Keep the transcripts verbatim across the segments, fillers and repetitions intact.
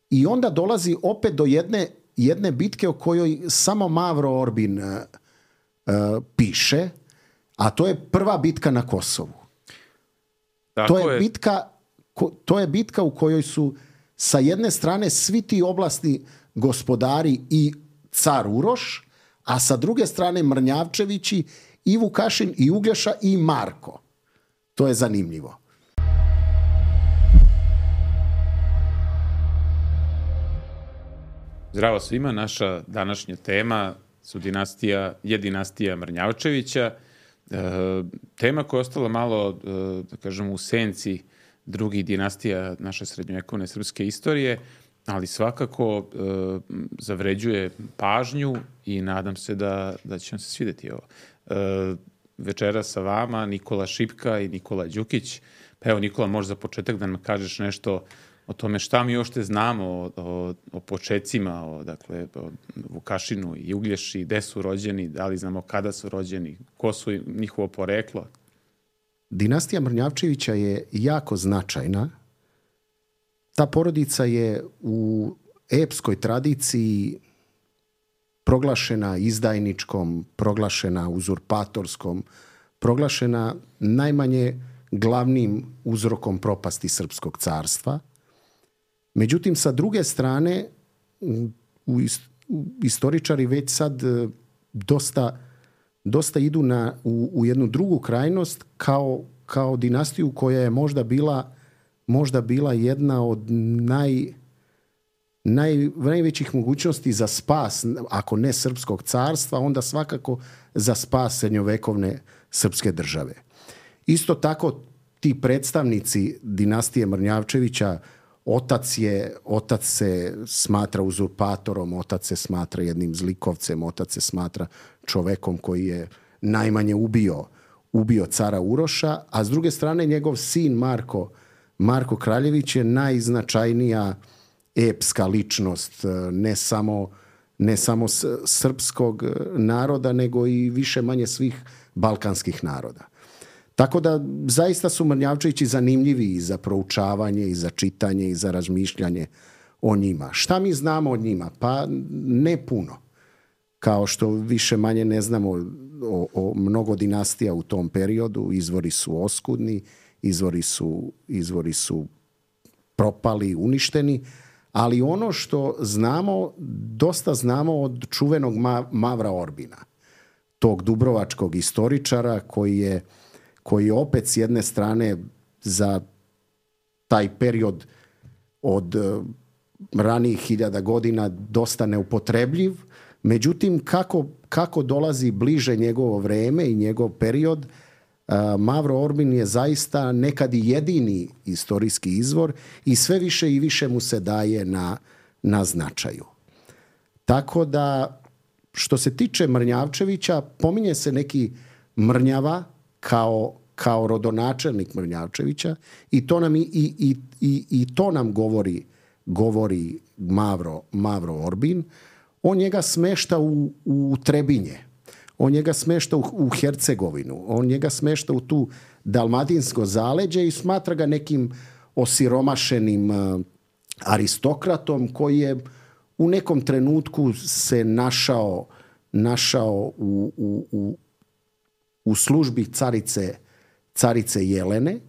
I onda dolazi opet do jedne, jedne bitke o kojoj samo Mavro Orbin uh, uh, piše, a to je prva bitka na Kosovu. Tako to je, je. bitka, ko, to je bitka u kojoj su sa jedne strane svi ti oblasti gospodari i car Uroš, a sa druge strane Mrnjavčevići i Vukašin i Uglješa i Marko. To je zanimljivo. Zdravo svima, naša današnja tema su dinastija, je dinastija Mrnjavčevića. E, tema koja je ostala malo, e, da kažem, u senci drugih dinastija naše srednjovekovne srpske istorije, ali svakako e, zavređuje pažnju i nadam se da, da će vam se svidjeti ovo. E, večera sa vama Nikola Šipka i Nikola Đukić. Pa evo, Nikola, možda za početak da nam kažeš nešto o tome šta mi još te znamo o, o, o počecima, o, dakle, o Vukašinu i Uglješi, gde su rođeni, da li znamo kada su rođeni, ko su njihovo poreklo? Dinastija Mrnjavčevića je jako značajna. Ta porodica je u epskoj tradiciji proglašena izdajničkom, proglašena uzurpatorskom, proglašena najmanje glavnim uzrokom propasti Srpskog carstva. Međutim, sa druge strane, u istoričari već sad dosta, dosta idu na, u, u jednu drugu krajnost kao, kao dinastiju koja je možda bila, možda bila jedna od naj, naj, najvećih mogućnosti za spas, ako ne Srpskog carstva, onda svakako za spas srednjovekovne srpske države. Isto tako, ti predstavnici dinastije Mrnjavčevića, Otac, je, otac se smatra uzurpatorom, otac se smatra jednim zlikovcem, otac se smatra čovekom koji je najmanje ubio, ubio cara Uroša, a s druge strane njegov sin Marko, Marko Kraljević je najznačajnija epska ličnost, ne samo, ne samo srpskog naroda, nego i više manje svih balkanskih naroda. Tako da zaista su Mrnjavčevići zanimljivi i za proučavanje, i za čitanje, i za razmišljanje o njima. Šta mi znamo o njima? Pa ne puno. Kao što više manje ne znamo o, o mnogo dinastija u tom periodu. Izvori su oskudni, izvori su, izvori su propali, uništeni. Ali ono što znamo, dosta znamo od čuvenog Mavra Orbina, tog dubrovačkog istoričara koji je koji je opet s jedne strane za taj period od ranijih hiljada godina dosta neupotrebljiv. Međutim, kako, kako dolazi bliže njegovo vreme i njegov period, Mavro Orbin je zaista nekad i jedini istorijski izvor i sve više i više mu se daje na, na značaju. Tako da, što se tiče Mrnjavčevića, pominje se neki Mrnjava kao, kao rodonačelnik Mrnjavčevića i to nam, i, i, i, i to nam govori, govori Mavro, Mavro Orbin. On njega smešta u, u Trebinje, on njega smešta u, u Hercegovinu, on njega smešta u tu dalmatinsko zaleđe i smatra ga nekim osiromašenim uh, aristokratom koji je u nekom trenutku se našao, našao u, u, u u službi carice, carice Jelene,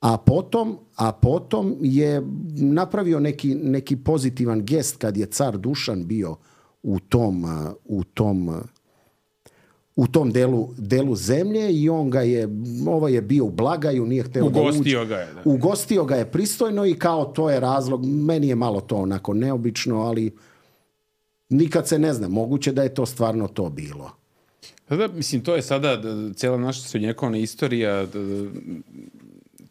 a potom, a potom je napravio neki, neki pozitivan gest kad je car Dušan bio u tom, u tom, u tom delu, delu zemlje i on ga je, ovo je bio u blagaju, nije hteo da uđe. Ugostio ga je. Da. Ugostio ga je pristojno i kao to je razlog, meni je malo to onako neobično, ali nikad se ne zna, moguće da je to stvarno to bilo. Da, mislim, to je sada cijela naša srednjovekovna istorija,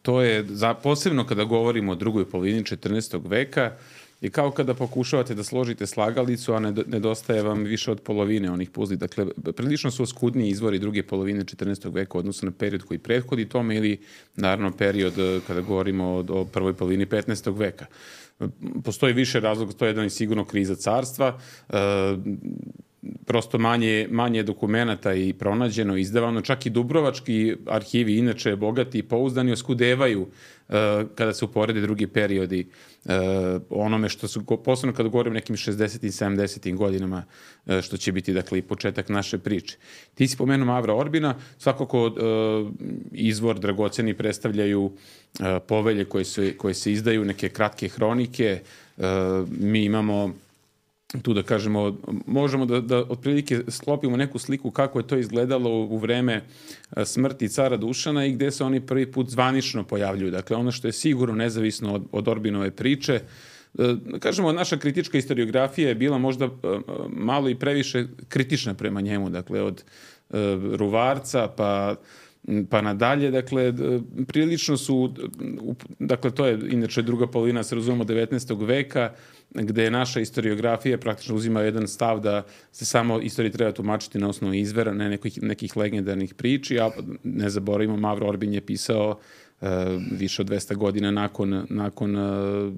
to je za, posebno kada govorimo o drugoj polovini četrnaestog veka, i kao kada pokušavate da složite slagalicu, a nedostaje vam više od polovine onih puzli. Dakle, prilično su oskudniji izvori druge polovine četrnaestog veka odnosno na period koji prethodi tome ili naravno period kada govorimo o, o prvoj polovini petnaestog veka. Postoji više razloga, to je jedan i sigurno kriza carstva, prosto manje, manje dokumenata i pronađeno, izdavano, čak i dubrovački arhivi, inače bogati i pouzdani, oskudevaju uh, kada se uporede drugi periodi uh, onome što su, posebno kada govorim o nekim šezdesetim i sedamdesetim godinama, uh, što će biti, dakle, i početak naše priče. Ti si pomenuo Mavra Orbina, svakako uh, izvor dragoceni predstavljaju uh, povelje koje se, koje se izdaju, neke kratke hronike. Uh, mi imamo tu, da kažemo, možemo da, da otprilike sklopimo neku sliku kako je to izgledalo u vreme smrti cara Dušana i gde se oni prvi put zvanično pojavljuju. Dakle, ono što je sigurno nezavisno od, od Orbinove priče. Kažemo, naša kritička historiografija je bila možda malo i previše kritična prema njemu. Dakle, od Ruvarca pa pa nadalje, dakle, prilično su, dakle, to je inače druga polovina, se razumemo, devetnaestog veka, gde je naša historiografija praktično uzima jedan stav da se samo istoriju treba tumačiti na osnovu izvera, ne nekih, nekih legendarnih priči, a ne zaboravimo, Mavro Orbin je pisao uh, više od dvesta godina nakon, nakon uh,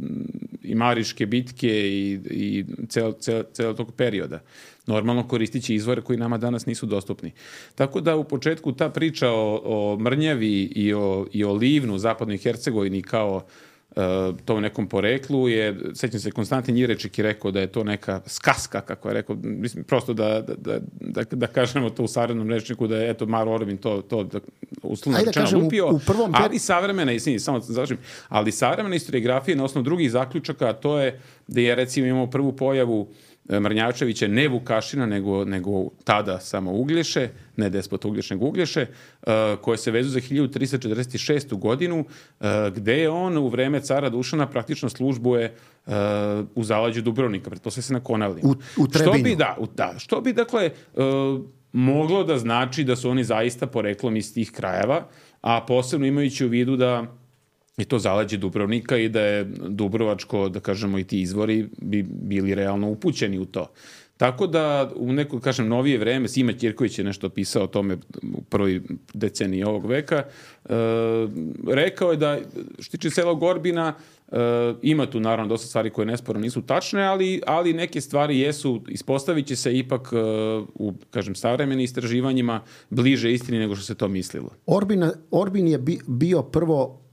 i Mariške bitke i, i cel, cel, cel tog perioda. Normalno koristići izvore koji nama danas nisu dostupni. Tako da u početku ta priča o, o Mrnjavi i o, i o Livnu u zapadnoj Hercegovini kao uh, tom nekom poreklu je, sećam se, Konstantin Jirečik je rekao da je to neka skaska, kako je rekao, mislim, prosto da, da, da, da kažemo to u savremenom rečniku, da je, eto, Mavro Orbin to, to da, uslovno rečeno lupio, u, u prvom per... ali savremena, izvini, samo završim, ali savremena historiografija na osnovu drugih zaključaka, to je da je, recimo, imamo prvu pojavu Mrnjavčevića, ne Vukašina, nego, nego tada samo Uglješe, ne despot Uglješ, nego Uglješe, uh, koje se vezu za hiljadu trista četrdeset šestu godinu, uh, gde je on u vreme cara Dušana praktično službuje uh, u zaleđu Dubrovnika, pretpostavlja se na Konavlima. U, u Trebinju. Što bi, da, u, da, što bi, dakle, uh, moglo da znači da su oni zaista poreklom iz tih krajeva, a posebno imajući u vidu da je to zaleđe Dubrovnika i da je Dubrovačko, da kažemo, i ti izvori bi bili realno upućeni u to. Tako da u neko, kažem, novije vreme, Sima Ćirković je nešto pisao o tome u prvoj deceniji ovog veka, e, rekao je da, što tiče Selog Orbina, e, ima tu naravno dosta stvari koje nesporno nisu tačne, ali, ali neke stvari jesu, ispostavit će se ipak e, u, kažem, savremenim istraživanjima bliže istini nego što se to mislilo. Orbina, Orbin je bi, bio prvo,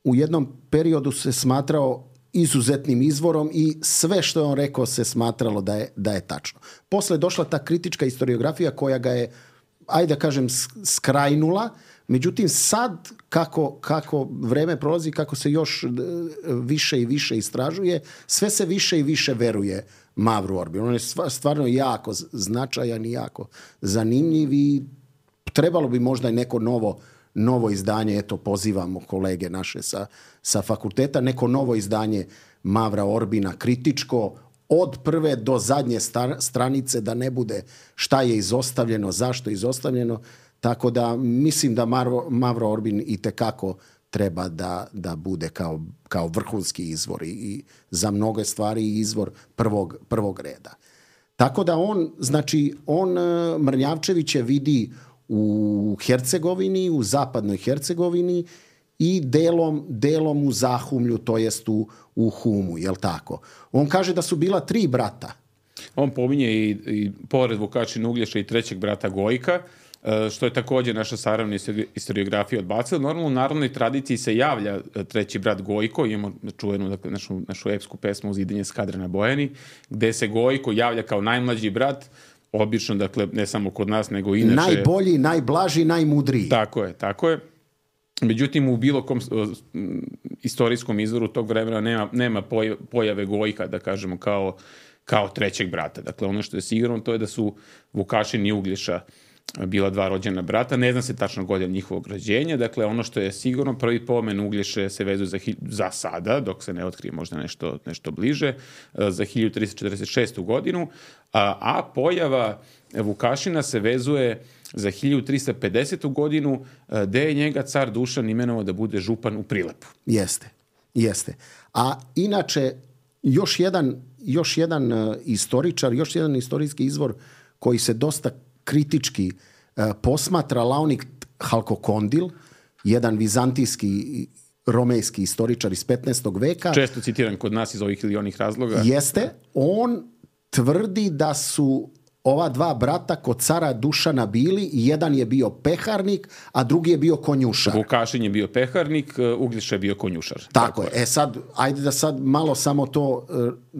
u jednom periodu se smatrao izuzetnim izvorom i sve što je on rekao se smatralo da je, da je tačno. Posle je došla ta kritička historiografija koja ga je, ajde da kažem, skrajnula. Međutim, sad kako, kako vreme prolazi, kako se još više i više istražuje, sve se više i više veruje Mavru Orbinu. On je stvarno jako značajan i jako zanimljiv i trebalo bi možda i neko novo novo izdanje, eto, pozivamo kolege naše sa, sa fakulteta, neko novo izdanje Mavra Orbina, kritičko, od prve do zadnje star, stranice, da ne bude šta je izostavljeno, zašto je izostavljeno, tako da mislim da Mavro, Mavro Orbin itekako treba da, da bude kao, kao vrhunski izvor i, i za mnoge stvari izvor prvog, prvog reda. Tako da on, znači, on Mrnjavčevića vidi u Hercegovini, u zapadnoj Hercegovini i delom, delom u Zahumlju, to jest u, u Humu, jel tako? On kaže da su bila tri brata. On pominje i, i pored Vukašina Uglješa i trećeg brata Gojka, što je također naša savremena historiografija odbacila. Normalno, u narodnoj tradiciji se javlja treći brat Gojko, imamo čuvenu, dakle, našu, našu epsku pesmu Uzidenje skadre na Bojani, gde se Gojko javlja kao najmlađi brat, obično, dakle, ne samo kod nas, nego inače... Najbolji, najblaži, najmudriji. Tako je, tako je. Međutim, u bilo kom uh, istorijskom izvoru tog vremena nema, nema pojave Gojka, da kažemo, kao, kao trećeg brata. Dakle, ono što je sigurno, to je da su Vukašin i Uglješa bila dva rođena brata. Ne zna se tačno godina njihovog rođenja. Dakle, ono što je sigurno, prvi pomen Uglješe se vezuje za, za sada, dok se ne otkrije možda nešto, nešto bliže, za hiljadu trista četrdeset šestu godinu, a, a pojava Vukašina se vezuje za hiljadu trista pedesetu godinu, gde je njega car Dušan imenovao da bude župan u Prilepu. Jeste, jeste. A inače, još jedan, još jedan uh, istoričar, još jedan istorijski izvor koji se dosta kritički uh, posmatra, Laonik Halkokondil, jedan vizantijski romejski istoričar iz petnaestog veka. Često citiran kod nas iz ovih ili onih razloga. Jeste. On tvrdi da su ova dva brata kod cara Dušana bili i jedan je bio peharnik, a drugi je bio konjušar. Vukašin je bio peharnik, Uglješa je bio konjušar. Tako, Tako je. E sad, ajde da sad malo samo to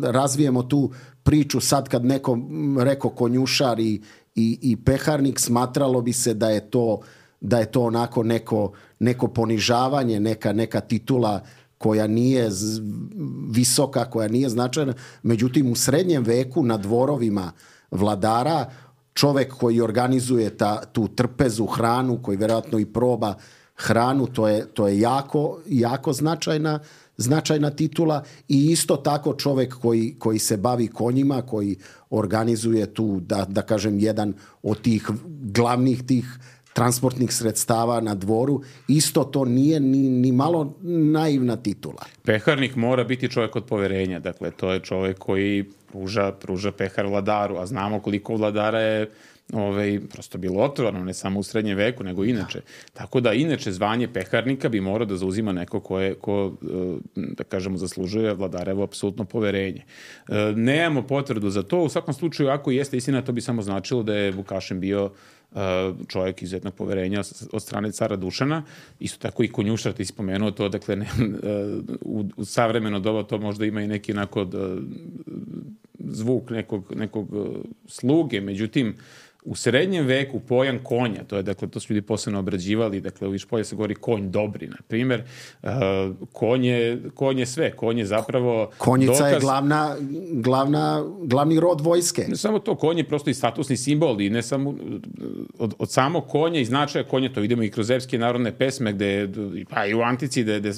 razvijemo tu priču. Sad kad neko rekao konjušar i, i, i peharnik, smatralo bi se da je to, da je to onako neko, neko ponižavanje, neka, neka titula koja nije visoka, koja nije značajna. Međutim, u srednjem veku na dvorovima vladara, čovjek koji organizuje ta, tu trpezu, hranu, koji vjerojatno i proba hranu, to je, to je jako, jako značajna, značajna titula. I isto tako čovjek koji, koji se bavi konjima, koji organizuje tu, da, da kažem, jedan od tih glavnih tih transportnih sredstava na dvoru, isto to nije ni, ni malo naivna titula. Peharnik mora biti čovjek od poverenja, dakle to je čovjek koji pruža, pruža pehar vladaru, a znamo koliko vladara je ovaj, prosto bilo otrovano, ne samo u srednjem veku, nego inače. Tako da inače zvanje peharnika bi morao da zauzima neko ko, je, ko da kažemo, zaslužuje vladarevo apsolutno poverenje. Nemamo potvrdu za to, u svakom slučaju ako jeste istina, to bi samo značilo da je Vukašin bio čovjek izuzetnog poverenja od strane cara Dušana. Isto tako i konjušar, ti si spomenuo to, dakle ne, u, u savremeno doba to možda ima i neki onako zvuk nekog, nekog sluge, međutim u srednjem veku pojam konja, to je, dakle, to su ljudi posebno obrađivali, dakle, u Višpolje se govori konj dobri, na primjer. Uh, konj, je, konj je sve, konj je zapravo Konjica dokaz... je glavna, glavna, glavni rod vojske. Ne samo to, konj je prosto i statusni simbol i ne samo od, od samo konja i značaja konja, to vidimo i kroz epske narodne pesme, gde, pa i u antici, gde, gde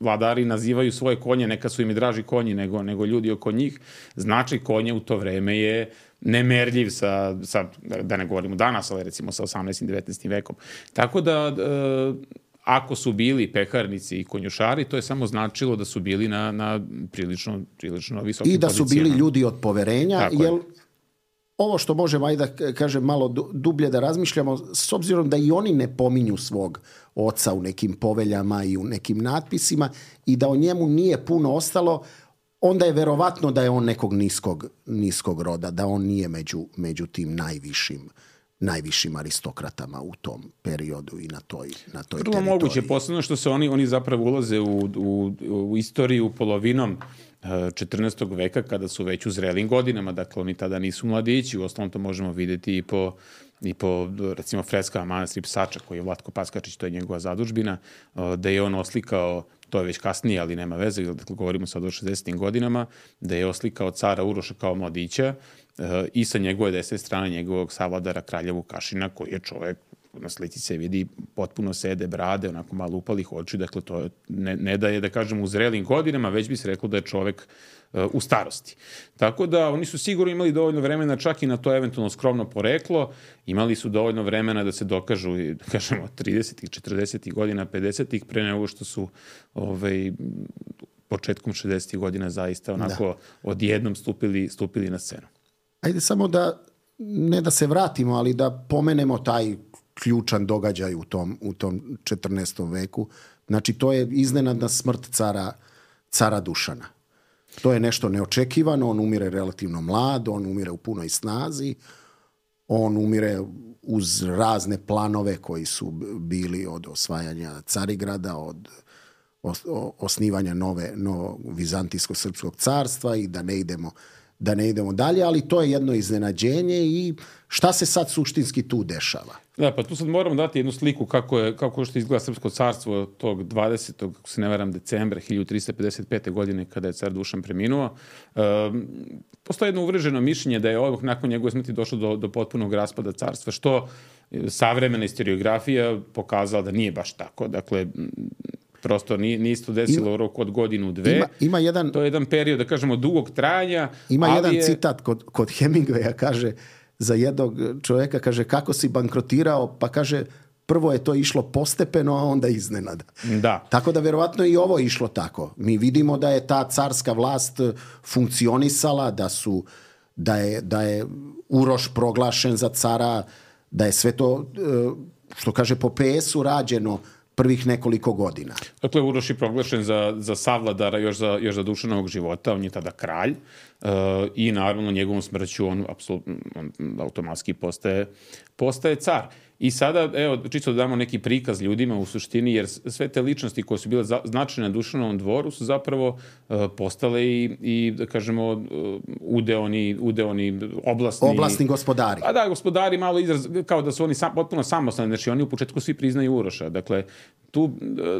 vladari nazivaju svoje konje, neka su im i draži konji nego, nego ljudi oko njih. Značaj konja u to vreme je nemerljiv sa, sa, da ne govorimo danas, ali recimo sa osamnaestim i devetnaestim vekom. Tako da, e, ako su bili peharnici i konjušari, to je samo značilo da su bili na, na prilično, prilično visokim pozicijama. I da su pozicijama. Bili ljudi od poverenja, Tako jer je. Ovo što možemo, ajde da kažem, malo dublje da razmišljamo, s obzirom da i oni ne pominju svog oca u nekim poveljama i u nekim natpisima i da o njemu nije puno ostalo, onda je verovatno da je on nekog niskog, niskog roda, da on nije među, među tim najvišim, najvišim aristokratama u tom periodu i na toj, na toj Vrlo teritoriji. moguće, posebno što se oni, oni zapravo ulaze u, u, u istoriju polovinom četrnaestog veka, kada su već u zrelim godinama, dakle oni tada nisu mladići, u osnovom to možemo vidjeti i po, i po recimo freskama manastira Psača, koji je Vlatko Paskačić, to je njegova zadužbina, da je on oslikao, to je već kasnije, ali nema veze, dakle govorimo sad o šezdesetim godinama, da je oslikao cara Uroša kao mladića i sa njegove desne strane njegovog savladara kralja Vukašina, koji je čovjek, na slici se vidi, potpuno sede brade, onako malo upalih oči, dakle to je, ne, ne da je, da kažem, u zrelim godinama, već bi se reklo da je čovjek uh, u starosti. Tako da oni su sigurno imali dovoljno vremena čak i na to eventualno skromno poreklo, imali su dovoljno vremena da se dokažu, da kažemo, tridesetih, četrdesetih godina, pedesetih, pre nego što su ovaj, početkom šezdesetih godina zaista onako da. odjednom stupili, stupili na scenu. Ajde samo da, ne da se vratimo, ali da pomenemo taj ključan događaj u tom, u tom četrnaestom veku. Znači, to je iznenadna smrt cara, cara Dušana. To je nešto neočekivano, on umire relativno mlad, on umire u punoj snazi, on umire uz razne planove koji su bili od osvajanja Carigrada, od osnivanja nove, novog Vizantijsko-srpskog carstva i da ne idemo da ne idemo dalje, ali to je jedno iznenađenje i šta se sad suštinski tu dešava? Da, pa tu sad moramo dati jednu sliku kako je, kako što izgleda srpsko carstvo tog dvadesetog, ako se ne varam, decembra hiljadu tristo pedeset pete. godine kada je car Dušan preminuo. Um, postoji jedno uvreženo mišljenje da je ovog nakon njegove smrti došlo do, do potpunog raspada carstva, što savremena historiografija pokazala da nije baš tako. Dakle, prosto nije, nije isto desilo u roku od godinu, dve. Ima, ima jedan, to je jedan period, da kažemo, dugog trajanja. Ima ali jedan je... citat kod, kod Hemingwaya, kaže, za jednog čovjeka, kaže, kako si bankrotirao, pa kaže, prvo je to išlo postepeno, a onda iznenada. Da. Tako da verovatno i ovo išlo tako. Mi vidimo da je ta carska vlast funkcionisala, da su, da je, da je Uroš proglašen za cara, da je sve to, što kaže, po P S-u rađeno prvih nekoliko godina. Dakle, Uroš je proglašen za, za savladara još za, još za Dušanovog života, on je tada kralj uh, i naravno njegovom smrću on, apsolutno, on automatski postaje, postaje car. I sada, evo, čisto da damo neki prikaz ljudima u suštini, jer sve te ličnosti koje su bile za, značajne na Dušanovom dvoru su zapravo uh, postale i, i, da kažemo, uh, udeoni, udeoni oblasni... Oblasni gospodari. A da, gospodari, malo izraz, kao da su oni sam, potpuno samostalni, znači oni u početku svi priznaju Uroša. Dakle, tu,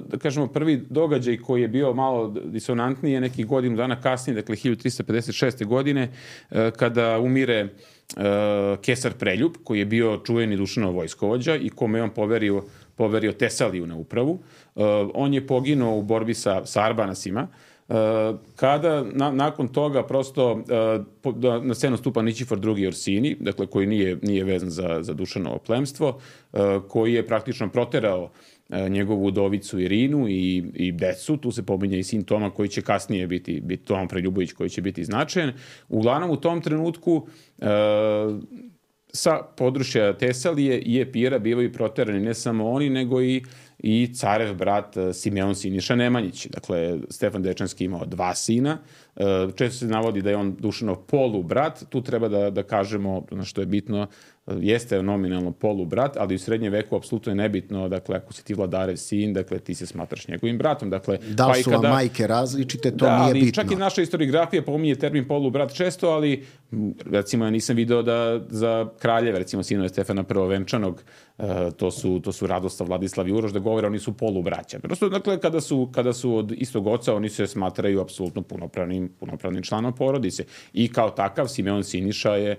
da kažemo, prvi događaj koji je bio malo disonantniji je neki godinu dana kasnije, dakle, hiljadu tristo pedeset šeste. godine, uh, kada umire Uh, Kesar Preljub, koji je bio čuveni Dušanov vojskovođa i kome je on poverio, poverio Tesaliju na upravu. Uh, on je poginuo u borbi sa, sa Arbanasima. Uh, kada na, nakon toga prosto uh, po, da, na scenu stupa Nićifor drugi. Orsini, dakle koji nije, nije vezan za, za Dušanovo plemstvo, uh, koji je praktično proterao njegovu udovicu Irinu i, i decu, tu se pominje i sin Toma koji će kasnije biti, biti Toma Preljubović koji će biti značajan. Uglavnom u tom trenutku e, sa područja Tesalije i Epira bivaju proterani ne samo oni, nego i, i carev brat Simeon Siniša Nemanjić. Dakle, Stefan Dečanski imao dva sina. E, često se navodi da je on Dušanov polubrat. Tu treba da, da kažemo, na što je bitno, jeste nominalno polubrat, ali u srednjem veku apsolutno je nebitno, dakle, ako si ti vladarev sin, dakle, ti se smatraš njegovim bratom. Dakle, da li su vam kada, majke različite, to da, nije ali bitno. Čak i naša historiografija pominje termin polubrat često, ali recimo ja nisam video da za kraljeve, recimo sinove Stefana Prvovenčanog, to su, to su Radoslav, Vladislav i Uroš, da govore oni su polubraća. Prosto, dakle, kada su, kada su od istog oca, oni se smatraju apsolutno punopravnim, punopravnim članom porodice. I kao takav, Simeon Siniša je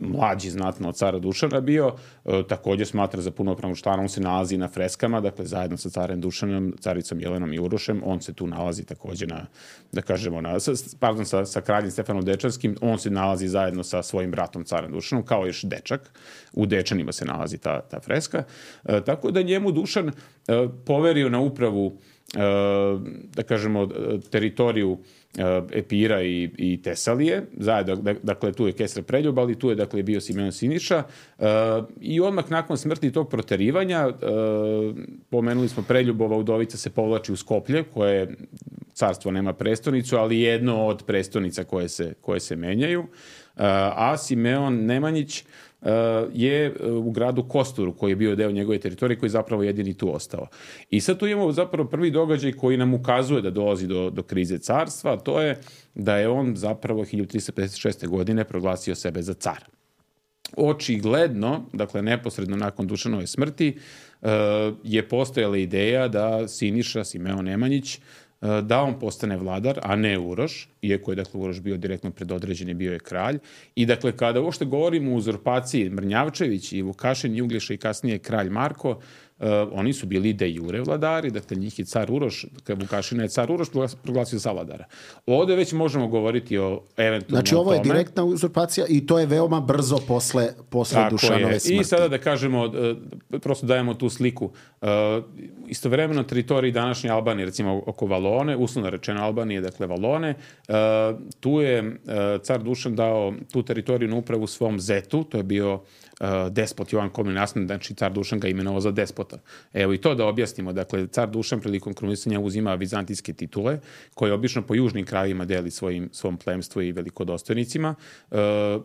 mlađi znatno od cara Dušana bio, e, također smatra za punopravnog člana, on se nalazi na freskama, dakle, zajedno sa carem Dušanom, caricom Jelenom i Urošem, on se tu nalazi također na, da kažemo, na, pardon, sa, sa kraljem Stefanom Dečanskim, on se nalazi zajedno sa svojim bratom carem Dušanom, kao još dečak, u Dečanima se nalazi ta, ta freska, e, tako da njemu Dušan e, poverio na upravu, e, da kažemo, teritoriju Epira i, i Tesalije, zajedno, dakle, tu je Kesar Preljub, ali tu je, dakle, bio Simeon Siniša uh, i odmah nakon smrti tog proterivanja, uh, pomenuli smo Preljubova udovica se povlači u Skoplje, koje carstvo nema prestonicu, ali jedno od prestonica koje se, koje se menjaju, uh, a Simeon Nemanjić Uh, je u gradu Kosturu, koji je bio deo njegove teritorije, koji je zapravo jedini tu ostao. I sad tu imamo zapravo prvi događaj koji nam ukazuje da dolazi do, do krize carstva, a to je da je on zapravo hiljadu tristo pedeset šeste. godine proglasio sebe za cara. Očigledno, dakle neposredno nakon Dušanove smrti, uh, je postojala ideja da Siniša, Simeon Nemanjić, da on postane vladar, a ne Uroš, iako je, dakle, Uroš bio direktno predodređen i bio je kralj. I, dakle, kada uopšte govorimo o uzurpaciji Mrnjavčević i Vukašin i Uglješa i kasnije kralj Marko, uh, oni su bili de jure vladari, dakle, njih je car Uroš, kada Vukašina je car Uroš proglasio za vladara. Ovde već možemo govoriti o eventualno znači, ovo je tome. direktna uzurpacija i to je veoma brzo posle, posle Dušanove smrti. I sada da kažemo, uh, prosto dajemo tu sliku. Uh, istovremeno teritoriji današnje Albanije, recimo oko Valone, uslovno rečeno Albanije, dakle Valone, uh, tu je uh, car Dušan dao tu teritoriju na upravu svom zetu, to je bio uh, despot Jovan Komin Nasman, znači car Dušan ga imenovao za despota. Evo i to da objasnimo, dakle car Dušan prilikom krunisanja uzima vizantijske titule, koje obično po južnim krajevima deli svojim, svom plemstvu i velikodostojnicima. Uh,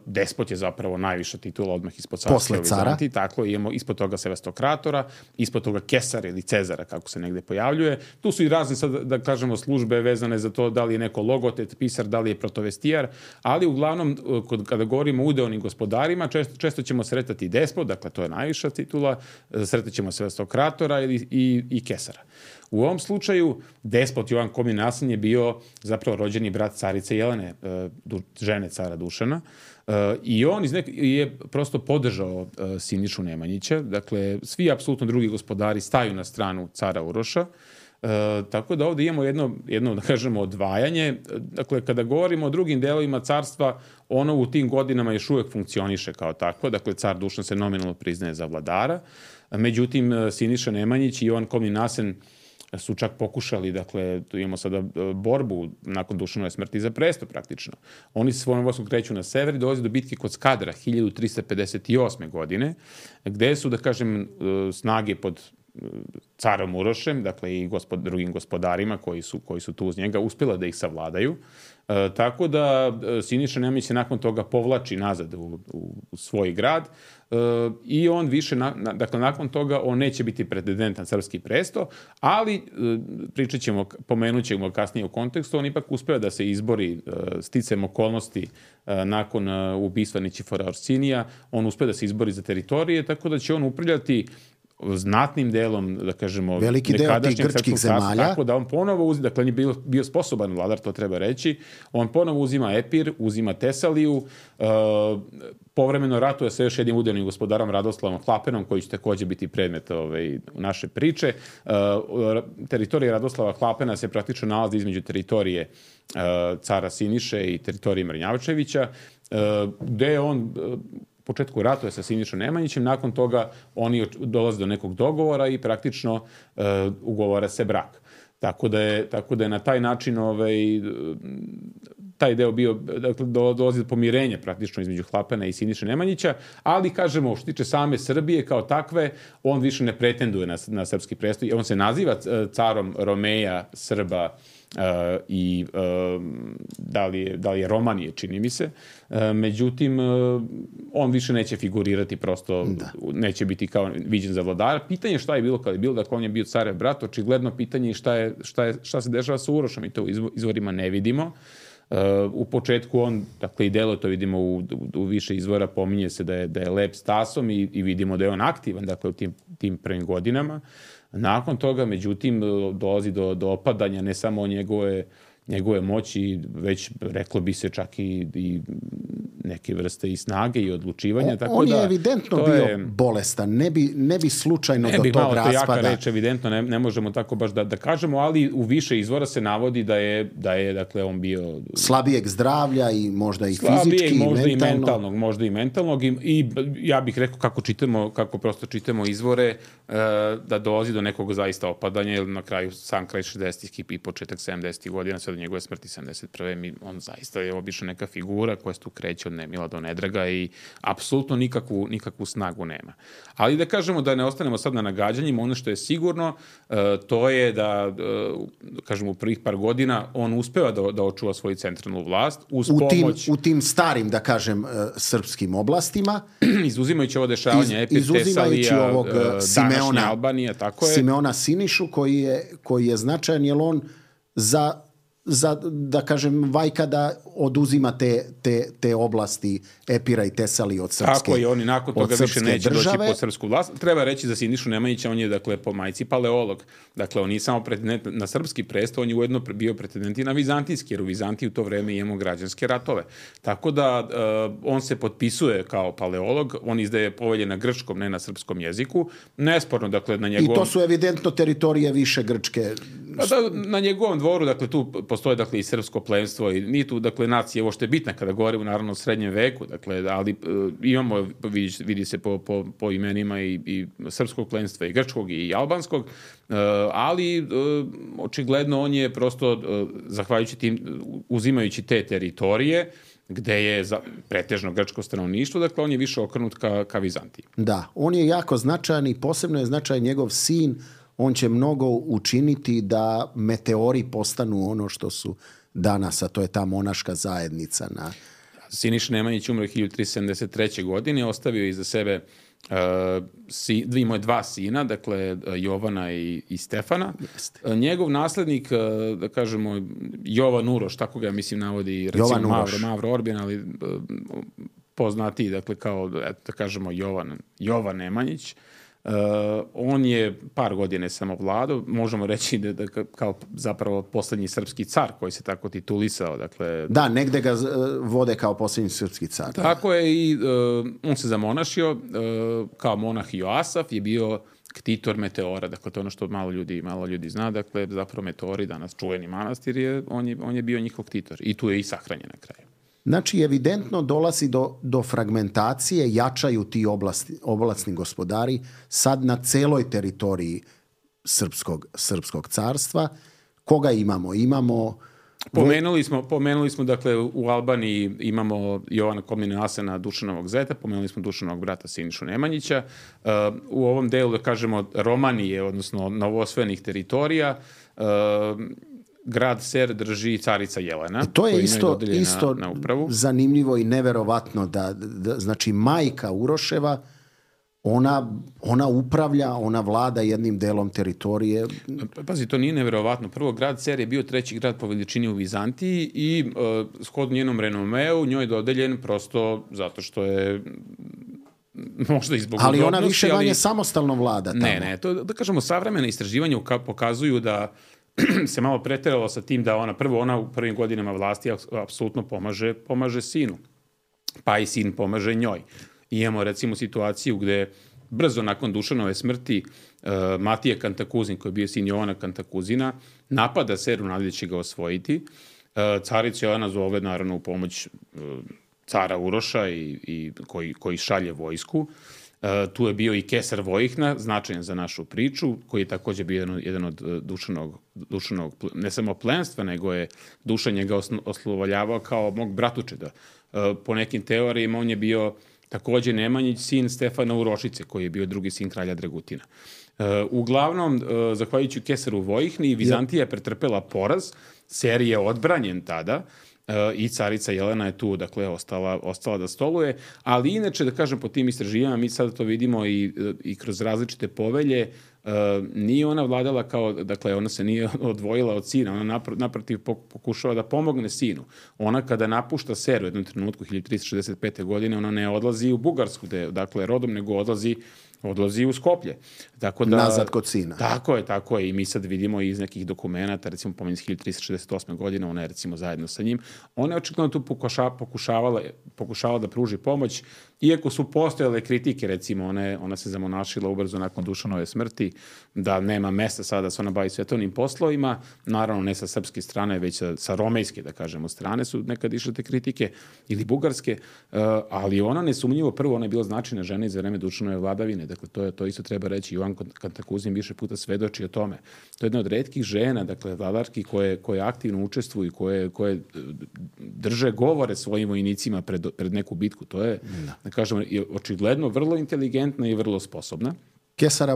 despot je zapravo najviša titula odmah ispod carstva u Vizantiji, tako imamo ispod toga sevastokratora, ispod toga kesara ili cezara, kako se negde pojavljuje. Tu su i razne, sad, da kažemo, službe vezane za to da li je neko logotet, pisar, da li je protovestijar, ali uglavnom, kod, kada govorimo o udeonim gospodarima, često, često ćemo sretati despot, dakle to je najviša titula, sretat ćemo sevastokratora ili, i, i kesara. U ovom slučaju, despot Jovan Komin Nasman je bio zapravo rođeni brat carice Jelene, žene cara Dušana, i on iz nek- je prosto podržao Sinišu Nemanjića. Dakle, svi apsolutno drugi gospodari staju na stranu cara Uroša. E, tako da ovdje imamo jedno, jedno, da kažemo, odvajanje. Dakle, kada govorimo o drugim delovima carstva, ono u tim godinama još uvijek funkcioniše kao takvo. Dakle, car Dušan se nominalno priznaje za vladara. Međutim, Siniša Nemanjić i Jovan Komin Nasman su čak pokušali, dakle, tu imamo sada borbu nakon Dušanove smrti za presto praktično. Oni se svojom vojskom kreću na sever i dolaze do bitke kod Skadra hiljadu tristo pedeset osme. godine, gde su, da kažem, snage pod carom Urošem, dakle i gospod, drugim gospodarima koji su, koji su tu uz njega, uspjela da ih savladaju. E, tako da Siniša Nemanja se nakon toga povlači nazad u, u, u svoj grad e, i on više, na, na, dakle nakon toga on neće biti pretendent na srpski presto, ali e, pričat ćemo, pomenut ćemo kasnije u kontekstu, on ipak uspeva da se izbori e, sticem okolnosti e, nakon e, ubistva Nićifora Orsinija, on uspeva da se izbori za teritorije, tako da će on upravljati znatnim delom, da kažemo, veliki deo tih grčkih zemalja. Tako da on ponovo uzima, dakle on je bio, bio sposoban vladar, to treba reći, on ponovo uzima Epir, uzima Tesaliju, uh, povremeno ratuje sa još jednim udelnim gospodarom Radoslavom Hlapenom, koji će također biti predmet ovaj, naše priče. Uh, teritorija Radoslava Hlapena se praktično nalazi između teritorije uh, cara Siniše i teritorije Mrnjavčevića, uh, gde je on uh, u početku ratuje sa Sinišom Nemanjićem, nakon toga oni dolaze do nekog dogovora i praktično uh, ugovara se brak. Tako da je, tako da je na taj način ovaj, taj deo bio, dakle, dolazi do pomirenja praktično između Hlapena i Siniše Nemanjića, ali kažemo, što tiče same Srbije kao takve, on više ne pretenduje na, na srpski presto. On se naziva carom Romeja, Srba, Uh, i uh, da, li je, da li je Romanije, čini mi se. Uh, međutim, uh, on više neće figurirati, prosto da. Neće biti kao viđen za vladara. Pitanje šta je bilo kada je bilo, dakle on je bio carev brat, očigledno pitanje je šta, je, šta, je, šta se dešava sa Urošom i to u izvorima ne vidimo. Uh, u početku on, dakle i delo to vidimo u, u, u više izvora, pominje se da je, da je lep stasom i, i vidimo da je on aktivan, dakle u tim, tim prvim godinama. Nakon toga, međutim, dolazi do, do opadanja ne samo njegove, njegove moći, već reklo bi se čak i, i neke vrste i snage i odlučivanja. On, tako on da, je evidentno bio je, bolestan, ne bi, ne bi slučajno ne do bi tog malo raspada. To jaka reč, evidentno, ne, ne možemo tako baš da, da kažemo, ali u više izvora se navodi da je, da je dakle, on bio slabijeg zdravlja i možda i slabijeg, fizički možda i mentalno. I mentalnog, možda i mentalnog i, i ja bih rekao kako čitamo, kako prosto čitamo izvore, e, da dolazi do nekog zaista opadanja, jer na kraju sam kraj šezdesetih i početak sedamdesetih godina, sve do njegove smrti sedamdeset prve Mi, on zaista je obično neka figura koja se tu kreće od nemila do nedraga i apsolutno nikakvu, nikakvu snagu nema. Ali da kažemo da ne ostanemo sad na nagađanjima, ono što je sigurno, uh, to je da, uh, kažemo, u prvih par godina on uspeva da, da očuva svoju centralnu vlast uz u pomoć... Tim, u tim starim, da kažem, uh, srpskim oblastima. Izuzimajući ovo dešavanje, Epir, Tesalija, ovog, uh, Simeona, Albanija, tako je. Simeona Sinišu, koji je, koji je značajan, jer on za... za, da kažem, Vajka da oduzima te, te, te oblasti Epira i Tesalije od srpske Tako je, oni nakon toga više neće države. doći pod srpsku vlast. Treba reći za Sinišu Nemanjića, on je, dakle, po majci paleolog. Dakle, on nije samo pretendent na srpski presto, on je ujedno bio pretendent i na vizantijski, jer u Vizantiji u to vreme imamo građanske ratove. Tako da uh, on se potpisuje kao paleolog, on izdaje povelje na grčkom, ne na srpskom jeziku. Nesporno, dakle, na njegovom... I to su evidentno teritorije više grčke. Pa da, na njegovom dvoru, dakle, tu postoje, dakle, i srpsko plemstvo i ni tu, dakle, nacija, ovo što je bitna kada govorimo, naravno, o srednjem veku, dakle, ali uh, imamo, vidi, vidi se po, po, po imenima i, i srpskog plemstva i grčkog i albanskog, uh, ali uh, očigledno on je prosto, uh, zahvaljujući tim, uzimajući te teritorije, gde je za, pretežno grčko stanovništvo, dakle, on je više okrenut ka, ka Vizantiji. Da, on je jako značajan i posebno je značajan njegov sin. On će mnogo učiniti da meteori postanu ono što su danas, a to je ta monaška zajednica. Na... Siniša Nemanjić umro hiljadu tristo sedamdeset treće. godine, ostavio iza sebe uh, si, imao je dva sina, dakle Jovana i, i Stefana. Jeste. Njegov naslednik, uh, da kažemo, Jovan Uroš, tako ga mislim navodi, recimo Mavro, Mavro Orbjan, ali uh, poznati, dakle, kao, da kažemo, Jovan, Jovan Nemanjić. Uh, on je par godine samo vladao, možemo reći da, da kao zapravo posljednji srpski car koji se tako titulisao. Dakle, da, negde ga vode kao posljednji srpski car. Tako je i uh, on se zamonašio, uh, kao monah Joasaf je bio ktitor Meteora, dakle to je ono što malo ljudi, malo ljudi zna, dakle zapravo Meteori, danas čuveni manastir, je, on, je, on je bio njihov ktitor i tu je i sahranjen na kraju. Znači, evidentno dolazi do, do fragmentacije, jačaju ti oblasti, oblastni gospodari sad na celoj teritoriji srpskog, srpskog carstva. Koga imamo? Imamo... Pomenuli smo, pomenuli smo, dakle, u Albaniji imamo Jovana Komnena Asena, Dušanovog zeta, pomenuli smo Dušanovog brata Sinišu Nemanjića. Uh, u ovom delu, da kažemo, Romanije, odnosno novoosvojenih teritorija, uh, grad Ser drži carica Jelena. I to je isto, isto na, na zanimljivo i neverovatno da, da, znači, majka Uroševa, Ona, ona upravlja, ona vlada jednim delom teritorije. Pazi, to nije neverovatno. Prvo, grad Ser je bio treći grad po veličini u Vizantiji i uh, shodno njenom renomeu njoj je dodeljen prosto zato što je možda i zbog ali udobnosti. Ona više manje ali... samostalno vlada tamo. Ne, ne, to da kažemo savremena istraživanja pokazuju da se malo preteralo sa tim da ona, prvo ona u prvim godinama vlasti apsolutno pomaže, pomaže sinu. Pa i sin pomaže njoj. I imamo recimo situaciju gde brzo nakon Dušanove smrti uh, Matija Kantakuzin, koji je bio sin Jovana Kantakuzina, napada Seru nadalje će ga osvojiti. Uh, carica Jelena zove naravno u pomoć uh, cara Uroša i, i koji, koji šalje vojsku. Uh, tu je bio i Kesar Vojihna, značajan za našu priču, koji je takođe bio jedan, jedan od Dušanog, Dušanog, ne samo plenstva, nego je Dušan njega oslovoljavao kao mog bratučeda. Uh, po nekim teorijama on je bio takođe Nemanjić, sin Stefana Urošice, koji je bio drugi sin kralja Dragutina. Uh, uglavnom, uh, zahvaljujući Kesaru Vojihni, Vizantija je pretrpela poraz, Ser je odbranjen tada uh, i carica Jelena je tu, dakle, ostala, ostala da stoluje, ali inače, da kažem, po tim istraživanjima, mi sada to vidimo i, i kroz različite povelje, Uh, nije ona vladala kao, dakle, ona se nije odvojila od sina, ona napr- naprotiv pokušava da pomogne sinu. Ona kada napušta Ser u jednom trenutku hiljadu tristo šezdeset pete. godine, ona ne odlazi u Bugarsku, de, dakle, rodom, nego odlazi odlazi u Skoplje. Tako da, nazad kod sina. Tako je, tako je. I mi sad vidimo iz nekih dokumenta, recimo pomenut hiljadu tristo šezdeset osme. godine, ona je recimo zajedno sa njim. Ona je očigledno tu pokuša, pokušavala, pokušavala da pruži pomoć, iako su postojale kritike, recimo, ona, je, ona se zamonašila ubrzo nakon Dušanove smrti, da nema mesta sada da se ona bavi svetovnim poslovima, naravno ne sa srpske strane, već sa, sa romejske, da kažemo, strane su nekad išle te kritike, ili bugarske, uh, ali ona nesumnjivo, prvo, ona je bila značajna žena iz vreme Dušanove vladavine. Dakle, to, je, to isto treba reći. Jovan Kantakuzin više puta svedoči o tome. To je jedna od retkih žena, dakle, vladarki koje, koje aktivno učestvuju, koje, koje drže govore svojim vojnicima pred, pred neku bitku. To je, da, da kažemo, očigledno vrlo inteligentna i vrlo sposobna. Kesara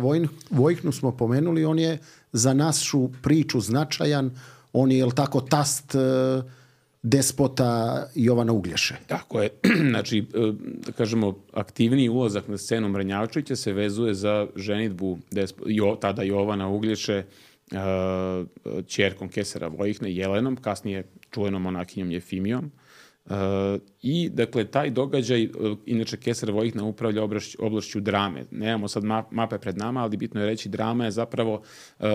Vojihnu smo pomenuli, on je za našu priču značajan, on je, jel tako, tast despota Jovana Uglješe. Tako je. Znači, da kažemo, aktivniji ulazak na scenu Mrnjavčevića se vezuje za ženidbu despo, jo, tada Jovana Uglješe uh, ćerkom Kesara Vojihne, Jelenom, kasnije čuvenom monakinjom Jefimijom. Uh, I, dakle, taj događaj, uh, inače Kesar Vojihna upravlja oblašć, oblašću Drame. Nemamo sad map, mape pred nama, ali bitno je reći Drama je zapravo uh,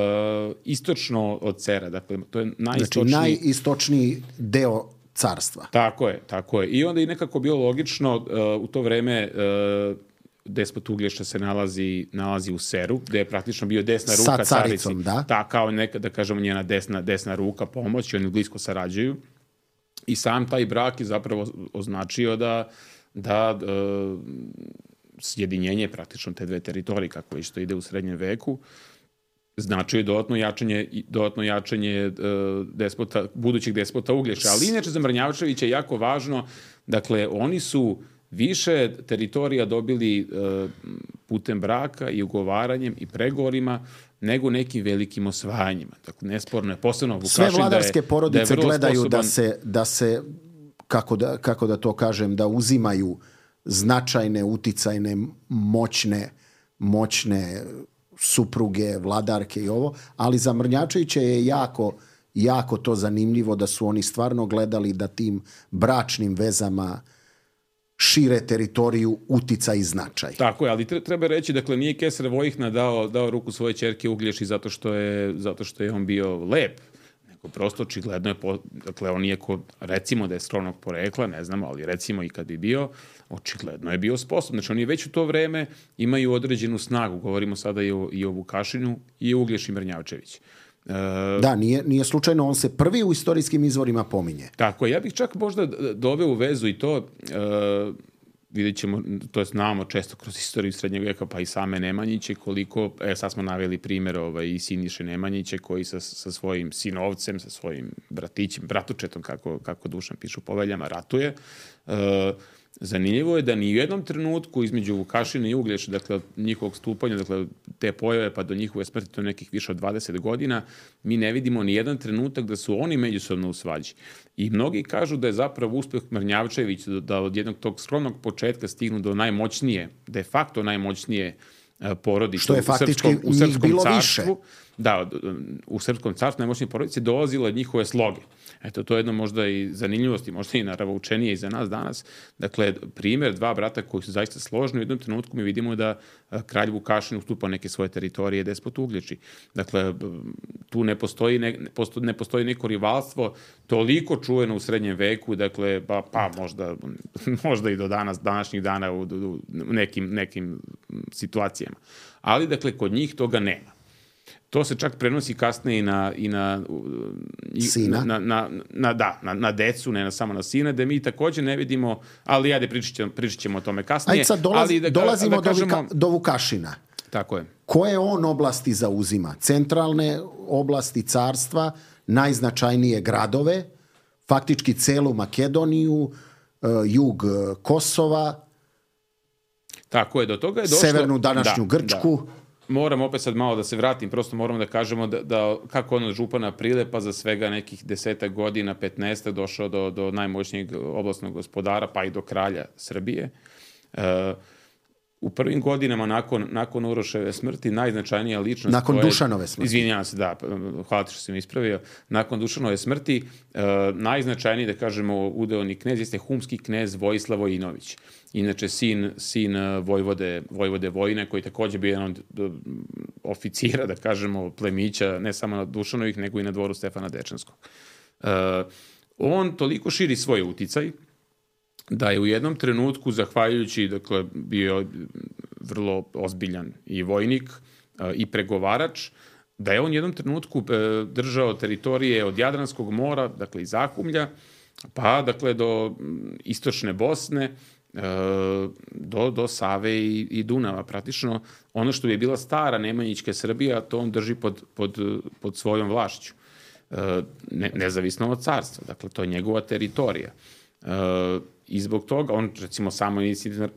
istočno od Sera. Dakle, to je najistočniji... Znači, najistočniji deo carstva. Tako je, tako je. I onda je nekako bilo logično, uh, u to vreme uh, despot Uglješa se nalazi, nalazi u Seru, gde je praktično bio desna ruka sa caricom, carici. Da. Ta, kao neka, da kažemo, njena desna, desna ruka pomoć, oni blisko sarađuju. I sam taj brak je zapravo označio da, da e, sjedinjenje praktično te dve teritorije, kako isto ide u srednjem veku, značio je dodatno jačanje, dodatno jačanje e, despota, budućeg despota Uglješa. Ali inače za Mrnjavčevića je jako važno, dakle, oni su više teritorija dobili e, putem braka i ugovaranjem i pregovorima nego nekim velikim osvajanjima. Dakle, nesporno je posebno Vukašin sve vladarske da je, porodice da je gledaju sposoban... da se, da se kako, da, kako da to kažem, da uzimaju značajne, uticajne, moćne, moćne supruge, vladarke i ovo, ali za Mrnjavčevića je jako, jako to zanimljivo da su oni stvarno gledali da tim bračnim vezama šire teritoriju, uticaj i značaj. Tako je, ali treba reći, dakle, nije Kesar Vojihna dao, dao ruku svoje ćerke Uglješi zato što je, zato što je on bio lep, nego prosto očigledno je, po, dakle, on nije ko, recimo da je skromnog porekla, ne znamo, ali recimo i kad bi bio, očigledno je bio sposoban. Znači, oni već u to vreme imaju određenu snagu, govorimo sada i o, i o Vukašinu i o Uglješi Mrnjavčević. Uh, da, nije, nije slučajno, on se prvi u istorijskim izvorima pominje. Tako, ja bih čak možda doveo u vezu i to, uh, vidjet ćemo, to je znamo često kroz istoriju srednjeg veka, pa i same Nemanjiće, koliko, e, sad smo naveli primjer ovaj, i Siniše Nemanjiće, koji sa, sa svojim sinovcem, sa svojim bratićem, bratučetom, kako, kako Dušan piše u Poveljama, ratuje. E, zanimljivo je da ni u jednom trenutku između Vukašina i Uglješe, dakle, njihovog stupanja, dakle, te pojave pa do njihove smrti, to nekih više od dvadeset godina, mi ne vidimo ni jedan trenutak da su oni međusobno u svađi. I mnogi kažu da je zapravo uspeh Mrnjavčevića da od jednog tog skromnog početka stignu do najmoćnije, de facto najmoćnije porodice. Što je faktički u srpskom, u srpskom bilo carstvu, više. Da, u srpskom carstvu najmoćnije porodice dolazilo od njihove sloge. Eto, to je jedno možda i zanimljivosti, možda i naravno učenije i za nas danas. Dakle, primjer dva brata koji su zaista složni, u jednom trenutku mi vidimo da kralj Vukašin ustupa neke svoje teritorije despot Uglješi. Dakle, tu ne postoji, ne, ne postoji neko rivalstvo toliko čujeno u srednjem veku, dakle, pa, pa možda, možda i do danas, današnjih dana u, u nekim, nekim situacijama. Ali, dakle, kod njih toga nema. To se čak prenosi kasnije i na, i na, i sina. Na, na, na, da, na, na decu, ne na, samo na sina, da mi također ne vidimo, ali ajde pričat ćemo, pričat ćemo o tome kasnije. Ajde sad dolaz, ali da, dolazimo da kažemo, do, Vika, do Vukašina. Tako je. Koje on oblasti zauzima? Centralne oblasti carstva, najznačajnije gradove, faktički celu Makedoniju, jug Kosova, tako je, do toga je došlo, severnu današnju da, Grčku. Da. Moram opet sad malo da se vratim, prosto moramo da kažemo da, da kako on od župana Prilepa za svega nekih desetak godina, petnaestak došao do, do najmoćnijeg oblastnog gospodara, pa i do kralja Srbije. E, u prvim godinama nakon, nakon Uroševe smrti najznačajnija ličnost... Nakon koje, Dušanove smrti. Izvinjavam se, da, hvala što sam ispravio. Nakon Dušanove smrti e, najznačajniji, da kažemo, udeoni knez jeste humski knez Vojislav Vojinović. Inače, sin, sin Vojvode, Vojvode Vojine, koji također bio jedan od oficira, da kažemo, plemića, ne samo na Dušanovih, nego i na dvoru Stefana Dečanskog. E, on toliko širi svoj uticaj, da je u jednom trenutku, zahvaljujući, dakle, bio vrlo ozbiljan i vojnik e, i pregovarač, da je on u jednom trenutku e, držao teritorije od Jadranskog mora, dakle, iz Zahumlja, pa, dakle, do istočne Bosne, do, do Save i, i Dunava. Praktično ono što je bila stara Nemanjićka Srbija, to on drži pod, pod, pod svojom vlašću. Ne, nezavisno od carstva. Dakle, to je njegova teritorija. I zbog toga, on recimo samo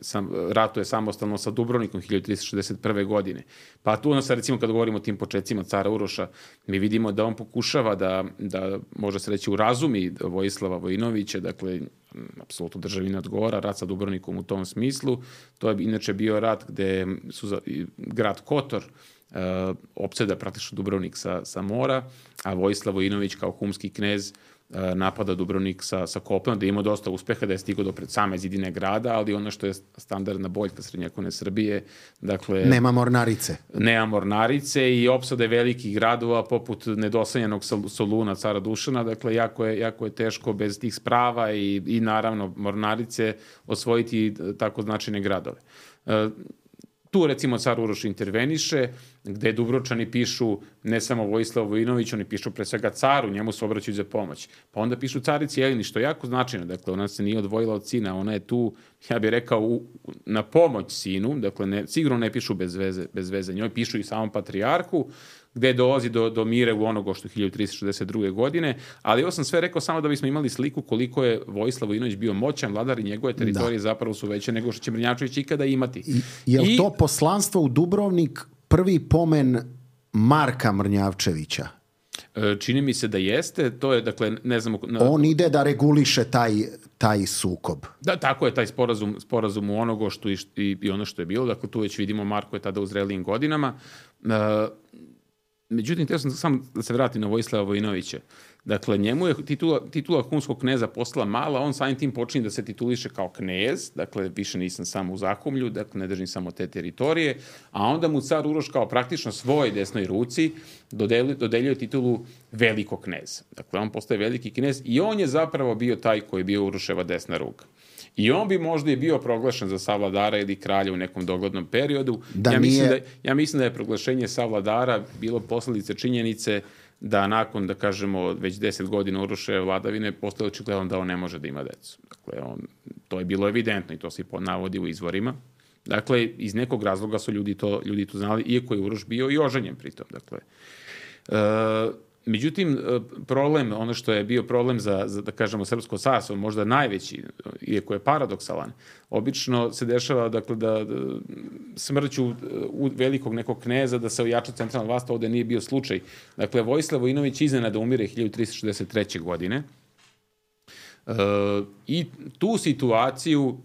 sam, ratuje samostalno sa Dubrovnikom hiljadu tristo šezdeset prve. godine. Pa tu ono sad recimo kad govorimo o tim početcima cara Uroša, mi vidimo da on pokušava da, da može se reći urazumi Vojislava Vojinovića, dakle, apsolutno državi ne odgovara, rat sa Dubrovnikom u tom smislu. To je inače bio rat gde su za, grad Kotor uh, opseda praktično Dubrovnik sa, sa mora, a Vojislav Vojinović kao humski knez napada Dubrovnik sa, sa kopnom, da ima dosta uspeha, da je stigao do pred same zidine grada, ali ono što je standardna boljka srednjovekovne Srbije, dakle... Nema mornarice. Nema mornarice i opsade velikih gradova poput nedosanjenog Soluna cara Dušana, dakle, jako je, jako je teško bez tih sprava i, i naravno mornarice osvojiti tako značajne gradove. E, Tu, recimo, car Uroš interveniše, gde Dubrovčani pišu ne samo Vojislav Vojinović, oni pišu pre svega caru, njemu se obraćaju za pomoć. Pa onda pišu carici Jelini, što je jako značajno. Dakle, ona se nije odvojila od sina, ona je tu, ja bih rekao, u, na pomoć sinu, dakle, ne, sigurno ne pišu bez veze, bez veze. Njoj pišu i samom patrijarhu, gde dolazi do, do mire u onoga što hiljadu tristo šezdeset druge. godine, ali ovo sam sve rekao samo da bismo imali sliku koliko je Vojislav Vojinović bio moćan vladar i njegove teritorije da. zapravo su veće nego što će Mrnjavčević ikada imati. I, je li I, to poslanstvo u Dubrovnik prvi pomen Marka Mrnjavčevića? Čini mi se da jeste, to je, dakle, ne znamo... On ide da reguliše taj, taj sukob. Da, tako je, taj sporazum, sporazum u onogo što i, i, i ono što je bilo, dakle, tu već vidimo Marko je tada u zrelijim godinama. Uh, Međutim, teo sam samo da se vratim na Vojislava Vojinovića. Dakle, njemu je titula, titula humskog kneza postala mala, on samim tim počinje da se tituliše kao knez, dakle, više nisam samo u Zahumlju, dakle, ne držim samo te teritorije, a onda mu car Uroš kao praktično svoj desnoj ruci dodeljuje, dodeljuje titulu velikog kneza. Dakle, on postaje veliki knez i on je zapravo bio taj koji je bio Uroševa desna ruka. I on bi možda i bio proglašen za savladara ili kralja u nekom doglednom periodu. Da ja, nije... mislim da, ja mislim da je proglašenje savladara bilo posljedice činjenice da nakon, da kažemo, već deset godina Uroševe vladavine postalo očigledno da on ne može da ima decu. Dakle, on, to je bilo evidentno i to se navodi u izvorima. Dakle, iz nekog razloga su ljudi to, ljudi to znali, iako je Uroš bio i oženjen pritom. Dakle, e, međutim, problem, ono što je bio problem za, za da kažemo, Srpsko carstvo, možda najveći, iako je paradoksalan, obično se dešava, dakle, da, da smrću velikog nekog kneza da se ojača centralna vlast, ovde nije bio slučaj. Dakle, Vojislav Vojinović iznenada umire hiljadu tristo šezdeset treće. godine e, i tu situaciju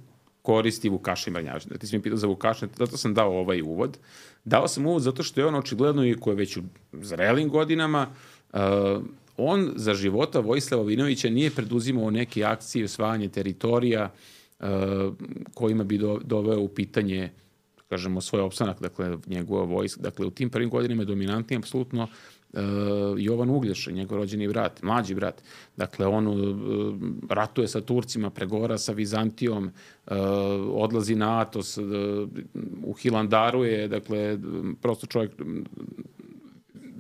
koristi Vukašin Mrnjavčević. Da ti si mi pitao za Vukašina, zato sam dao ovaj uvod. Dao sam uvod zato što je on očigledno, i ko je već u zrelim godinama, uh, on za života Vojislava Vojinovića nije preduzimao neke akcije osvajanja teritorija uh, kojima bi do, doveo u pitanje, kažemo, svoj opstanak, dakle, njegova vojska. Dakle, u tim prvim godinama je dominantni apsolutno Uh, Jovan Uglješa, njegov rođeni brat, mlađi brat. Dakle, on uh, ratuje sa Turcima, pregovara sa Vizantijom, uh, odlazi na Atos, uh, u Hilandaru je, dakle, prosto čovjek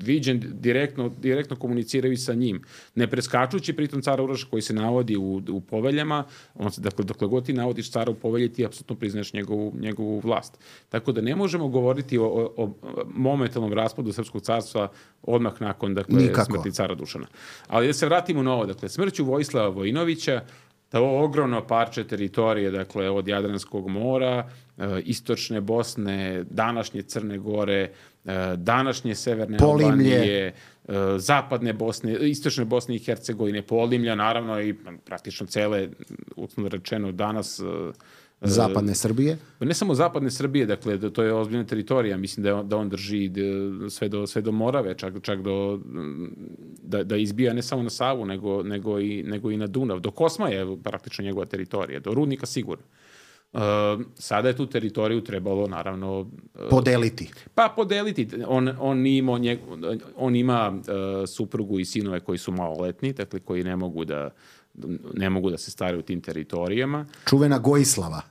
viđen, direktno, direktno komuniciraju sa njim. Ne preskačući pritom cara Uroša koji se navodi u, u poveljama, on se, dakle, dokle god ti navodiš cara u povelji, ti apsolutno priznaš njegovu, njegovu vlast. Tako da ne možemo govoriti o, o, o momentalnom raspadu Srpskog carstva odmah nakon, dakle, smrti cara Dušana. Ali da se vratimo na ovo, dakle, smrću Vojislava Vojinovića, da ovo ogromno parče teritorije, dakle, od Jadranskog mora, e, istočne Bosne, današnje Crne Gore, e, današnje Severne Albanije, e, zapadne Bosne, istočne Bosne i Hercegovine, Polimlja, naravno, i praktično cele, uslovno rečeno, danas... E, Zapadne Srbije? Ne samo zapadne Srbije, dakle, da to je ozbiljna teritorija, mislim da on, da on drži sve do, sve do Morave, čak, čak do, da, da izbija ne samo na Savu, nego, nego, i, nego i na Dunav. Do Kosma je praktično njegova teritorija, do Rudnika sigurno. Uh, sada je tu teritoriju trebalo, naravno... Uh, podeliti. Pa podeliti. On, on, ima, njeg, on ima uh, suprugu i sinove koji su maloletni, dakle, koji ne mogu da ne mogu da se staraju u tim teritorijama. Čuvena Gojislava.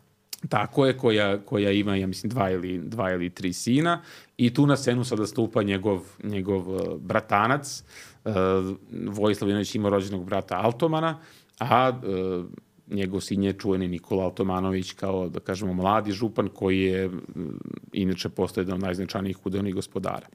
Tako je, koja, koja ima, ja mislim, dva ili, dva ili tri sina. I tu na scenu sada stupa njegov, njegov uh, bratanac. Uh, Vojislav Vojinović ima rođenog brata Altomana, a uh, njegov sin je čuveni Nikola Altomanović kao, da kažemo, mladi župan koji je uh, inače postoje jedan od najznačajnijih udovnih gospodara.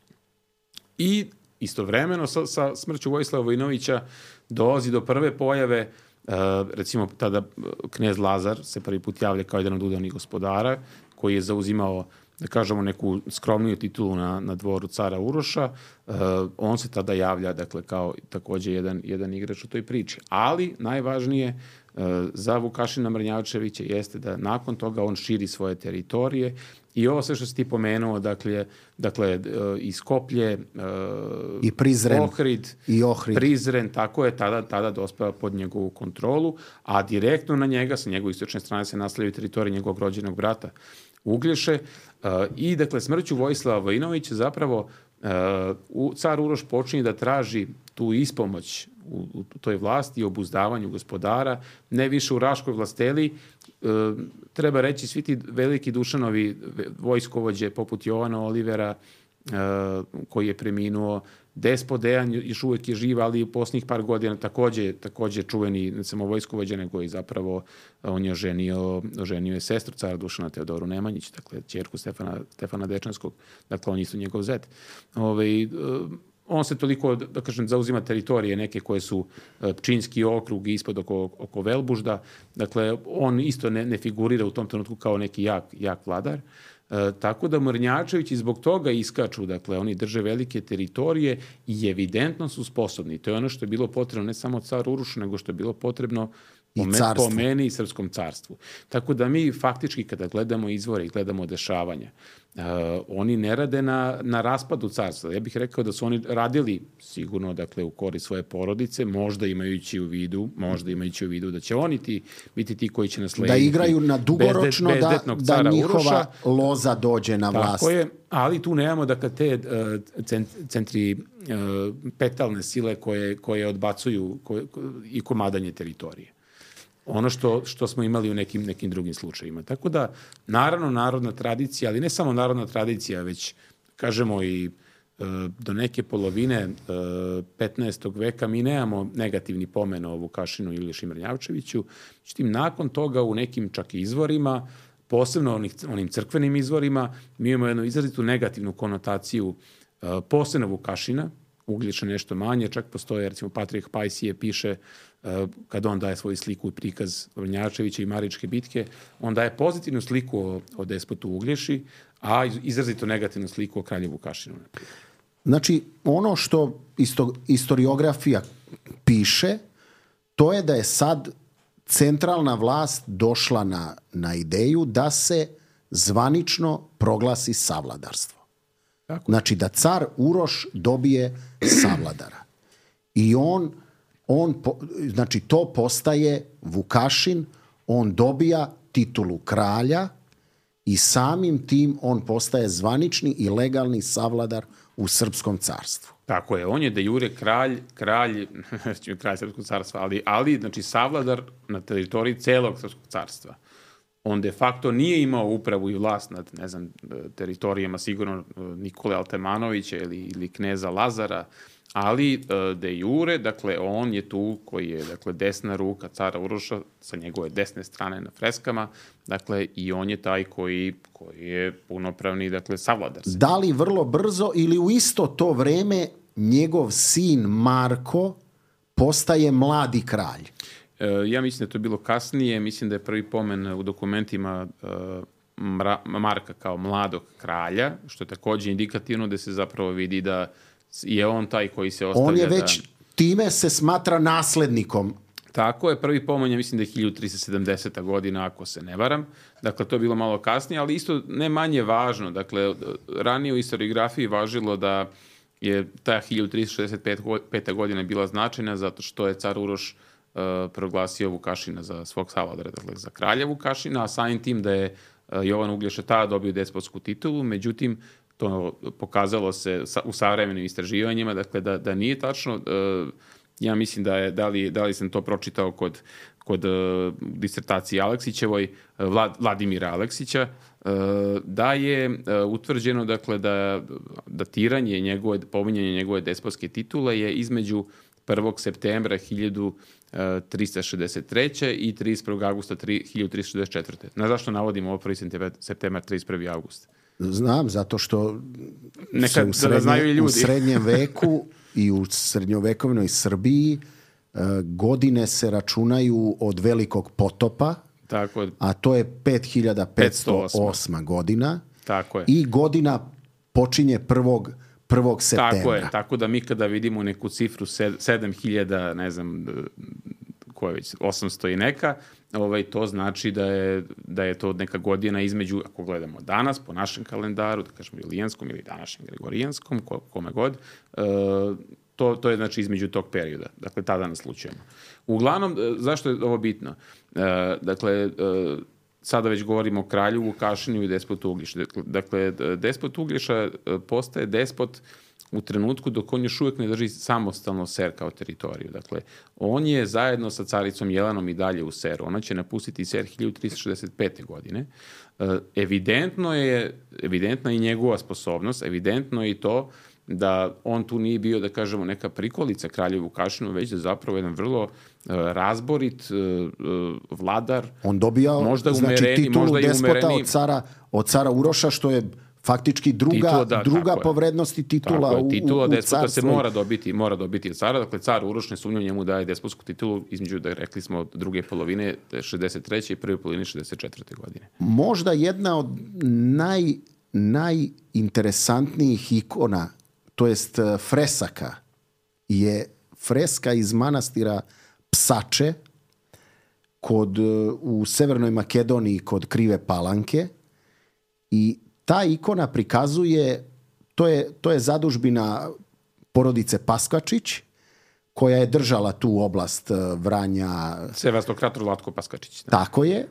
I istovremeno sa, sa smrću Vojislava Vojinovića dolazi do prve pojave, uh, recimo tada knez Lazar se prvi put javlja kao jedan od udavnih gospodara koji je zauzimao, da kažemo, neku skromniju titulu na, na dvoru cara Uroša. Uh, on se tada javlja, dakle, kao takođe jedan, jedan igrač u toj priči. Ali najvažnije uh, za Vukašina Mrnjavčevića jeste da nakon toga on širi svoje teritorije. I ovo sve što si ti pomenuo, dakle, dakle i Skoplje, i Prizren, Ohrid, i Ohrid. Prizren, tako je, tada, tada dospeva pod njegovu kontrolu, a direktno na njega, sa njegove istočne strane, se nastavljaju teritorije njegovog rođenog brata Uglješe. I, dakle, smrću Vojislava Vojinovića zapravo uh, car Uroš počinje da traži tu ispomoć u, u toj vlasti i obuzdavanju gospodara, ne više u Raškoj vlasteli. Uh, treba reći, svi ti veliki Dušanovi vojskovođe poput Jovana Olivera, uh, koji je preminuo, Despot Dejan još uvijek je živ, ali u posljednjih par godina takođe, takođe čuveni, ne samo vojskovođa, nego i zapravo on je oženio, oženio je sestru cara Dušana, Teodoru Nemanjić, dakle ćerku Stefana, Stefana Dečanskog, dakle on isto njegov zet. Ove, on se toliko, da kažem, zauzima teritorije neke koje su Pčinjski okrug ispod oko, oko Velbužda, dakle on isto ne, ne figurira u tom trenutku kao neki jak, jak vladar. E, tako da Mrnjavčevići zbog toga iskaču, dakle oni drže velike teritorije i evidentno su sposobni. To je ono što je bilo potrebno ne samo caru Urošu, nego što je bilo potrebno po, me, po meni i srpskom carstvu. Tako da mi faktički kada gledamo izvore i gledamo dešavanja, uh, oni ne rade na, na raspadu carstva. Ja bih rekao da su oni radili sigurno, dakle, u korist svoje porodice, možda imajući u vidu, možda imajući u vidu da će oni ti, biti ti koji će naslediti. Da igraju na dugoročno, bezdet, da, da njihova Uroša loza dođe na vlast. Tako je, ali tu nemamo, dakle, te uh, centri uh, petalne sile koje, koje odbacuju koje, i komadanje teritorije. Ono što, što smo imali u nekim, nekim drugim slučajima. Tako da, naravno, narodna tradicija, ali ne samo narodna tradicija, već, kažemo, i do neke polovine petnaestog veka mi nemamo negativni pomen o Vukašinu i Uglješi Mrnjavčeviću. Međutim, nakon toga u nekim čak i izvorima, posebno onih, onim crkvenim izvorima, mi imamo jednu izrazitu negativnu konotaciju posebno Vukašina, Uglješa nešto manje, čak postoje, recimo, Patrik Pajsije piše, kada on daje svoju sliku i prikaz Mrnjavčevića i Maričke bitke, on daje pozitivnu sliku o, o despotu Uglješi, a izrazito negativnu sliku o kralju Vukašinu. Znači, ono što isto, historiografija piše, to je da je sad centralna vlast došla na, na ideju da se zvanično proglasi savladarstvo. Tako. Znači, da car Uroš dobije savladara. I on, on po, znači, to postaje Vukašin, on dobija titulu kralja i samim tim on postaje zvanični i legalni savladar u Srpskom carstvu. Tako je, on je de jure kralj, kralj, kralj Srpskog carstva, ali, ali znači, savladar na teritoriji celog Srpskog carstva. On de facto nije imao upravu i vlast nad, ne znam, teritorijama sigurno Nikole Altemanovića ili, ili kneza Lazara, ali de jure, dakle, on je tu koji je, dakle, desna ruka cara Uroša sa njegove desne strane na freskama, dakle, i on je taj koji, koji je punopravni, dakle, savladar. Da li vrlo brzo ili u isto to vreme njegov sin Marko postaje mladi kralj? Ja mislim da je to bilo kasnije, mislim da je prvi pomen u dokumentima Marka kao mladog kralja, što je također indikativno da se zapravo vidi da je on taj koji se ostavlja. On je već, da... time se smatra naslednikom. Tako je, prvi pomen je, mislim da je hiljadu tristo sedamdeseta godina, ako se ne varam. Dakle, to je bilo malo kasnije, ali isto ne manje važno. Dakle, ranije u historiografiji važilo da je ta hiljadu tristo šezdeset peta godina bila značajna zato što je car Uroš uh, proglasio Vukašina za svog savladara, dakle za kralja Vukašina, a samim tim da je uh, Jovan Uglješa tada dobio despotsku titulu, međutim, to pokazalo se u savremenim istraživanjima, dakle da, da nije tačno. Uh, ja mislim da je, da li, da li sam to pročitao kod, kod uh, disertacije Aleksićevoj, uh, Vlad, Vladimira Aleksića, uh, da je uh, utvrđeno, dakle, da datiranje njegove, pominjanje njegove despotske titule je između prvog septembra hiljadu tristo šezdeset treće i trideset prvog avgusta hiljadu tristo šezdeset četvrte Na zašto navodimo ovo prvi septembar, trideset prvi avgust? Znam, zato što Neka, u, srednje, da znaju i ljudi. u srednjem veku i u srednjovekovnoj Srbiji godine se računaju od Velikog potopa, tako, a to je pet hiljada petsto osma godina. Tako je. I godina počinje prvog prvog septembra. Tako je, tako da mi kada vidimo neku cifru sedam hiljada, ne znam, koja je već osamsto i neka, ovaj, to znači da je, da je to neka godina između, ako gledamo danas, po našem kalendaru, da kažemo julijanskom ili današnjem gregorijanskom, kome god, to, to je znači između tog perioda. Dakle, tada naslučujemo. Uglavnom, zašto je ovo bitno? Dakle, sada već govorimo o kralju Vukašinu i despotu Uglješa. Dakle, despot Uglješa postaje despot u trenutku dok on još uvijek ne drži samostalno Ser kao teritoriju. Dakle, on je zajedno sa caricom Jelenom i dalje u Seru. Ona će napustiti Ser hiljadu tristo šezdeset pete godine. Evidentno je, evidentna je i njegova sposobnost, evidentno je i to da on tu nije bio, da kažemo, neka prikolica kralju Vukašinu, već da zapravo jedan vrlo uh, razborit uh, uh, vladar. On dobija, možda znači, umereni, titulu možda despota od cara, od cara Uroša, što je faktički druga, titula, da, druga po vrednosti titula tako u, titula u, u despota se carstvu. mora dobiti, mora dobiti od cara. Dakle, car Uroš ne sumnju njemu daje despotsku titulu između, da rekli smo, druge polovine šezdeset treće i prve polovine šezdeset četvrte godine. Možda jedna od naj, najinteresantnijih ikona, to jest fresaka, je freska iz manastira Psače kod, u Severnoj Makedoniji kod Krive Palanke, i ta ikona prikazuje, to je, to je zadužbina porodice Paskačić, koja je držala tu oblast Vranja. Sevastokrator Vlatko Paskačić. Da. Tako je.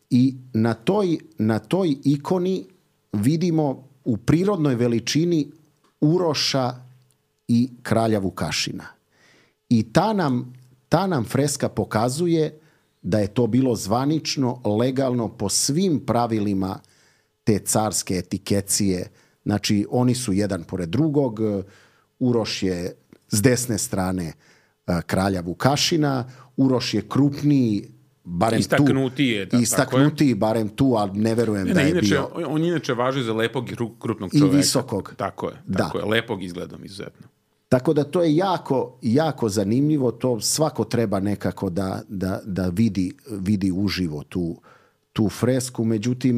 I na toj, na toj ikoni vidimo u prirodnoj veličini Uroša i kralja Vukašina. I ta nam, ta nam freska pokazuje da je to bilo zvanično, legalno, po svim pravilima te carske etikecije, Znači, oni su jedan pored drugog. Uroš je s desne strane kralja Vukašina. Uroš je krupniji, barem istaknutije, tu. Istaknutiji, barem tu, ali ne verujem ne, da je inače, bio... On inače važi za lepog i krupnog čoveka. I visokog. Tako je, tako da. je. Lepog izgledom izuzetno. Tako da to je jako, jako zanimljivo. To svako treba nekako da, da, da vidi, vidi uživo tu, tu fresku. Međutim,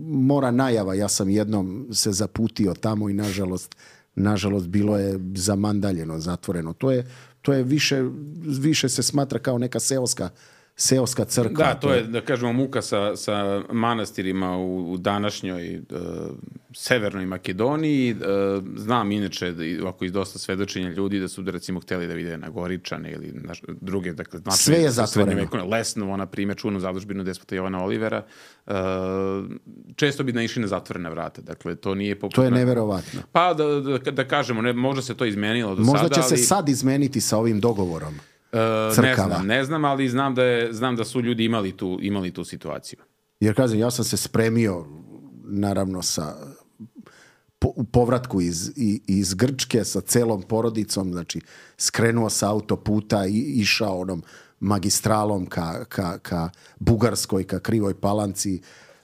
mora najava. Ja sam jednom se zaputio tamo i nažalost, nažalost bilo je zamandaljeno, zatvoreno. To je, to je više, više se smatra kao neka seoska seoska crkva. Da, to je, da kažemo, muka sa, sa manastirima u, u današnjoj uh, severnoj Makedoniji. Uh, znam inače, da, ako iz dosta svedočenja ljudi, da su da recimo hteli da vide na Goričane ili na druge, dakle, značajne, sve je zatvoreno. Lesnovo, na primjer, čuvenu zadužbinu despota Jovana Olivera, uh, često bi naišli na zatvorena vrata. Dakle, to nije poput... To je neverovatno. Pa, da, da, da kažemo, ne, možda se to izmenilo do možda sada, će se ali... sad izmeniti sa ovim dogovorom. Uh, ne znam, ne znam, ali znam da, je, znam da su ljudi imali tu, imali tu situaciju. Jer kažem, ja sam se spremio naravno sa po, u povratku iz, i, iz Grčke sa celom porodicom, znači skrenuo sa autoputa i išao onom magistralom ka, ka, ka Bugarskoj, ka Krivoj Palanci,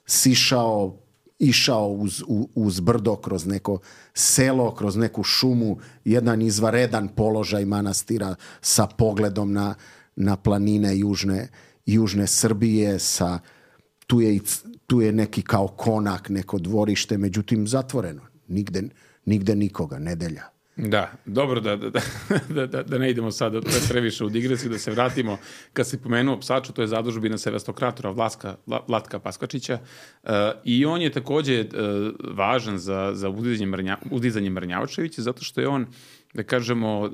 sišao, išao uz, uz brdo, kroz neko selo, kroz neku šumu, jedan izvaredan položaj manastira sa pogledom na, na planine južne, južne Srbije, sa, tu, je, tu je neki kao konak, neko dvorište, međutim zatvoreno. Nigde, nigde nikoga, nedelja. Da, dobro da, da, da, da, da ne idemo sad previše u digresiju, da se vratimo. Kad si pomenuo Psaču, to je zadužbina Sevastokratora Vlaska, Vlatka Paskačića, uh, i on je takođe uh, važan za, za udizanje, Mrnja, udizanje Mrnjavčevića, zato što je on, da kažemo, uh,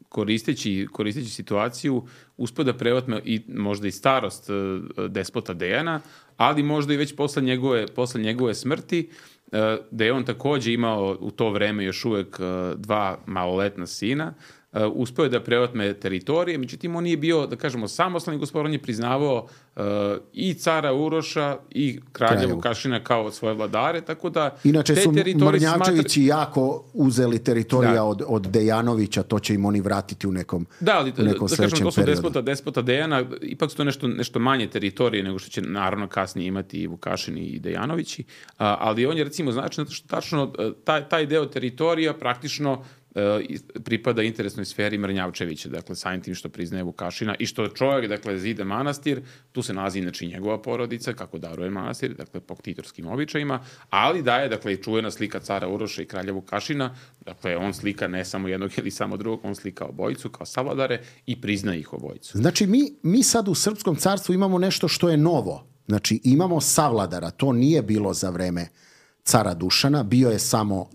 koristeći, koristeći situaciju, uspio da prevatme i možda i starost uh, despota Dejana, ali možda i već posle njegove, posle njegove smrti, da je on takođe imao u to vreme još uvek dva maloletna sina, uspeo je da preotme teritorije, međutim on nije bio, da kažemo, samostalni gospodar, on je priznavao uh, i cara Uroša i kralja Vukašina kao svoje vladare, tako da... Inače te su Mrnjavčevići smatra... jako uzeli teritorija da. od, od Dejanovića, to će im oni vratiti u nekom, da, ali, u nekom da, sledećem da kažemo, periodu. despota, despota Dejana, ipak su to nešto, nešto manje teritorije nego što će naravno kasnije imati i Vukašini i Dejanovići, a, ali on je recimo znači zato što tačno taj, taj deo teritorija praktično pripada interesnoj sferi Mrnjavčevića, dakle samim tim što priznaje Vukašina i što čovjek, dakle, zide manastir, tu se nalazi inače njegova porodica, kako daruje manastir, dakle, po ktitorskim običajima, ali daje, dakle, i čuvena slika cara Uroša i kralja Vukašina, dakle, on slika ne samo jednog ili samo drugog, on slika obojicu kao savladare i priznaje ih obojicu. Znači, mi, mi sad u Srpskom carstvu imamo nešto što je novo. Znači, imamo savladara, to nije bilo za vreme cara Dušana, bio je samo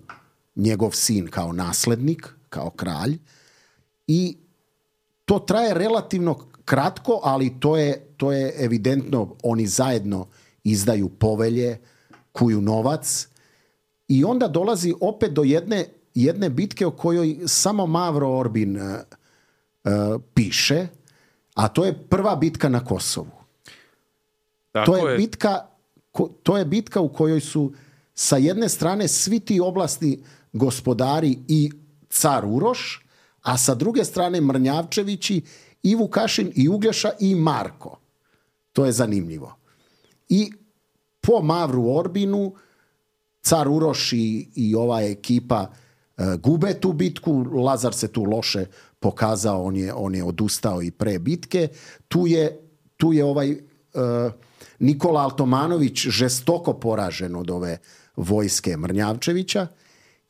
njegov sin kao naslednik, kao kralj, i to traje relativno kratko, ali to je, to je evidentno, oni zajedno izdaju povelje, kuju novac i onda dolazi opet do jedne, jedne bitke o kojoj samo Mavro Orbin uh, uh, piše, a to je prva bitka na Kosovu. Tako to je, je. bitka, to je bitka u kojoj su sa jedne strane svi ti oblasti gospodari i car Uroš, a sa druge strane Mrnjavčevići i Vukašin i Uglješa i Marko. To je zanimljivo. I po Mavru Orbinu car Uroš i, i ova ekipa uh, gube tu bitku. Lazar se tu loše pokazao, on je, on je odustao i pre bitke. Tu je, tu je ovaj uh, Nikola Altomanović žestoko poražen od ove vojske Mrnjavčevića.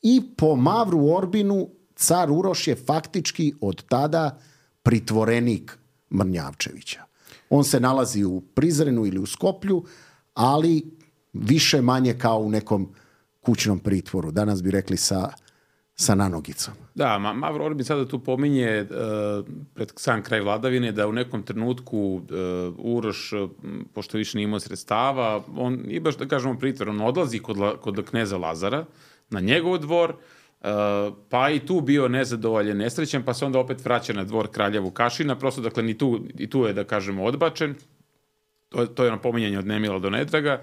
I po Mavru Orbinu car Uroš je faktički od tada pritvorenik Mrnjavčevića. On se nalazi u Prizrenu ili u Skoplju, ali više manje kao u nekom kućnom pritvoru. Danas bi rekli sa, sa nanogicom. Da, Ma, Mavro Orbin sada tu pominje uh, pred sam kraj vladavine da u nekom trenutku uh, Uroš, uh, pošto više nije imao sredstava, on i baš da kažemo pritvor, on odlazi kod, la, kod kneza Lazara na njegov dvor, uh, pa i tu bio nezadovoljen, nesrećen, pa se onda opet vraća na dvor kralja Vukašina, prosto dakle ni tu, i tu je da kažemo odbačen to, to je ono pominjanje od nemila do nedraga,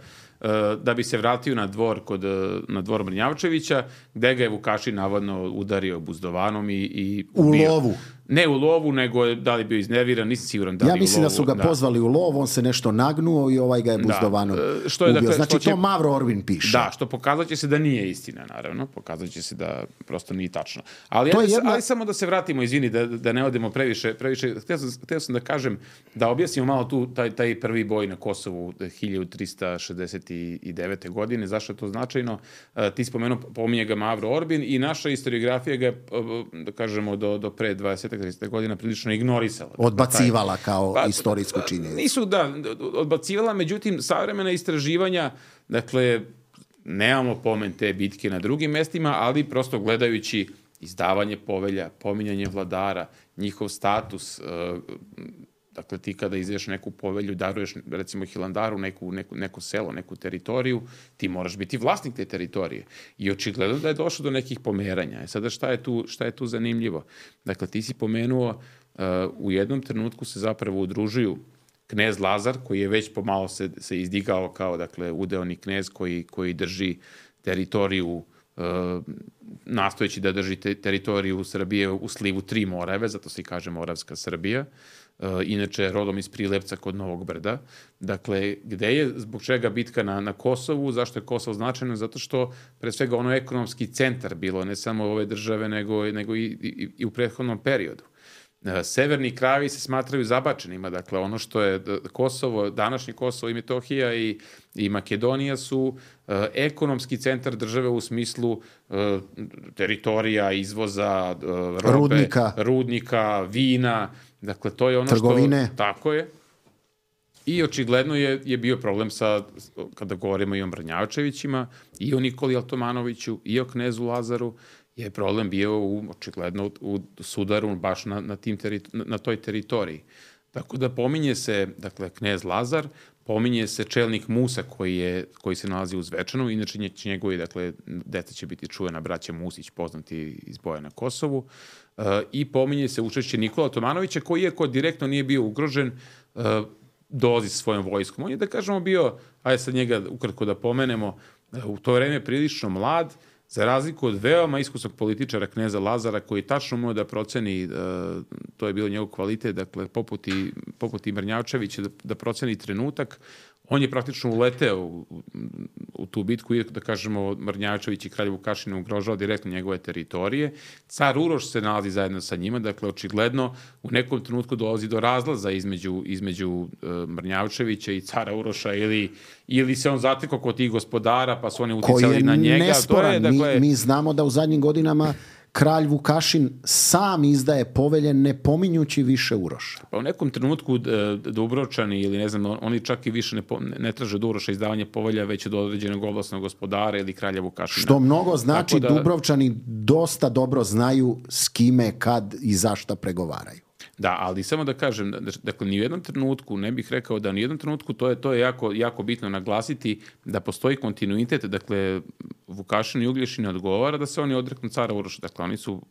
da bi se vratio na dvor kod na dvor Mrnjavčevića, gde ga je Vukašin navodno udario buzdovanom i, i u bio, lovu. Ne u lovu, nego da li bio iznerviran, nisam siguran da li ja u lovu. Ja mislim da su ga da. pozvali u lov, on se nešto nagnuo i ovaj ga je buzdovanom da. Što je, ubio. Dakle, znači što će, to Mavro Orbin piše. Da, što pokazat će se da nije istina, naravno. Pokazat će se da prosto nije tačno. Ali, ja, jedna... ali samo da se vratimo, izvini, da, da ne odemo previše. previše. Htio sam, htio sam da kažem, da objasnimo malo tu taj, taj prvi boj na Kosovu hiljadu trista šezdeset devete. godine. Zašto je to značajno? Ti spomenuo, pominje ga Mavro Orbin i naša historiografija ga, da kažemo, do, do pre dvadeset trideset godina prilično ignorisala. Odbacivala kao pa, istorijsku činjenicu. Nisu, da, odbacivala, međutim, savremena istraživanja, dakle, nemamo pomen te bitke na drugim mestima, ali prosto gledajući izdavanje povelja, pominjanje vladara, njihov status, dakle, ti kada izveš neku povelju, daruješ, recimo, Hilandaru, neku, neku, neko selo, neku teritoriju, ti moraš biti vlasnik te teritorije. I očigledno da je došlo do nekih pomeranja. E sada, šta je tu, šta je tu zanimljivo? Dakle, ti si pomenuo, uh, u jednom trenutku se zapravo udružuju knez Lazar, koji je već pomalo se, se izdigao kao, dakle, udeoni knez koji, koji drži teritoriju, uh, nastojeći da drži te, teritoriju Srbije u slivu tri Morave, zato se i kaže Moravska Srbija. Uh, inače rodom iz Prilevca kod Novog Brda. Dakle, gde je, zbog čega bitka na, na Kosovu, zašto je Kosovo značajno? Zato što, pre svega, ono ekonomski centar bilo, ne samo ove države, nego, nego i, i, i u prethodnom periodu. Uh, severni krajevi se smatraju zabačenima, dakle, ono što je Kosovo, današnje Kosovo i Metohija i, i Makedonija su uh, ekonomski centar države u smislu uh, teritorija, izvoza, uh, robe, rudnika. rudnika, vina. Dakle, to je ono trgovine. Što... Tako je. I očigledno je, je bio problem sa, kada govorimo i o Mrnjavčevićima, i o Nikoli Altomanoviću, i o knezu Lazaru, je problem bio u, očigledno u sudaru baš na, na, tim teri, na toj teritoriji. Tako da pominje se, dakle, knez Lazar, pominje se čelnik Musa koji, je, koji se nalazi u Zvečanu, inače njegovi, dakle, deca će biti čuvena braća Musić, poznati iz boja na Kosovu, uh, i pominje se učešće Nikola Tomanovića, koji iako direktno nije bio ugrožen, uh, dolazi sa svojom vojskom. On je, da kažemo, bio, ajde sad njega ukratko da pomenemo, uh, u to vreme prilično mlad, za razliku od veoma iskusnog političara kneza Lazara, koji tačno umeo da proceni, uh, to je bilo njegov kvalitet, dakle, poput i, poput i Mrnjavčevića, da, da proceni trenutak, on je praktično uleteo u, u, u tu bitku, i da kažemo, Mrnjavčević i kralj Vukašin ugrožao direktno njegove teritorije. Car Uroš se nalazi zajedno sa njima, dakle, očigledno u nekom trenutku dolazi do razlaza između, između uh, Mrnjavčevića i cara Uroša, ili, ili se on zatekao kod tih gospodara, pa su oni uticali na njega. Nesporan. To je, dakle, mi, mi znamo da u zadnjim godinama kralj Vukašin sam izdaje povelje ne pominjući više Uroša. Pa u nekom trenutku Dubrovčani ili ne znam, oni čak i više ne, ne traže od Uroša izdavanje povelja, već od određenog ovlasnog gospodara ili kralja Vukašina. Što mnogo znači da Dubrovčani dosta dobro znaju s kime, kad i zašta pregovaraju. Da, ali samo da kažem, dakle, ni u jednom trenutku, ne bih rekao da ni u jednom trenutku, to je, to je jako, jako bitno naglasiti, da postoji kontinuitet, dakle, Vukašin i Uglješin ne odgovara da se oni odreknu cara Uroša, dakle, oni su,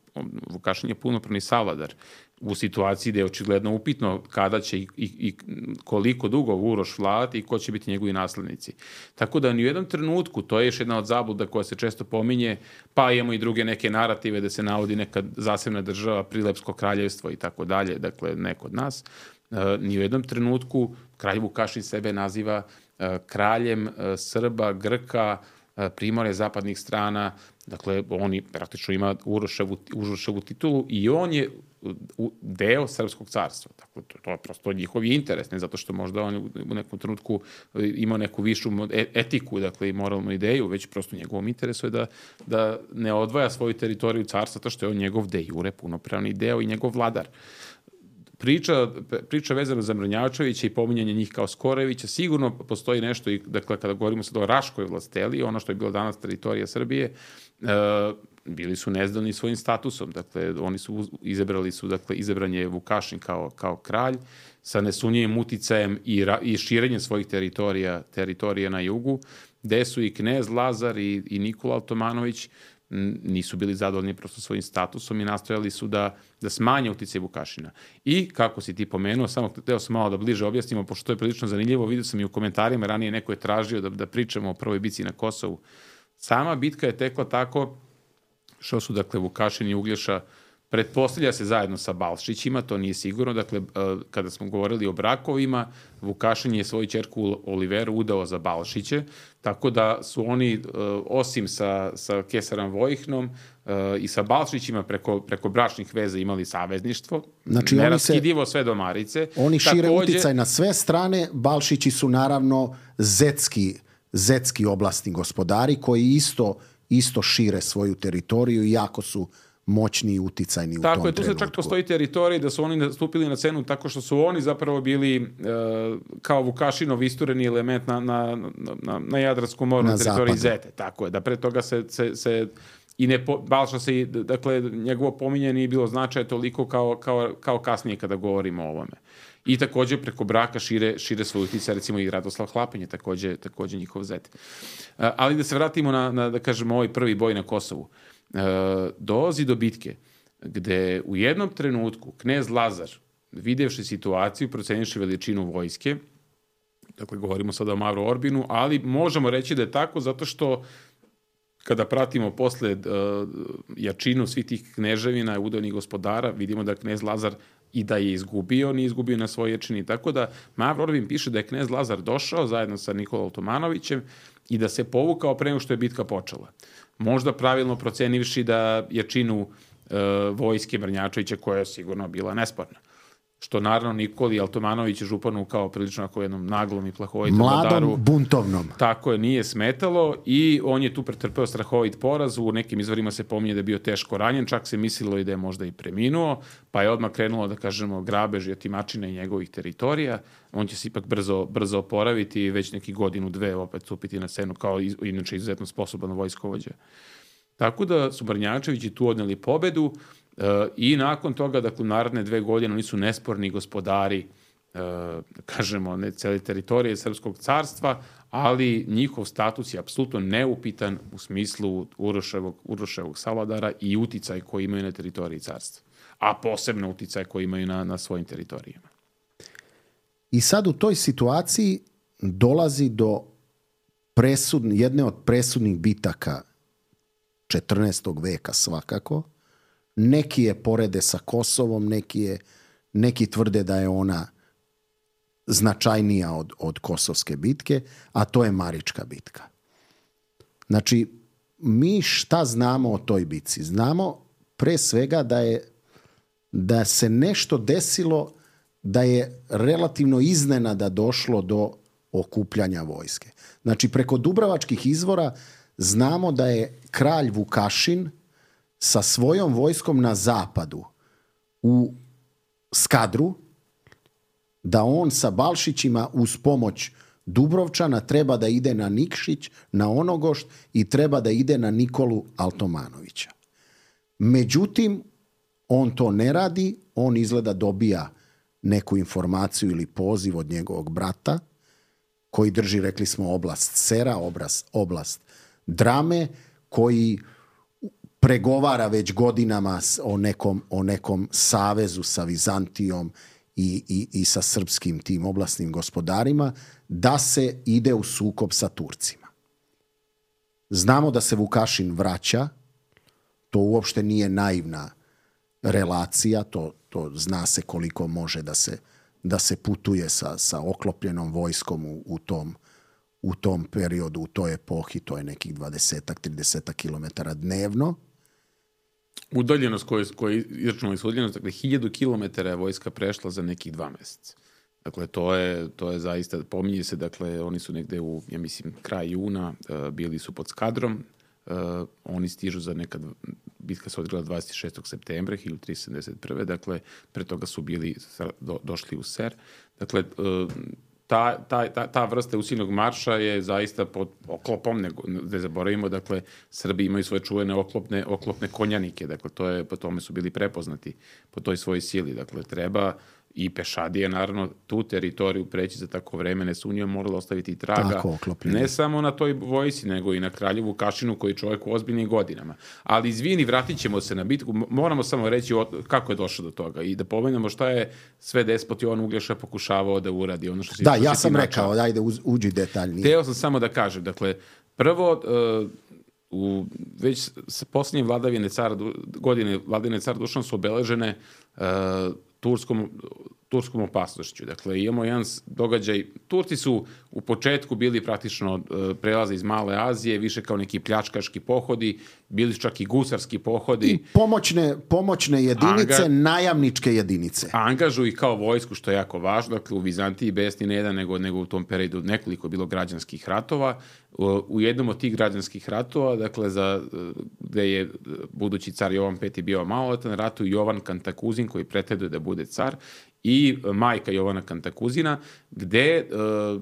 Vukašin je punopravni savladar u situaciji gde je očigledno upitno kada će i, i, i koliko dugo Uroš vladati i ko će biti njegovi naslednici. Tako da ni u jednom trenutku, to je još jedna od zabluda koja se često pominje, pa imamo i druge neke narative da se navodi neka zasebna država, Prilevsko kraljevstvo i tako dalje, dakle, ne kod nas. Uh, ni u jednom trenutku kralj Vukašin sebe naziva uh, kraljem uh, Srba, Grka, uh, Primorja, zapadnih strana, dakle, on praktično ima Uroševu, Uroševu titulu i on je deo Srpskog carstva. Dakle, to, to je prosto njihov interes, ne zato što možda on u nekom trenutku ima neku višu etiku, dakle, i moralnu ideju, već prosto njegovom interesu je da, da ne odvaja svoju teritoriju carstva, to što je on njegov de jure punopravni deo i njegov vladar. Priča, priča vezana za Mrnjavčevića i pominjanje njih kao Skorevića, sigurno postoji nešto, i, dakle, kada govorimo sad o Raškoj vlasteli, ono što je bilo danas teritorija Srbije, uh, bili su nezadovoljni svojim statusom, dakle, oni su izabrali su, dakle, izabran je Vukašin kao, kao kralj, sa nesumnjivim uticajem i, ra, i širenjem svojih teritorija, teritorija na jugu, gde su i knez Lazar i, i Nikola Altomanović nisu bili zadovoljni prosto svojim statusom i nastojali su da, da smanje uticaj Vukašina. I, kako si ti pomenuo, samo hteo sam malo da bliže objasnimo, pošto to je prilično zanimljivo, vidio sam i u komentarima, ranije neko je tražio da, da pričamo o prvoj bitci na Kosovu. Sama bitka je tekla tako što su, dakle, Vukašin i Uglješa pretpostavlja se zajedno sa Balšićima, to nije sigurno. Dakle, kada smo govorili o brakovima, Vukašin je svoju ćerku Oliveru udao za Balšiće, tako da su oni, osim sa, sa Kesarom Vojihnom i sa Balšićima preko, preko bračnih veza imali savezništvo, znači, neraskidivo sve do Marice. Oni šire takođe uticaj na sve strane, Balšići su naravno zetski, zetski oblastni gospodari koji isto, isto šire svoju teritoriju i jako su moćni i uticajni u tako tom je, tu trenutku. se čak postoji teritorij da su oni nastupili na scenu tako što su oni zapravo bili e, kao Vukašinov istureni element na, na, na, na Jadranskom moru, na, na teritoriji Zete. Tako je, da pre toga se, se, se i ne po, Balša se, dakle, njegovo pominje nije bilo značaja toliko kao, kao, kao kasnije kada govorimo o ovome. I takođe preko braka šire, šire svoj uticaj, recimo i Radoslav Hlapenj je takođe, takođe njihov Zet. E, ali da se vratimo na, na, da kažemo, ovaj prvi boj na Kosovu. E, dolazi do bitke gde u jednom trenutku knez Lazar, videvši situaciju, procenivši veličinu vojske, dakle govorimo sada o Mavru Orbinu, ali možemo reći da je tako zato što kada pratimo posle uh, jačinu svih tih kneževina, udojnih gospodara, vidimo da knez Lazar i da je izgubio, nije izgubio na svoj jačini. Tako da Mavro Orbin piše da je knez Lazar došao zajedno sa Nikolom Tomanovićem i da se povukao pre nego što je bitka počela. Možda pravilno procenivši da jačinu uh, vojske Brnjačevića, koja je sigurno bila nesporna. Što naravno Nikoli Altomanović županu kao prilično ako jednom naglom i plahovitom mladom, vladaru, buntovnom. Tako je, nije smetalo i on je tu pretrpeo strahovit poraz. U nekim izvorima se pominje da je bio teško ranjen, čak se mislilo i da je možda i preminuo, pa je odmah krenulo, da kažemo, grabež i otimačina i njegovih teritorija. On će se ipak brzo, brzo oporaviti i već neki godinu, dve opet stupiti na scenu kao inače izuzetno sposoban vojskovođa. Tako da su Brnjačevići tu odneli pobedu. Uh, i nakon toga, dakle, naredne dve godine oni su nesporni gospodari, uh, kažemo, ne cele teritorije Srpskog carstva, ali njihov status je apsolutno neupitan u smislu Uroševog, Uroševog savladara i uticaj koji imaju na teritoriji carstva, a posebno uticaj koji imaju na, na svojim teritorijama. I sad u toj situaciji dolazi do presudne, jedne od presudnih bitaka četrnaestog veka svakako. Neki je porede sa Kosovom, neki, je, neki tvrde da je ona značajnija od, od Kosovske bitke, a to je Marička bitka. Znači, mi šta znamo o toj bitci? Znamo pre svega da je da se nešto desilo, da je relativno iznenada došlo do okupljanja vojske. Znači, preko Dubravačkih izvora znamo da je kralj Vukašin sa svojom vojskom na zapadu u Skadru, da on sa Balšićima uz pomoć Dubrovčana treba da ide na Nikšić, na Onogošt i treba da ide na Nikolu Altomanovića. Međutim, on to ne radi, on izgleda dobija neku informaciju ili poziv od njegovog brata, koji drži, rekli smo, oblast Sera, oblast, oblast Drame, koji pregovara već godinama o nekom, o nekom savezu sa Vizantijom i, i, i sa srpskim tim oblastnim gospodarima, da se ide u sukob sa Turcima. Znamo da se Vukašin vraća, to uopšte nije naivna relacija, to, to zna se koliko može da se, da se putuje sa, sa oklopljenom vojskom u, u, tom, u tom periodu, u toj epohi, to je nekih dvadeset do trideset kilometara dnevno. Udaljenost koja je izračunala su udaljenost, dakle, hiljadu kilometara je vojska prešla za nekih dva meseca. Dakle, to je, to je zaista, pominje se, dakle, oni su negde u, ja mislim, kraj juna, uh, bili su pod Skadrom, uh, oni stižu za nekad, bitka se odigrala dvadeset šestog septembra hiljadu tristo sedamdeset prve. Dakle, pre toga su bili, do, došli u Ser. Dakle, uh, Ta, ta, ta, ta vrsta usilnog marša je zaista pod oklopom, ne, ne zaboravimo, dakle, Srbi imaju svoje čuvene oklopne, oklopne konjanike, dakle, to je, po tome su bili prepoznati, po toj svojoj sili, dakle, treba i pešadije, naravno, tu teritoriju preći za tako vreme nesumnjivo moralo ostaviti traga, tako, ne samo na toj vojsi, nego i na kralju Vukašinu koji je čovjek u ozbiljnim godinama. Ali izvini, vratit ćemo se na bitku, moramo samo reći kako je došlo do toga i da pomenemo šta je sve despot Jovan Uglješa pokušavao da uradi. Ono što si, da, što ja si sam načao. rekao, dajde uđi detaljnije. Teo sam samo da kažem, dakle, prvo, uh, u već sa posljednje vladavine cara, godine vladavine cara Dušana su obeležene uh, turskom, turskom opasnošću. Dakle, imamo jedan događaj, Turci su u početku bili praktično uh, prelaze iz Male Azije, više kao neki pljačkaški pohodi, bili su čak i gusarski pohodi. I pomoćne, pomoćne jedinice, Anga, najamničke jedinice. Angažuju i kao vojsku, što je jako važno. Dakle, u Vizantiji besni ne jedan, nego, nego u tom periodu nekoliko bilo građanskih ratova. U jednom od tih građanskih ratova, dakle, za, gde je budući car Jovan Peti bio maloletan, ratuju Jovan Kantakuzin, koji pretenduje da bude car, i majka Jovana Kantakuzina, gde uh,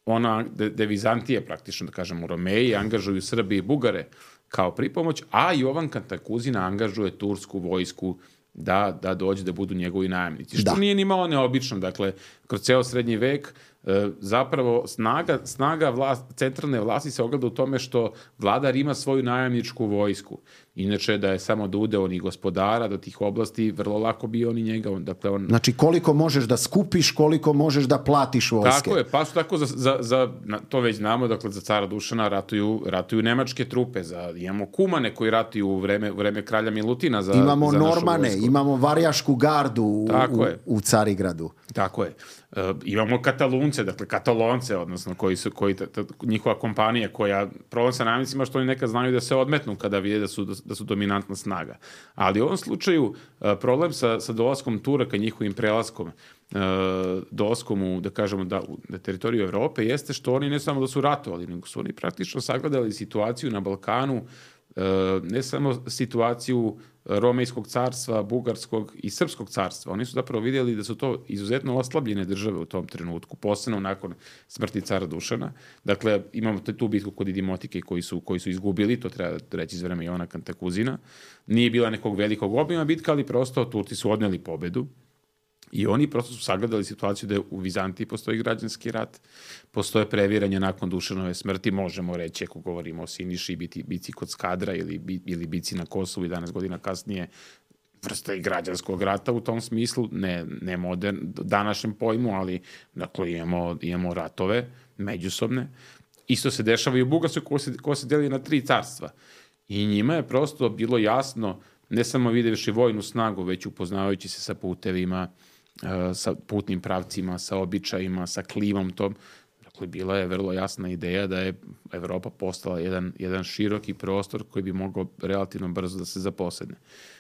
ona, gde Vizantije, praktično, da kažem, u Romeji, angažuju Srbi i Bugare kao pripomoć, a Jovan Kantakuzina angažuje tursku vojsku da, da dođe da budu njegovi najamnici. Što da. Nije ni malo neobično. Dakle, kroz ceo srednji vek e, zapravo snaga, snaga vlast, centralne vlasti se ogleda u tome što vladar ima svoju najamničku vojsku. Inače, da je samo da ude on i gospodara do tih oblasti, vrlo lako bi on i njega. On, dakle, on... Znači, koliko možeš da skupiš, koliko možeš da platiš vojske. Tako je, pa su tako za, za, za to već znamo, dakle, za cara Dušana ratuju, ratuju nemačke trupe, za, imamo kumane koji ratuju u vreme, u vreme kralja Milutina za, imamo za našu Normane, vojsku. Imamo Varjašku gardu u, u, u Carigradu. Tako je. E, imamo Katalunce, dakle Katalonce, odnosno koji su, koji, ta, ta, njihova kompanija koja, problem sa najamnicima što oni nekad znaju da se odmetnu kada vide da su, da su dominantna snaga. Ali u ovom slučaju e, problem sa, sa dolaskom Turaka, njihovim prelaskom, e, dolaskom u, da kažemo, da, u, na teritoriju Evrope, jeste što oni ne samo da su ratovali, nego su oni praktično sagledali situaciju na Balkanu, e, ne samo situaciju Romejskog carstva, Bugarskog i Srpskog carstva. Oni su zapravo vidjeli da su to izuzetno oslabljene države u tom trenutku, posebno nakon smrti cara Dušana. Dakle, imamo tu bitku kod Idimotike koji su, koji su izgubili, to treba reći iz vreme Jovana Kantakuzina. Nije bila nekog velikog obima bitka, ali prosto Turci su odneli pobedu. I oni prosto su sagledali situaciju da u Vizantiji postoji građanski rat, postoje previranje nakon Dušanove smrti, možemo reći, ako govorimo o Siniši, biti, bici kod Skadra ili, ili bici na Kosovu jedanaest godina kasnije, vrsta i građanskog rata u tom smislu, ne, ne modern, današnjem pojmu, ali dakle, imamo, imamo ratove međusobne. Isto se dešava i u Bugarskoj ko se, ko se deli na tri carstva. I njima je prosto bilo jasno, ne samo videvši vojnu snagu, već upoznavajući se sa putevima, sa putnim pravcima, sa običajima, sa klimom tom. Dakle, bila je vrlo jasna ideja da je Evropa postala jedan, jedan široki prostor koji bi mogao relativno brzo da se zaposedne.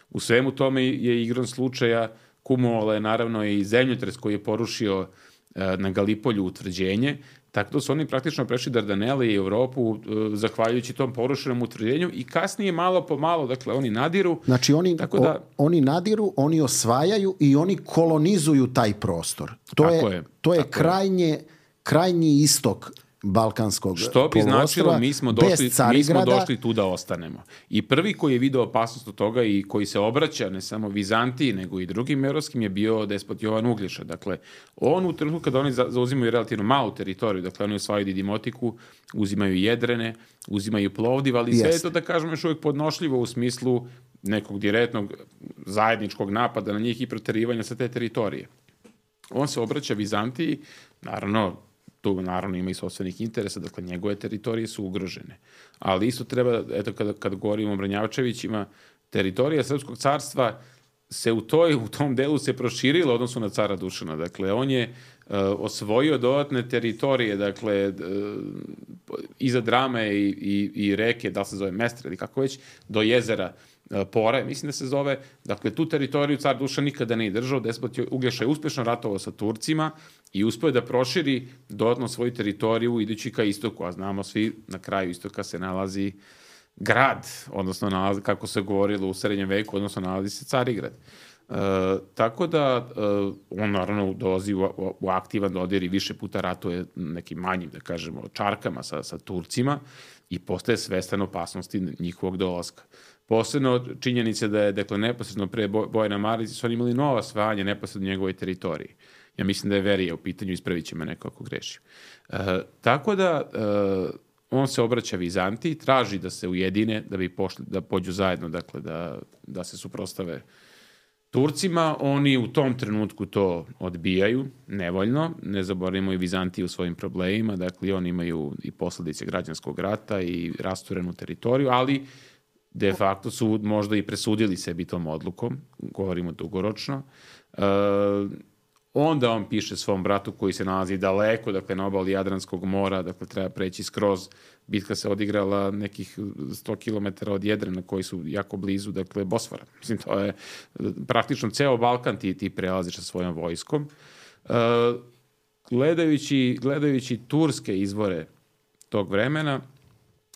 U svemu tome je igrom slučaja kumulovala je naravno i zemljotres koji je porušio na Galipolju utvrđenje, tako da su oni praktično prešli Dardanele i Evropu zahvaljujući tom porušenom utvrđenju i kasnije malo po malo, dakle, oni nadiru. Znači, oni, tako da, o, oni nadiru, oni osvajaju i oni kolonizuju taj prostor. To je, je, to je krajnje, krajnji istok balkanskog što bi značilo mi smo došli mi smo došli tu da ostanemo. I prvi koji je video opasnost od toga i koji se obraća ne samo Vizantiji nego i drugim evropskim je bio despot Jovan Uglješa. Dakle, on u trenutku kada oni zauzimaju relativno malu teritoriju, dakle oni osvajaju Didimotiku, uzimaju Jedrene, uzimaju Plovdiv, ali sve je to, da kažemo, još uvijek podnošljivo u smislu nekog direktnog zajedničkog napada na njih i proterivanja sa te teritorije. On se obraća Vizantiji, naravno tu naravno ima i sopstvenih interesa, dakle njegove teritorije su ugrožene. Ali isto treba, eto kada, kada govorimo o Mrnjavčevićima, teritorija Srpskog carstva se u, toj, u tom delu se proširila odnosu na cara Dušana. Dakle, on je uh, osvojio dodatne teritorije, dakle, uh, iza Drame i, i, i reke, da se zove Mestre ili kako već, do jezera Pore, mislim da se zove. Dakle, tu teritoriju car Dušan nikada nije držao. Despot Uglješa je uspešno ratovao sa Turcima i uspio da proširi dodatno svoju teritoriju idući ka istoku, a znamo svi na kraju istoka se nalazi grad, odnosno nalazi, kako se govorilo u srednjem veku, odnosno nalazi se Carigrad. E, tako da e, on naravno dolazi u, u, u aktivan dodir i više puta ratuje nekim manjim, da kažemo, čarkama sa, sa Turcima i postaje svestan opasnosti njihovog dolaska. Posebno činjenice da je, dakle, neposredno pre boja na Marici su oni imali nova osvajanja neposredno njegovoj teritoriji. Ja mislim da je Verija u pitanju, ispravit će me neko ako grešim. E, tako da e, on se obraća Vizantiji, traži da se ujedine, da bi pošli, da pođu zajedno, dakle, da, da se suprotstave Turcima. Oni u tom trenutku to odbijaju, nevoljno. Ne zaboravimo i Vizantiju u svojim problemima, dakle, oni imaju i posledice građanskog rata i rasturenu teritoriju, ali de facto su možda i presudili sebi tom odlukom, govorimo dugoročno. E, onda on piše svom bratu koji se nalazi daleko, dakle na obali Jadranskog mora, dakle treba preći skroz. Bitka se odigrala nekih sto kilometara od Jadrana koji su jako blizu, dakle Bosfora. Mislim, to je praktično ceo Balkan ti, ti prelaziš sa svojom vojskom. E, gledajući, gledajući turske izvore tog vremena,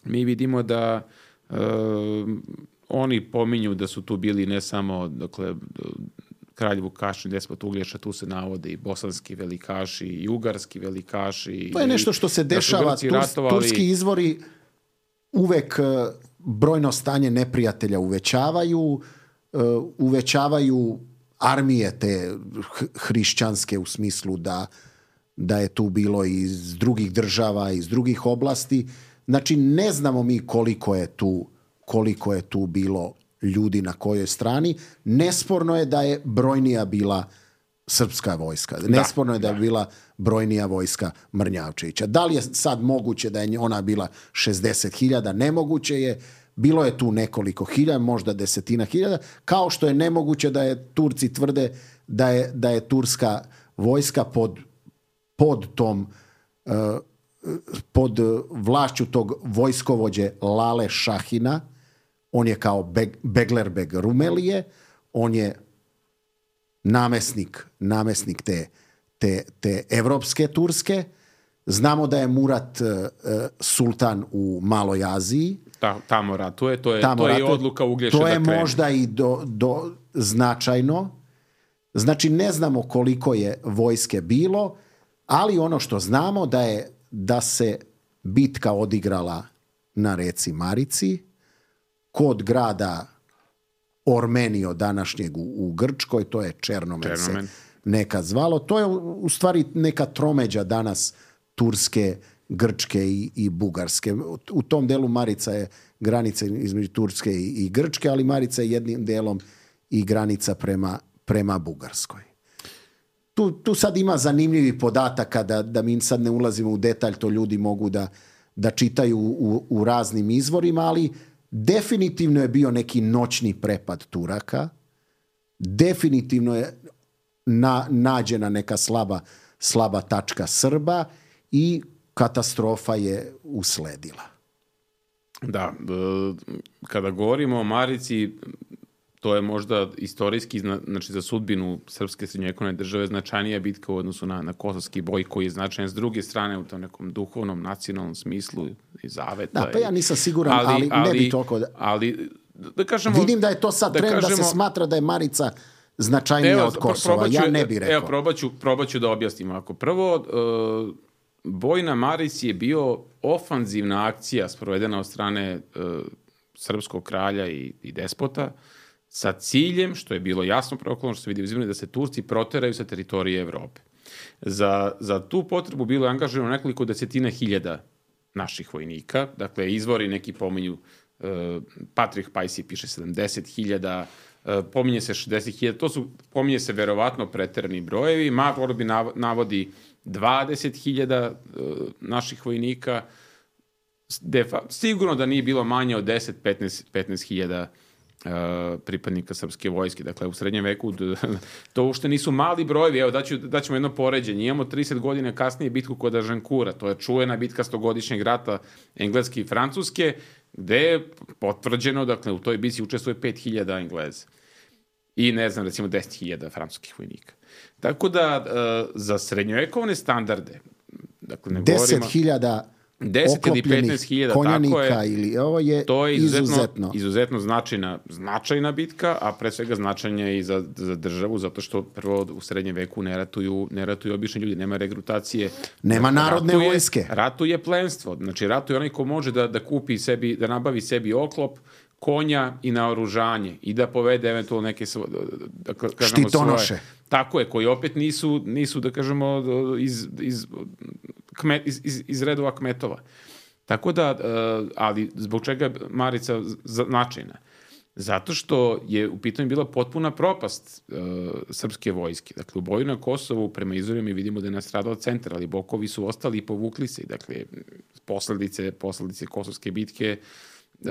mi vidimo da Uh, oni pominju da su tu bili ne samo, dakle, kralj Vukašin, despot Uglješa, tu se navode i bosanski velikaši i ugarski velikaši. To je nešto što se dešava. Da ratovali... Turski izvori uvek brojno stanje neprijatelja uvećavaju, uvećavaju armije te hrišćanske u smislu da, da je tu bilo iz drugih država, iz drugih oblasti. Znači, ne znamo mi koliko je tu, koliko je tu bilo ljudi na kojoj strani. Nesporno je da je brojnija bila srpska vojska. Nesporno je da je da. bila brojnija vojska Mrnjavčevića. Da li je sad moguće da je ona bila šezdeset hiljada? Nemoguće je. Bilo je tu nekoliko hiljada, možda desetina hiljada, kao što je nemoguće da je Turci tvrde da je, da je turska vojska pod, pod tom uh, pod vlašću tog vojskovođe Lale Šahina. On je kao Beg, Beglerbeg Rumelije, on je namesnik, namesnik te, te, te evropske Turske. Znamo da je Murat uh, sultan u Maloj Aziji. Ta, tamo ratuje, to je, tamo to je ratuje. Odluka Uglješe da krene. To je možda i do, do značajno. Znači, ne znamo koliko je vojske bilo, ali ono što znamo da je da se bitka odigrala na reci Marici, kod grada Ormenio današnjeg u, u Grčkoj, to je Černomen, Černomen se nekad zvalo. To je u stvari neka tromeđa danas Turske, Grčke i, i Bugarske. U tom delu Marica je granica između Turske i, i Grčke, ali Marica je jednim delom i granica prema, prema Bugarskoj. Tu, tu sad ima zanimljivi podataka da, da mi sad ne ulazimo u detalj, to ljudi mogu da, da čitaju u, u raznim izvorima, ali definitivno je bio neki noćni prepad Turaka, definitivno je na, nađena neka slaba, slaba tačka Srba i katastrofa je usledila. Da, kada govorimo o Marici, to je možda istorijski, znači za sudbinu srpske srednjovekovne države značajnija bitka u odnosu na, na Kosovski boj koji je značajan s druge strane u tom nekom duhovnom, nacionalnom smislu i zaveta. Da, pa ja nisam siguran, ali, ali, ali ne bi toliko... Da... Ali, da kažemo... Vidim da je to sad da trend kažemo, da se smatra da je Marica značajnija evo, od Kosova. Probaću, ja ne bih rekao. Evo, probaću, probaću da objasnim. Ako prvo, uh, boj na Marici je bio ofanzivna akcija sprovedena od strane uh, srpskog kralja i, i despota, sa ciljem, što je bilo jasno proklamovano, što se vidi uzimljeno, da se Turci proteraju sa teritorije Evrope. Za, za tu potrebu bilo je angažirano nekoliko desetina hiljada naših vojnika. Dakle, izvori neki pominju, uh, Patrick Pajsi piše sedamdeset hiljada, uh, pominje se šezdeset hiljada, to su, pominje se verovatno preterani brojevi, Mark bi navodi dvadeset hiljada uh, naših vojnika, Defa, sigurno da nije bilo manje od deset do petnaest hiljada Uh, pripadnika srpske vojske. Dakle, u srednjem veku to uopšte nisu mali brojevi. Evo, daću, daćemo jedno poređenje. Imamo trideset godina kasnije bitku kod Ažankura. To je čuvena bitka stogodišnjeg rata Engleske i Francuske, gde je potvrđeno, dakle, u toj bitci učestvuje pet hiljada Engleza. I, ne znam, recimo deset hiljada francuskih vojnika. Tako da, uh, za srednjovekovne standarde, dakle, ne govorimo... deset hiljada deset ili petnaest hiljada, tako je, ili ovo je, to je izuzetno, izuzetno. izuzetno značajna, značajna bitka, a pre svega značajna i za, za državu, zato što prvo u srednjem veku ne ratuju, ne ratuju obični ljudi, nema regrutacije. Nema narodne ratuje, vojske. Ratuje plenstvo, znači ratuje onaj ko može da, da kupi sebi, da nabavi sebi oklop, konja i naoružanje i da povede eventualno neke svo, da kažemo, štitonoše. Svoje, tako je, koji opet nisu, nisu da kažemo, iz, iz, kmet, iz, iz, iz redova kmetova. Tako da, ali zbog čega je Marica značajna? Zato što je u pitanju bila potpuna propast uh, srpske vojske. Dakle, u boju na Kosovu, prema izvorima vidimo da je nastradao centar, ali bokovi su ostali i povukli se. Dakle, posledice, posledice Kosovske bitke uh,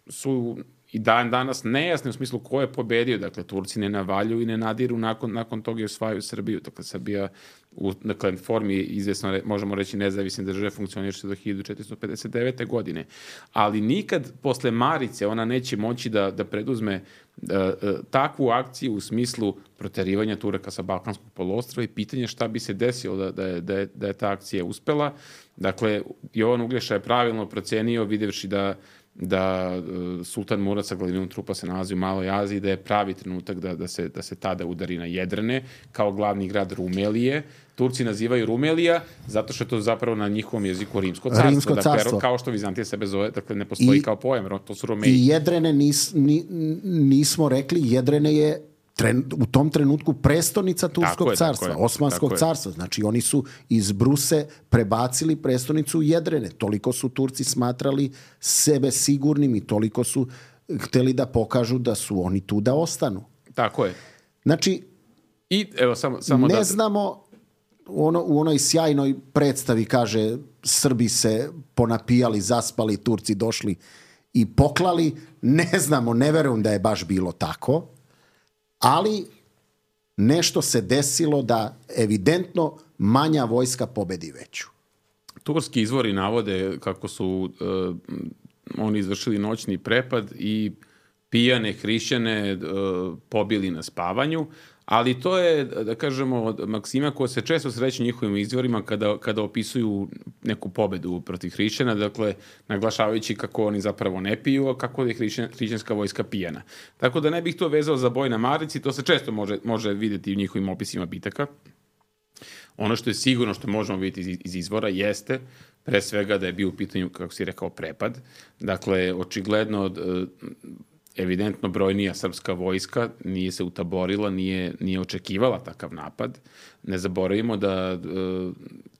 su i dan danas nejasne u smislu ko je pobedio. Dakle, Turci ne navaljuju i ne nadiru nakon, nakon toga i osvajaju Srbiju. Dakle, Srbija u dakle, formi izvesno, možemo reći, nezavisne države funkcioniše do hiljadu četiristo pedeset devete. godine. Ali nikad posle Marice ona neće moći da, da preduzme uh, uh, takvu akciju u smislu proterivanja Turaka sa Balkanskog poluostrva i pitanje šta bi se desilo da, da, je, da, je, da je ta akcija uspela. Dakle, Jovan Uglješa je pravilno procenio, videvši da da uh, Sultan Murad sa glavinom trupa se nalazi u Maloj Aziji, da je pravi trenutak da, da, se, da se tada udari na Jedrane kao glavni grad Rumelije. Turci nazivaju Rumelija zato što je to zapravo na njihovom jeziku rimsko carstvo. Rimsko dakle, carstvo. Kao što Vizantija sebe zove, dakle ne postoji I, kao pojam, to su Romeji. I Jedrene nis, ni, nismo rekli, Jedrene je Tren, u tom trenutku prestonica Turskog je, carstva, je, Osmanskog carstva. Znači oni su iz Bruse prebacili prestonicu u Jedrene. Toliko su Turci smatrali sebe sigurnim i toliko su hteli da pokažu da su oni tu da ostanu. Tako je. Znači, I, evo, samo, samo ne da... znamo, ono, u onoj sjajnoj predstavi kaže Srbi se ponapijali, zaspali, Turci došli i poklali. Ne znamo, ne verujem da je baš bilo tako. Ali nešto se desilo da evidentno manja vojska pobedi veću. Turski izvori navode kako su uh, oni izvršili noćni prepad i pijane hrišćane uh, pobili na spavanju, ali to je, da kažemo, maksima koja se često sreće njihovim izvorima kada, kada opisuju neku pobedu protiv hrišćana, dakle, naglašavajući kako oni zapravo ne piju, a kako je hrišćan, hrišćanska vojska pijana. Tako da ne bih to vezao za boj na Marici, to se često može, može vidjeti u njihovim opisima bitaka. Ono što je sigurno što možemo vidjeti iz, iz izvora jeste, pre svega da je bio u pitanju, kako si rekao, prepad. Dakle, očigledno evidentno brojnija srpska vojska nije se utaborila, nije, nije očekivala takav napad. Ne zaboravimo da e,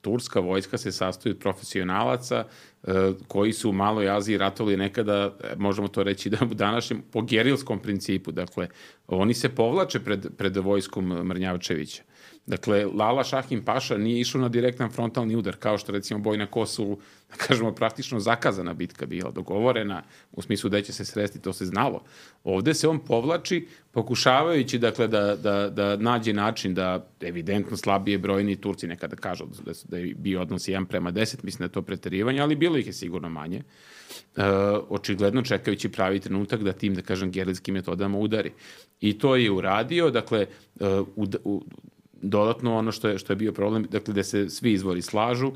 turska vojska se sastoji od profesionalaca e, koji su u Maloj Aziji ratovali nekada, možemo to reći da u današnjem, po gerilskom principu. Dakle, oni se povlače pred, pred vojskom Mrnjavčevića. Dakle, Lala Šahin Paša nije išao na direktan frontalni udar, kao što recimo boj na Kosovu, da kažemo, praktično zakazana bitka bila, dogovorena, u smislu da će se sresti, to se znalo. Ovde se on povlači, pokušavajući, dakle, da, da, da nađe način da evidentno slabije brojni Turci nekada kažu da, da je bio odnos jedan prema deset, mislim da je to preterivanje, ali bilo ih je sigurno manje. E, očigledno čekajući pravi trenutak da tim, da kažem, gerilskim metodama udari. I to je uradio, dakle, u, u dodatno ono što je, što je bio problem, dakle, da se svi izvori slažu,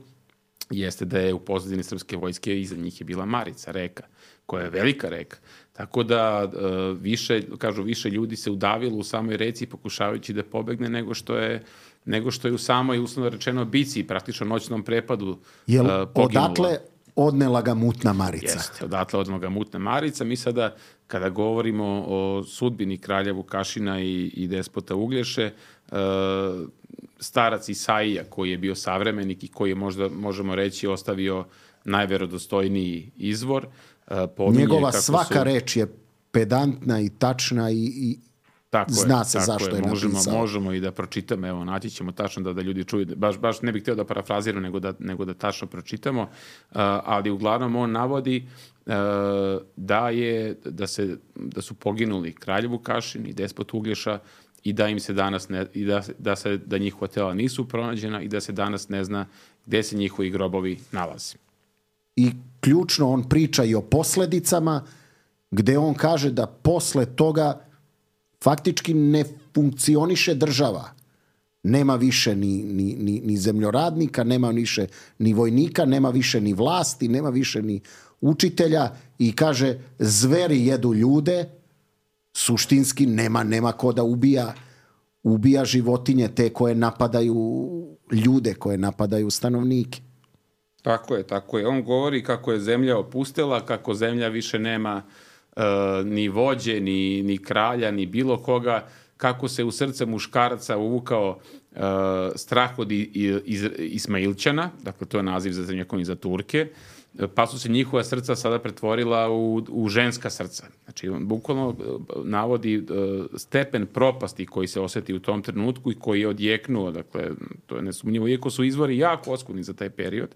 jeste da je u pozadini srpske vojske iza njih je bila Marica, reka, koja je velika reka. Tako da više, kažu, više ljudi se udavilo u samoj reci pokušavajući da pobegne nego što je, nego što je u samoj, uslovno rečeno, bici, praktično noćnom prepadu Jel, uh, poginula. Odatle odnela ga mutna Marica? Jeste, odatle odnela ga mutna Marica. Mi sada, kada govorimo o sudbini kralja Vukašina i, i despota Uglješe, uh, starac Isaija, koji je bio savremenik i koji je možda, možemo reći, ostavio najverodostojniji izvor, uh, pominje njegova kako svaka su... reč je pedantna i tačna i, i tako zna je, se tako zašto je, je možemo, napisao. Možemo i da pročitamo, evo, naći ćemo tačno da, da ljudi čuju, baš, baš ne bih htio da parafraziram, nego da, nego da tačno pročitamo, uh, ali uglavnom on navodi uh, da, je, da, se, da su poginuli kralj Vukašin i despot Uglješa i da im se danas ne, i da, da, se, da njihova tela nisu pronađena i da se danas ne zna gde se njihovi grobovi nalaze. I ključno, on priča i o posledicama, gde on kaže da posle toga faktički ne funkcioniše država. Nema više ni, ni, ni, ni zemljoradnika, nema više ni vojnika, nema više ni vlasti, nema više ni učitelja i kaže, zveri jedu ljude, suštinski nema, nema ko da ubija, ubija životinje te koje napadaju ljude, koje napadaju stanovnike. Tako je, tako je. On govori kako je zemlja opustela, kako zemlja više nema uh, ni vođe, ni, ni kralja, ni bilo koga, kako se u srce muškarca uvukao uh, strah od Ismailčana, dakle to je naziv za Srednjovekovni za Turke, pa su se njihova srca sada pretvorila u, u ženska srca. Znači, on bukvalno navodi uh, stepen propasti koji se osjeti u tom trenutku i koji je odjeknuo, dakle, to je nesumnjivo, iako su izvori jako oskudni za taj period,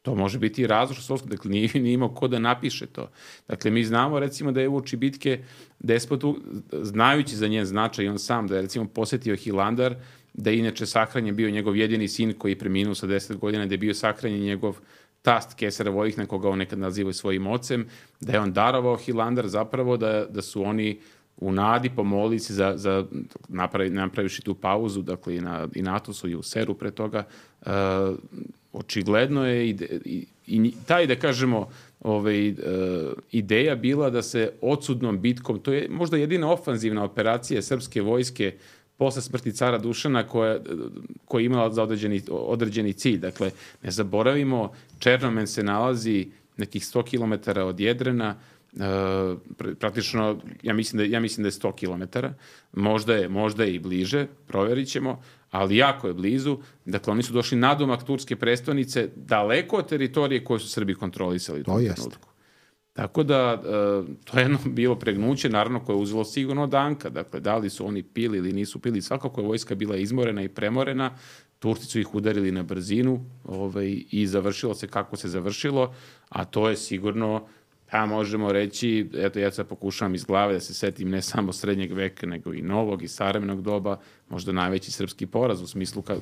to može biti i razlog što su, dakle, nije, nije imao ko da napiše to. Dakle, mi znamo, recimo, da je uoči bitke Despotu, znajući za njen značaj, on sam da je, recimo, posjetio Hilandar, da je inače sahranjen bio njegov jedini sin koji je preminuo sa deset godina, da je bio sahranjen njegov tast Kesara Vojihna, koga on nekad nazivao svojim ocem, da je on darovao Hilandar zapravo, da, da su oni u nadi pomolili se za, za napravi, napraviši tu pauzu, dakle i na, i na Atosu i u Seru pre toga, uh, očigledno je i, i, i taj, da kažemo, ovaj, uh, ideja bila da se odsudnom bitkom, to je možda jedina ofanzivna operacija srpske vojske posle smrti cara Dušana koja, koja je imala za određeni, određeni cilj. Dakle, ne zaboravimo, Černomen se nalazi nekih sto kilometara od Jedrena, Uh, praktično, ja mislim, da, ja mislim da je sto kilometara, možda je, možda je i bliže, provjerit ćemo, ali jako je blizu. Dakle, oni su došli nadomak turske prestonice, daleko od teritorije koje su Srbi kontrolisali u tom trenutku. Tako da, uh, to je jedno bilo pregnuće, naravno, koje je uzelo sigurno danka. Dakle, da li su oni pili ili nisu pili, svakako je vojska bila izmorena i premorena, Turci su ih udarili na brzinu ovaj, i završilo se kako se završilo, a to je sigurno, pa možemo reći, eto ja sad pokušavam iz glave da se setim ne samo srednjeg veka, nego i novog i savremenog doba, možda najveći srpski poraz u smislu ka,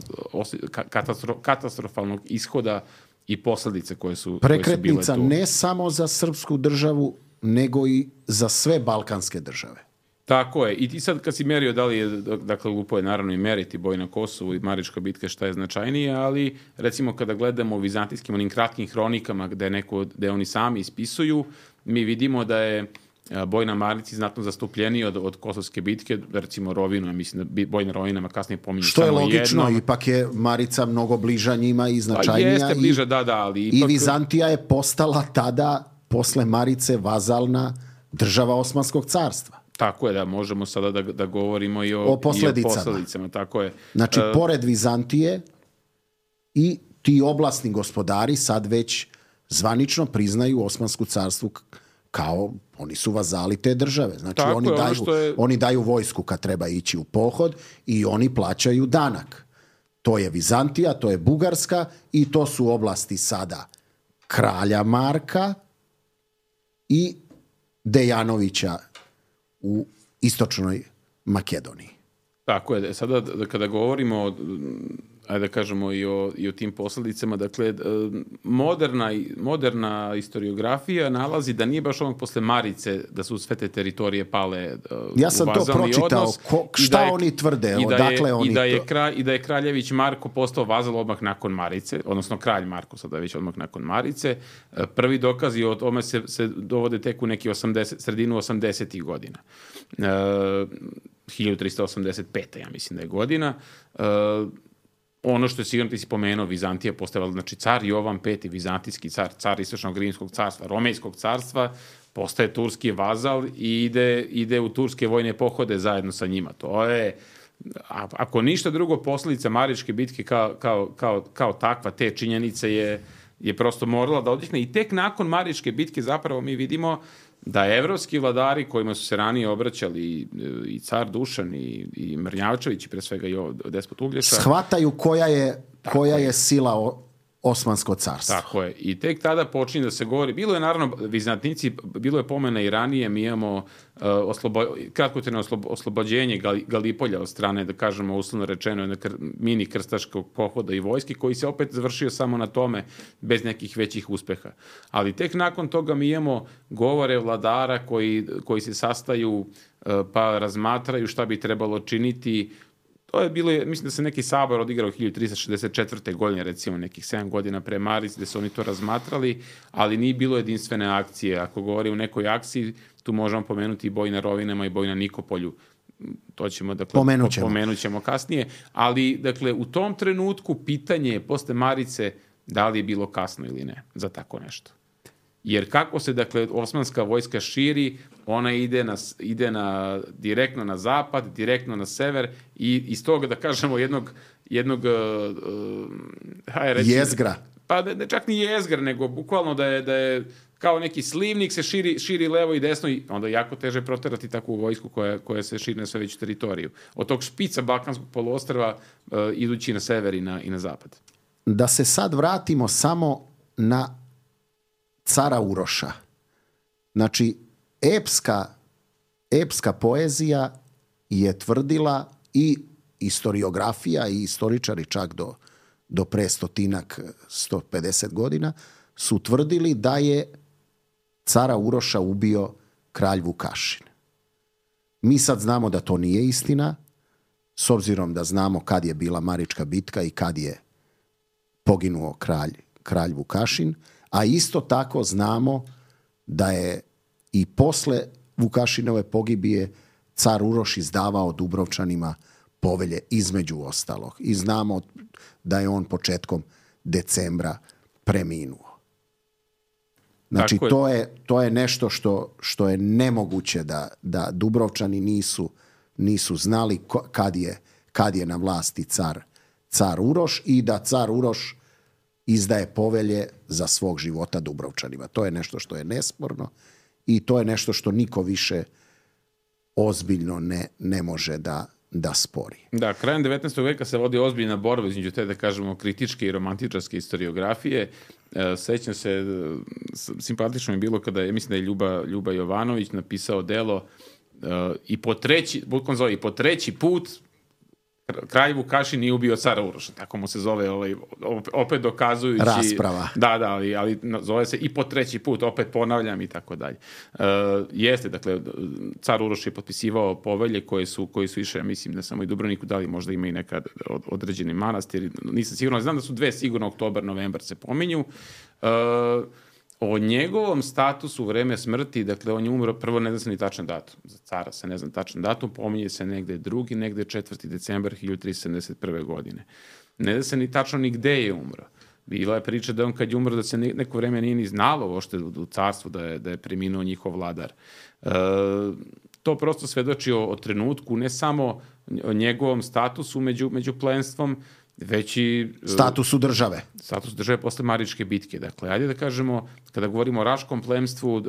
ka, katastro, katastrofalnog ishoda i posledice koje su, prekretnica koje su bile tu. Ne samo za srpsku državu, nego i za sve balkanske države. Tako je. I ti sad kad si merio, da li je, dakle, lupo je naravno i meriti boj na Kosovu i Marička bitka šta je značajnije, ali recimo kada gledamo u vizantijskim onim kratkim hronikama gde, neko, gde oni sami ispisuju, mi vidimo da je boj na Marici znatno zastupljeniji od, od Kosovske bitke, recimo Rovinu, mislim da boj na Rovinama kasnije pominju što samo jedno. Što je logično, ipak je Marica mnogo bliža njima i značajnija. Pa jeste bliža, da, da, ali ipak... I Vizantija je postala tada, posle Marice, vazalna država Osmanskog carstva. Tako je, da, možemo sada da, da govorimo i o, o posledicama. I o posledicama, tako je. Znači, uh, pored Vizantije i ti oblasni gospodari sad već zvanično priznaju Osmansku carstvu kao, oni su vazali te države. Znači, oni je, daju, ono je... oni daju vojsku kad treba ići u pohod i oni plaćaju danak. To je Vizantija, to je Bugarska i to su oblasti sada kralja Marka i Dejanovića u istočnoj Makedoniji. Tako je. Sada da, kada govorimo o, ajde da kažemo i o, i o tim posledicama, dakle, moderna, moderna historiografija nalazi da nije baš onog posle Marice da su sve te teritorije pale u ja sam to pročitao. Odnos, Ko, šta da je, oni tvrde? I da, Odakle je, oni i, da je to... kralj, I da je kraljević Marko postao vazal odmah nakon Marice, odnosno kralj Marko sada već odmah nakon Marice. Prvi dokazi o tome se, se dovode tek u neki osamdeset, sredinu osamdesetih godina. Uh, hiljadu trista osamdeset pete. ja mislim da je godina. Uh, ono što je sigurno ti si pomenuo, Vizantija postavila, znači car Jovan peti, vizantijski car, car Istočnog Rimskog carstva, Romejskog carstva, postaje turski vazal i ide, ide u turske vojne pohode zajedno sa njima. To je, a, ako ništa drugo, posljedica Maričke bitke kao, kao, kao, kao takva, te činjenice je, je prosto morala da odjekne. I tek nakon Maričke bitke zapravo mi vidimo da evropski vladari kojima su se ranije obraćali i, i car Dušan i, i Mrnjavčević i pre svega i despot Uglješa, shvataju koja je, koja je sila o, Osmansko carstvo. Tako je. I tek tada počinje da se govori. Bilo je naravno, Vizantinici, bilo je pomena i ranije, mi imamo uh, oslobo, kratkotrajno oslobo, oslobođenje Galipolja od strane, da kažemo uslovno rečeno, kr, mini krstaškog pohoda i vojske, koji se opet završio samo na tome, bez nekih većih uspeha. Ali tek nakon toga mi imamo govore vladara koji, koji se sastaju uh, pa razmatraju šta bi trebalo činiti. To je bilo, mislim da se neki sabor odigrao hiljadu trista šezdeset četvrte. godine, recimo nekih sedam godina pre Marice, gde su oni to razmatrali, ali nije bilo jedinstvene akcije. Ako govori o nekoj akciji, tu možemo pomenuti i boj na Rovinama i boj na Nikopolju. To ćemo, dakle, pomenut ćemo. pomenut ćemo kasnije. Ali, dakle, u tom trenutku pitanje je posle Marice da li je bilo kasno ili ne za tako nešto. Jer kako se, dakle, osmanska vojska širi, ona ide, na, ide na, direktno na zapad, direktno na sever i iz toga, da kažemo, jednog, jednog uh, hajde reći, jezgra. Pa ne, ne čak ni jezgra, nego bukvalno da je, da je kao neki slivnik se širi, širi levo i desno i onda je jako teže proterati takvu vojsku koja, koja se širi na sve veću teritoriju. Od tog špica Balkanskog poluostrva uh, idući na sever i na, i na zapad. Da se sad vratimo samo na cara Uroša. Znači, epska, epska poezija je tvrdila i historiografija i istoričari čak do, do pre stotinak, sto pedeset godina su tvrdili da je cara Uroša ubio kralj Vukašin. Mi sad znamo da to nije istina, s obzirom da znamo kad je bila Marička bitka i kad je poginuo kralj, kralj Vukašin, a isto tako znamo da je i posle Vukašinove pogibije car Uroš izdavao Dubrovčanima povelje između ostalog. I znamo da je on početkom decembra preminuo. Znači, je. To, je, to je nešto što, što je nemoguće da, da Dubrovčani nisu, nisu znali kad je, kad je na vlasti car, car Uroš i da car Uroš izdaje povelje za svog života Dubrovčanima. To je nešto što je nesporno i to je nešto što niko više ozbiljno ne, ne može da, da spori. Da, krajem devetnaestog veka se vodi ozbiljna borba između te, da kažemo, kritičke i romantičarske historiografije. E, sećam se, simpatično je bilo kada je, mislim da je Ljuba, Ljuba Jovanović napisao delo e, i po treći, bukvalno zove, i po treći put kralj Vukašin nije ubio cara Uroša, tako mu se zove, ovaj, opet dokazujući... Rasprava. Da, da, ali, ali zove se i po treći put, opet ponavljam i tako dalje. E, jeste, dakle, car Uroš je potpisivao povelje koje su, koje su išle, mislim, ne samo i Dubrovniku, da li možda ima i nekad od, određeni manastir, nisam sigurno, znam da su dve sigurno, oktobar, novembar se pominju. E, O njegovom statusu u vreme smrti, dakle, on je umro, prvo ne zna se ni tačan datum. Za cara se ne zna tačan datum, pominje se negde drugi, negde četvrti decembar hiljadu tristo sedamdeset prve. godine. Ne zna se ni tačno ni gde je umro. Bila je priča da on kad je umro, da se neko vreme nije ni znalo uopšte u carstvu da je, da je preminuo njihov vladar. E, to prosto svedoči o, o trenutku, ne samo o njegovom statusu među, među plenstvom, već i... Statusu države. Status države posle Maričke bitke. Dakle, ajde da kažemo, kada govorimo o Raškom plemstvu,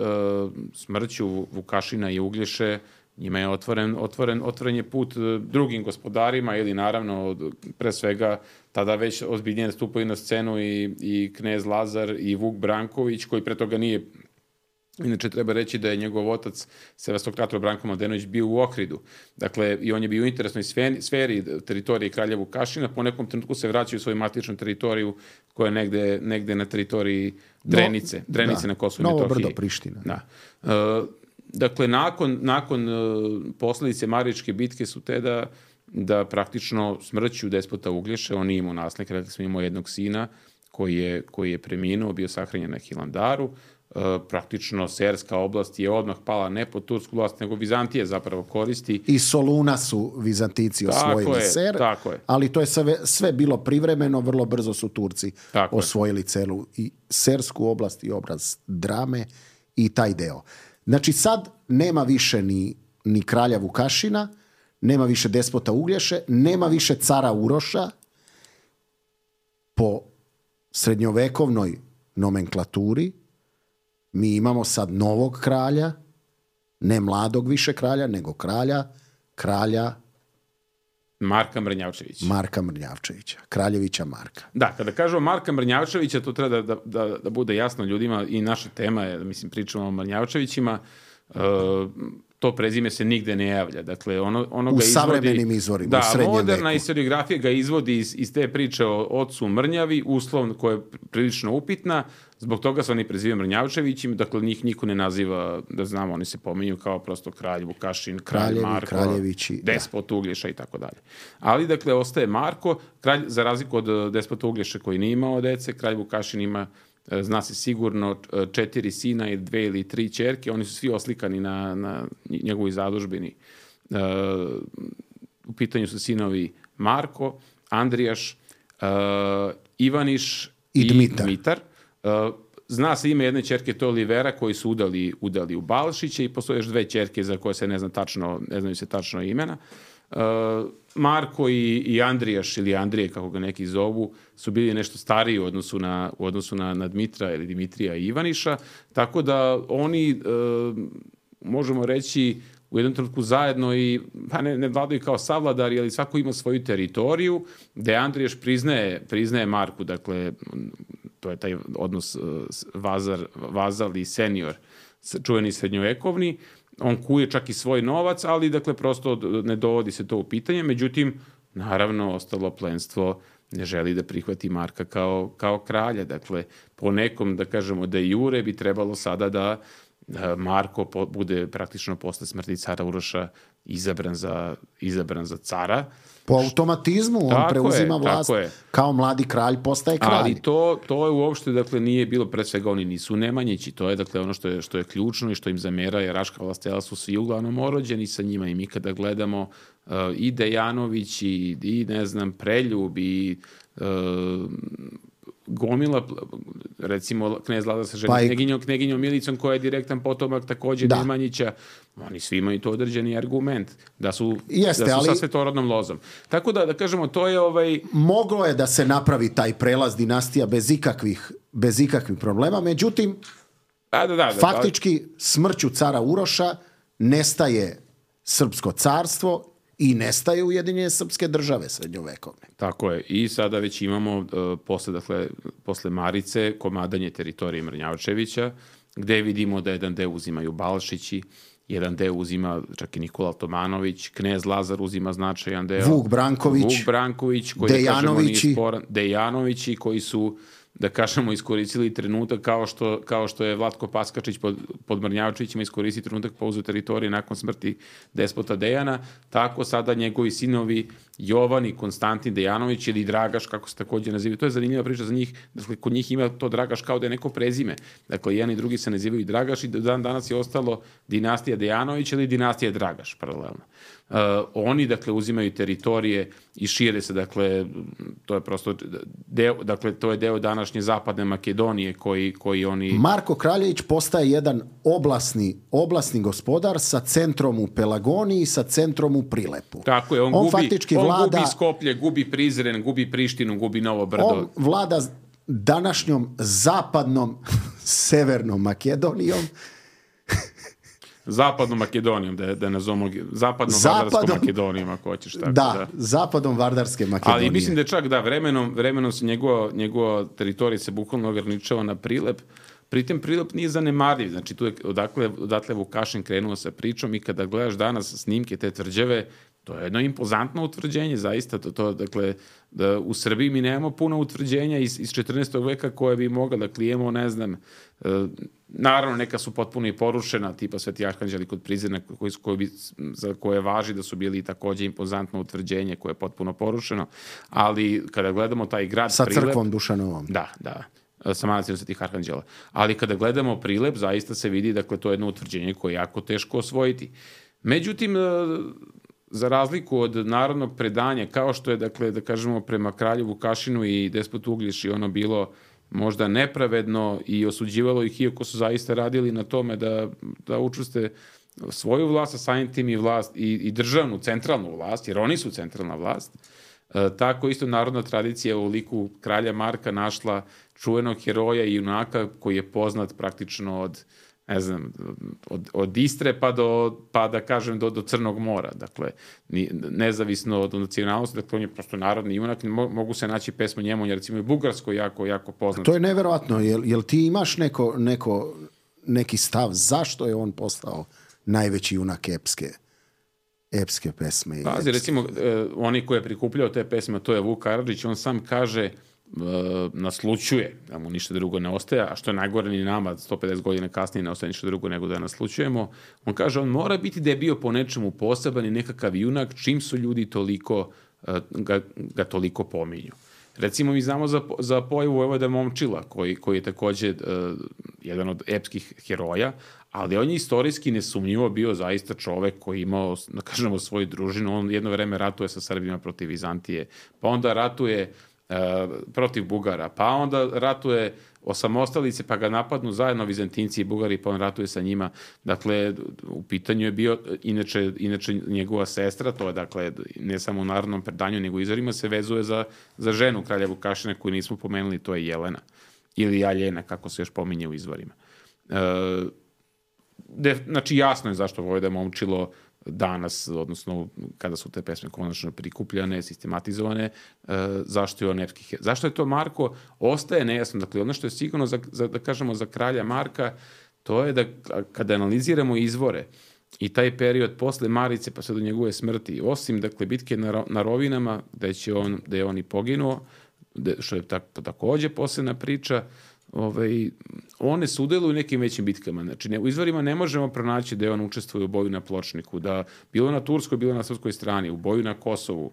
smrću Vukašina i Uglješe, njima je otvoren, otvoren, otvoren je put drugim gospodarima ili naravno, pre svega, tada već ozbiljnije stupaju na scenu i, i knez Lazar i Vuk Branković, koji pre toga nije... Inače, treba reći da je njegov otac, Sevastokrator Branko Mladenović, bio u Ohridu. Dakle, i on je bio u interesnoj sferi, sferi teritorije kralja Vukašina. Po nekom trenutku se vraćaju u svoju matičnu teritoriju koja je negde, negde na teritoriji Drenice. No, Drenice da, na Kosovu i Metohiji. Novo brdo Priština. Da. E, dakle, nakon, nakon posledice Maričke bitke su te da, da praktično smrću despota Uglješe, on nije imao naslednika, rekli smo imao jednog sina koji je, koji je preminuo, bio sahranjen na Hilandaru. Uh, praktično Serska oblast je odmah pala ne pod tursku vlast, nego Vizantija zapravo koristi. I Soluna su Vizantici osvojili Ser, tako je. Ali to je sve, sve bilo privremeno, vrlo brzo su Turci tako osvojili je. Celu i Sersku oblast i obraz Drame i taj deo. Znači sad nema više ni, ni kralja Vukašina, nema više despota Uglješe, nema više cara Uroša. Po srednjovekovnoj nomenklaturi mi imamo sad novog kralja, ne mladog više kralja, nego kralja, kralja Marka Mrnjavčevića. Marka Mrnjavčevića, kraljevića Marka. Da, kada kažemo Marka Mrnjavčevića, to treba da, da, da bude jasno ljudima i naša tema je, mislim, pričamo o Mrnjavčevićima, uh, to prezime se nigde ne javlja. Dakle, ono, ono u ga izvodi... savremenim izvorima, da, u srednjem moderna veku. Historiografija ga izvodi iz, iz te priče o ocu Mrnjavi, uslov koja je prilično upitna, zbog toga se oni prezivaju Mrnjavčevićima, dakle, njih niko ne naziva, da znamo, oni se pominju kao prosto kralj Vukašin, kralj Kraljevi, Marko, kraljevići, despot da. Uglješa i tako dalje. Ali, dakle, ostaje Marko, kralj, za razliku od despota Uglješa koji nije imao dece, kralj Vukašin ima, zna se sigurno, četiri sina i dve ili tri ćerke, oni su svi oslikani na, na njegovoj zadužbini. Uh, u pitanju su sinovi Marko, Andrijaš, uh, Ivaniš i, i Dmitar. Dmitar. Uh, zna se ime jedne ćerke, to je Olivera, koji su udali, udali u Balšića i postoje još dve ćerke za koje se ne zna tačno, ne znaju se tačno imena. Uh, Marko i, i Andrijaš, ili Andrije, kako ga neki zovu, su bili nešto stariji u odnosu na, u odnosu na, na Dmitra ili Dimitrija i Ivaniša, tako da oni, uh, možemo reći, u jednom trenutku zajedno i, pa ne, ne vladaju kao savladari, ali svako ima svoju teritoriju, gde Andrijaš priznaje, priznaje Marku, dakle, to je taj odnos uh, vazar, vazal i senior, čuveni srednjovekovni. On kuje čak i svoj novac, ali dakle prosto ne dovodi se to u pitanje. Međutim, naravno, ostalo plenstvo ne želi da prihvati Marka kao, kao kralja. Dakle, po nekom, da kažemo, da jure bi trebalo sada da Marko po, bude praktično posle smrti cara Uroša izabran za, izabran za cara. Po automatizmu on tako preuzima je, vlast, kao mladi kralj postaje kralj. Ali to, to je uopšte, dakle, nije bilo, pred svega oni nisu Nemanjići, to je, dakle, ono što je, što je ključno i što im zamera je Raška vlastela su svi uglavnom orođeni sa njima i mi kada gledamo uh, i Dejanović i, i, ne znam, Preljub i uh, gomila, recimo knez Lazar sa ženom, pa kneginjom, kneginjom Milicom koja je direktan potomak takođe da. Nemanjića, oni svi imaju to određeni argument da su, Jeste, da su ali, sa svetorodnom lozom. Tako da, da kažemo, to je ovaj... Moglo je da se napravi taj prelaz dinastija bez ikakvih, bez ikakvih problema, međutim, da, da, da, da, faktički da. smrću cara Uroša nestaje srpsko carstvo i nestaje Ujedinjene srpske države srednjovekovne. Tako je. I sada već imamo uh, posle, dakle, posle Marice komadanje teritorije Mrnjavčevića, gde vidimo da jedan deo uzimaju Balšići, jedan deo uzima čak i Nikola Tomanović, knez Lazar uzima značajan deo. Vuk Branković. Vuk Branković, koji Dejanovići. Da kažemo, Dejanovići, koji su, da kažemo, iskoristili trenutak kao što, kao što je Vlatko Paskačić pod, pod Mrnjavčevićima iskoristili trenutak pa uzu teritorije nakon smrti despota Dejana, tako sada njegovi sinovi Jovan i Konstantin Dejanović ili Dragaš, kako se takođe nazivaju. To je zanimljiva priča za njih. Dakle, kod njih ima to Dragaš kao da je neko prezime. Dakle, jedan i drugi se nazivaju Dragaš i dan danas je ostalo dinastija Dejanović ili dinastija Dragaš, paralelno. Uh, oni, dakle, uzimaju teritorije i šire se, dakle, to je prosto deo, dakle, to je deo današnje zapadne Makedonije koji, koji oni... Marko Kraljević postaje jedan oblasni, oblasni gospodar sa centrom u Pelagoniji, sa centrom u Prilepu. Tako je, on, on gubi, faktički on vlada, gubi Skoplje, gubi Prizren, gubi Prištinu, gubi Novo Brdo. On vlada današnjom zapadnom severnom Makedonijom. Zapadnom Makedonijom, da, da nazovemo zapadnom Vardarskom Makedonijom, ako hoćeš tako. Da, da, zapadom Vardarske Makedonije. Ali mislim da čak da vremenom, vremenom se njegova, njegova teritorija se bukvalno ograničava na Prilep. Pritem Prilep nije zanemarljiv, znači tu je odakle, odatle Vukašin krenuo sa pričom i kada gledaš danas snimke te tvrđave, to je jedno impozantno utvrđenje, zaista. To, to, dakle, da u Srbiji mi nemamo puno utvrđenja iz, iz četrnaestog veka koje bi mogla da klijemo, ne znam, e, naravno neka su potpuno i porušena, tipa Sveti Arhanđeli kod Prizrena, koji, koji bi, za koje važi da su bili takođe impozantno utvrđenje koje je potpuno porušeno, ali kada gledamo taj grad sa Prilep... Sa crkvom Dušanovom. Da, da. Sa manastirom Svetih Arhanđela. Ali kada gledamo Prilep, zaista se vidi, dakle, to je jedno utvrđenje koje je jako teško osvojiti. Međutim, za razliku od narodnog predanja, kao što je, dakle, da kažemo, prema kralju Vukašinu i despotu Uglješi ono bilo možda nepravedno i osuđivalo ih, iako su zaista radili na tome da, da učvrste svoju vlast, a samim tim i vlast i, i državnu, centralnu vlast, jer oni su centralna vlast. E, tako isto narodna tradicija u liku kralja Marka našla čuvenog heroja i junaka koji je poznat praktično od, ne znam, od, od Istre pa do, pa da kažem, do, do Crnog mora. Dakle, ni, nezavisno od nacionalnosti, dakle, on je prosto narodni junak, mogu se naći pesme njemu, jer recimo i bugarsko jako, jako poznat. To je neverovatno. Jel, jel ti imaš neko, neko, neki stav zašto je on postao najveći junak epske? epske pesme. I Pazi, recimo, eh, oni koji je prikupljao te pesme, to je Vuk Karadžić, on sam kaže, eh, naslučuje, da mu ništa drugo ne ostaje, a što je najgore ni nama, sto pedeset godina kasnije ne ostaje ništa drugo nego da naslučujemo. On kaže, on mora biti da je bio po nečemu poseban i nekakav junak, čim su ljudi toliko, eh, ga, ga toliko pominju. Recimo, mi znamo za, za pojavu Vojvoda Momčila, koji, koji je takođe uh, jedan od epskih heroja, ali on je istorijski nesumnjivo bio zaista čovek koji imao, da kažemo, svoju družinu. On jedno vreme ratuje sa Srbima protiv Vizantije, pa onda ratuje protiv Bugara, pa onda ratuje osamostalice, pa ga napadnu zajedno Vizantinci i Bugari, pa on ratuje sa njima. Dakle, u pitanju je bio, inače, inače njegova sestra, to je, dakle, ne samo u narodnom predanju, nego izvorima se vezuje za, za ženu kralja Vukašina koju nismo pomenuli, to je Jelena. Ili Aljena, kako se još pominje u izvorima. E, de, znači, jasno je zašto Vojvoda Momčilo danas, odnosno kada su te pesme konačno prikupljane, sistematizovane, e, zašto je on epski heroj. Zašto je to Marko? Ostaje nejasno. Dakle, ono što je sigurno, za, za, da kažemo, za kralja Marka, to je da kada analiziramo izvore i taj period posle Marice pa sve do njegove smrti, osim, dakle, bitke na, na Rovinama, gde, će on, gde je on i poginuo, gde, što je tak, takođe posebna priča, Ovaj, one sudjeluju u nekim većim bitkama. Znači, ne, u izvorima ne možemo pronaći da je on učestvuje u boju na Pločniku, da bilo na turskoj, bilo na srpskoj strani, u boju na Kosovu,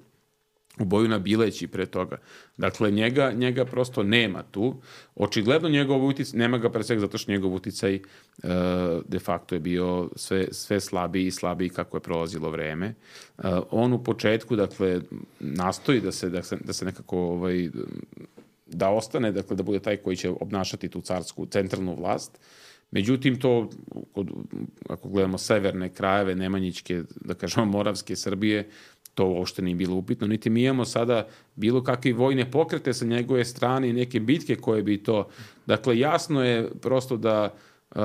u boju na Bileći pre toga. Dakle, njega, njega prosto nema tu. Očigledno njegov uticaj, nema ga pre svega zato što njegov uticaj e, de facto je bio sve, sve slabiji i slabiji kako je prolazilo vreme. E, on u početku, dakle, nastoji da se, da se, da se nekako ovaj, da ostane, dakle, da bude taj koji će obnašati tu carsku centralnu vlast. Međutim, to, ako gledamo severne krajeve, Nemanjićke, da kažemo, Moravske Srbije, to uopšte nije bilo upitno. Niti mi imamo sada bilo kakve vojne pokrete sa njegove strane i neke bitke koje bi to... Dakle, jasno je prosto da... Uh,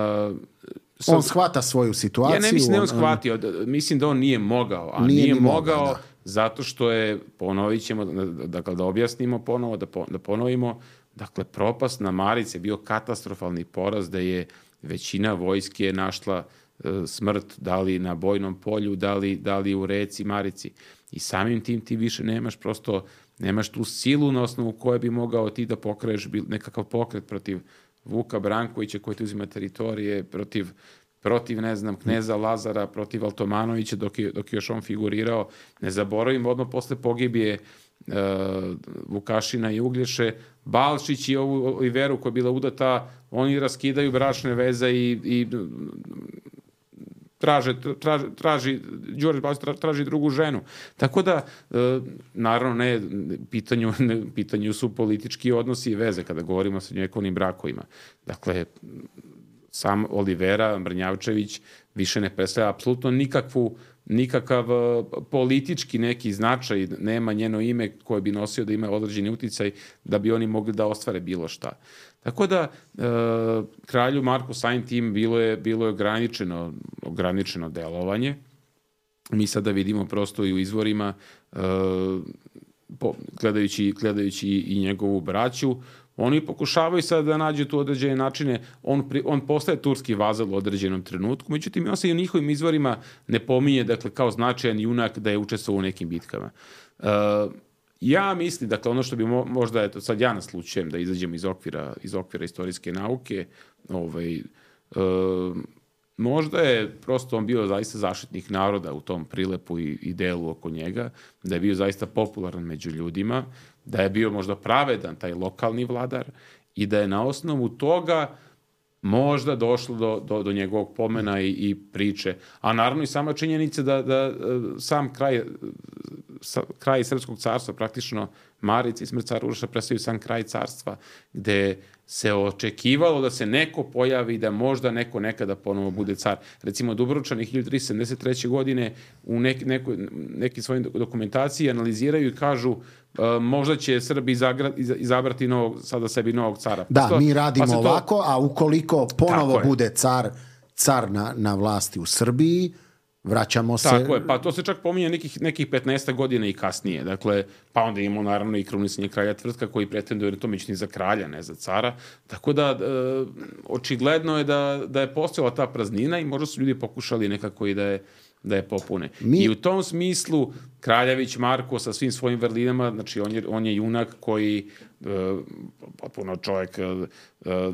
on shvata svoju situaciju. Ja ne mislim da je on on shvatio, mislim da on nije mogao, a nije, nije ni mogao... mogao, da. Zato što je, ponovit ćemo, dakle, da objasnimo ponovo, da, po, da ponovimo, dakle, propast na Marici je bio katastrofalni poraz, da je većina vojske našla e, smrt, da li na bojnom polju, da li, da li u reci Marici. I samim tim ti više nemaš prosto, nemaš tu silu na osnovu koje bi mogao ti da pokreneš nekakav pokret protiv Vuka Brankovića koji ti uzima teritorije, protiv protiv, ne znam, kneza Lazara, protiv Altomanovića, dok je, dok je još on figurirao. Ne zaboravimo, odmah posle pogibije uh, Vukašina i Uglješe, Balšić i ovu Oliveru koja je bila udata, oni raskidaju bračne veze i, i traže, traži, traži, Đorđe Balšić traži drugu ženu. Tako da, uh, naravno, ne, pitanju, ne, pitanju su politički odnosi i veze kada govorimo o srednjovekovnim brakovima. Dakle, sam Olivera Mrnjavčević više ne predstavlja apsolutno nikakvu, nikakav politički neki značaj, nema njeno ime koje bi nosio da ima određeni uticaj da bi oni mogli da ostvare bilo šta. Tako da, e, kralju Marku samim tim bilo je, bilo je ograničeno, ograničeno delovanje. Mi sada vidimo prosto i u izvorima, e, po, gledajući, gledajući i njegovu braću, oni pokušavaju sad da nađu tu određene načine, on, pri, on postaje turski vazal u određenom trenutku, međutim, on se i u njihovim izvorima ne pominje, dakle, kao značajan junak da je učestvovao u nekim bitkama. Uh, ja mislim, dakle, ono što bi mo, možda, eto, sad ja naslučujem da izađem iz okvira, iz okvira istorijske nauke, ovaj, uh, možda je prosto on bio zaista zaštitnik naroda u tom prilepu i, i delu oko njega, da je bio zaista popularan među ljudima, da je bio možda pravedan taj lokalni vladar i da je na osnovu toga možda došlo do, do, do njegovog pomena i, i priče. A naravno i sama činjenica da, da sam kraj, sa, kraj Srpskog carstva, praktično Marica i smrt cara Uroša predstavljaju sam kraj carstva, gde se očekivalo da se neko pojavi, da možda neko nekada ponovo bude car. Recimo, Dubrovčani hiljadu tristo sedamdeset treće. godine u neki, neko, neki svojim dokumentaciji analiziraju i kažu uh, možda će Srbi izagra, izabrati novog, sada sebi novog cara. Pa da, to, mi radimo pa ovako, to... a ukoliko ponovo bude car, car na, na vlasti u Srbiji, vraćamo se... Tako je, pa to se čak pominje nekih, nekih petnaest godina i kasnije. Dakle, pa onda imamo naravno i krunisanje kralja Tvrtka koji pretenduje na to, međutim za kralja, ne za cara. Tako da, e, očigledno je da, da je postojala ta praznina i možda su ljudi pokušali nekako i da je, da je popune. Mi... I u tom smislu Kraljević Marko sa svim svojim vrlinama, znači on je, on je junak koji e, potpuno čovjek e,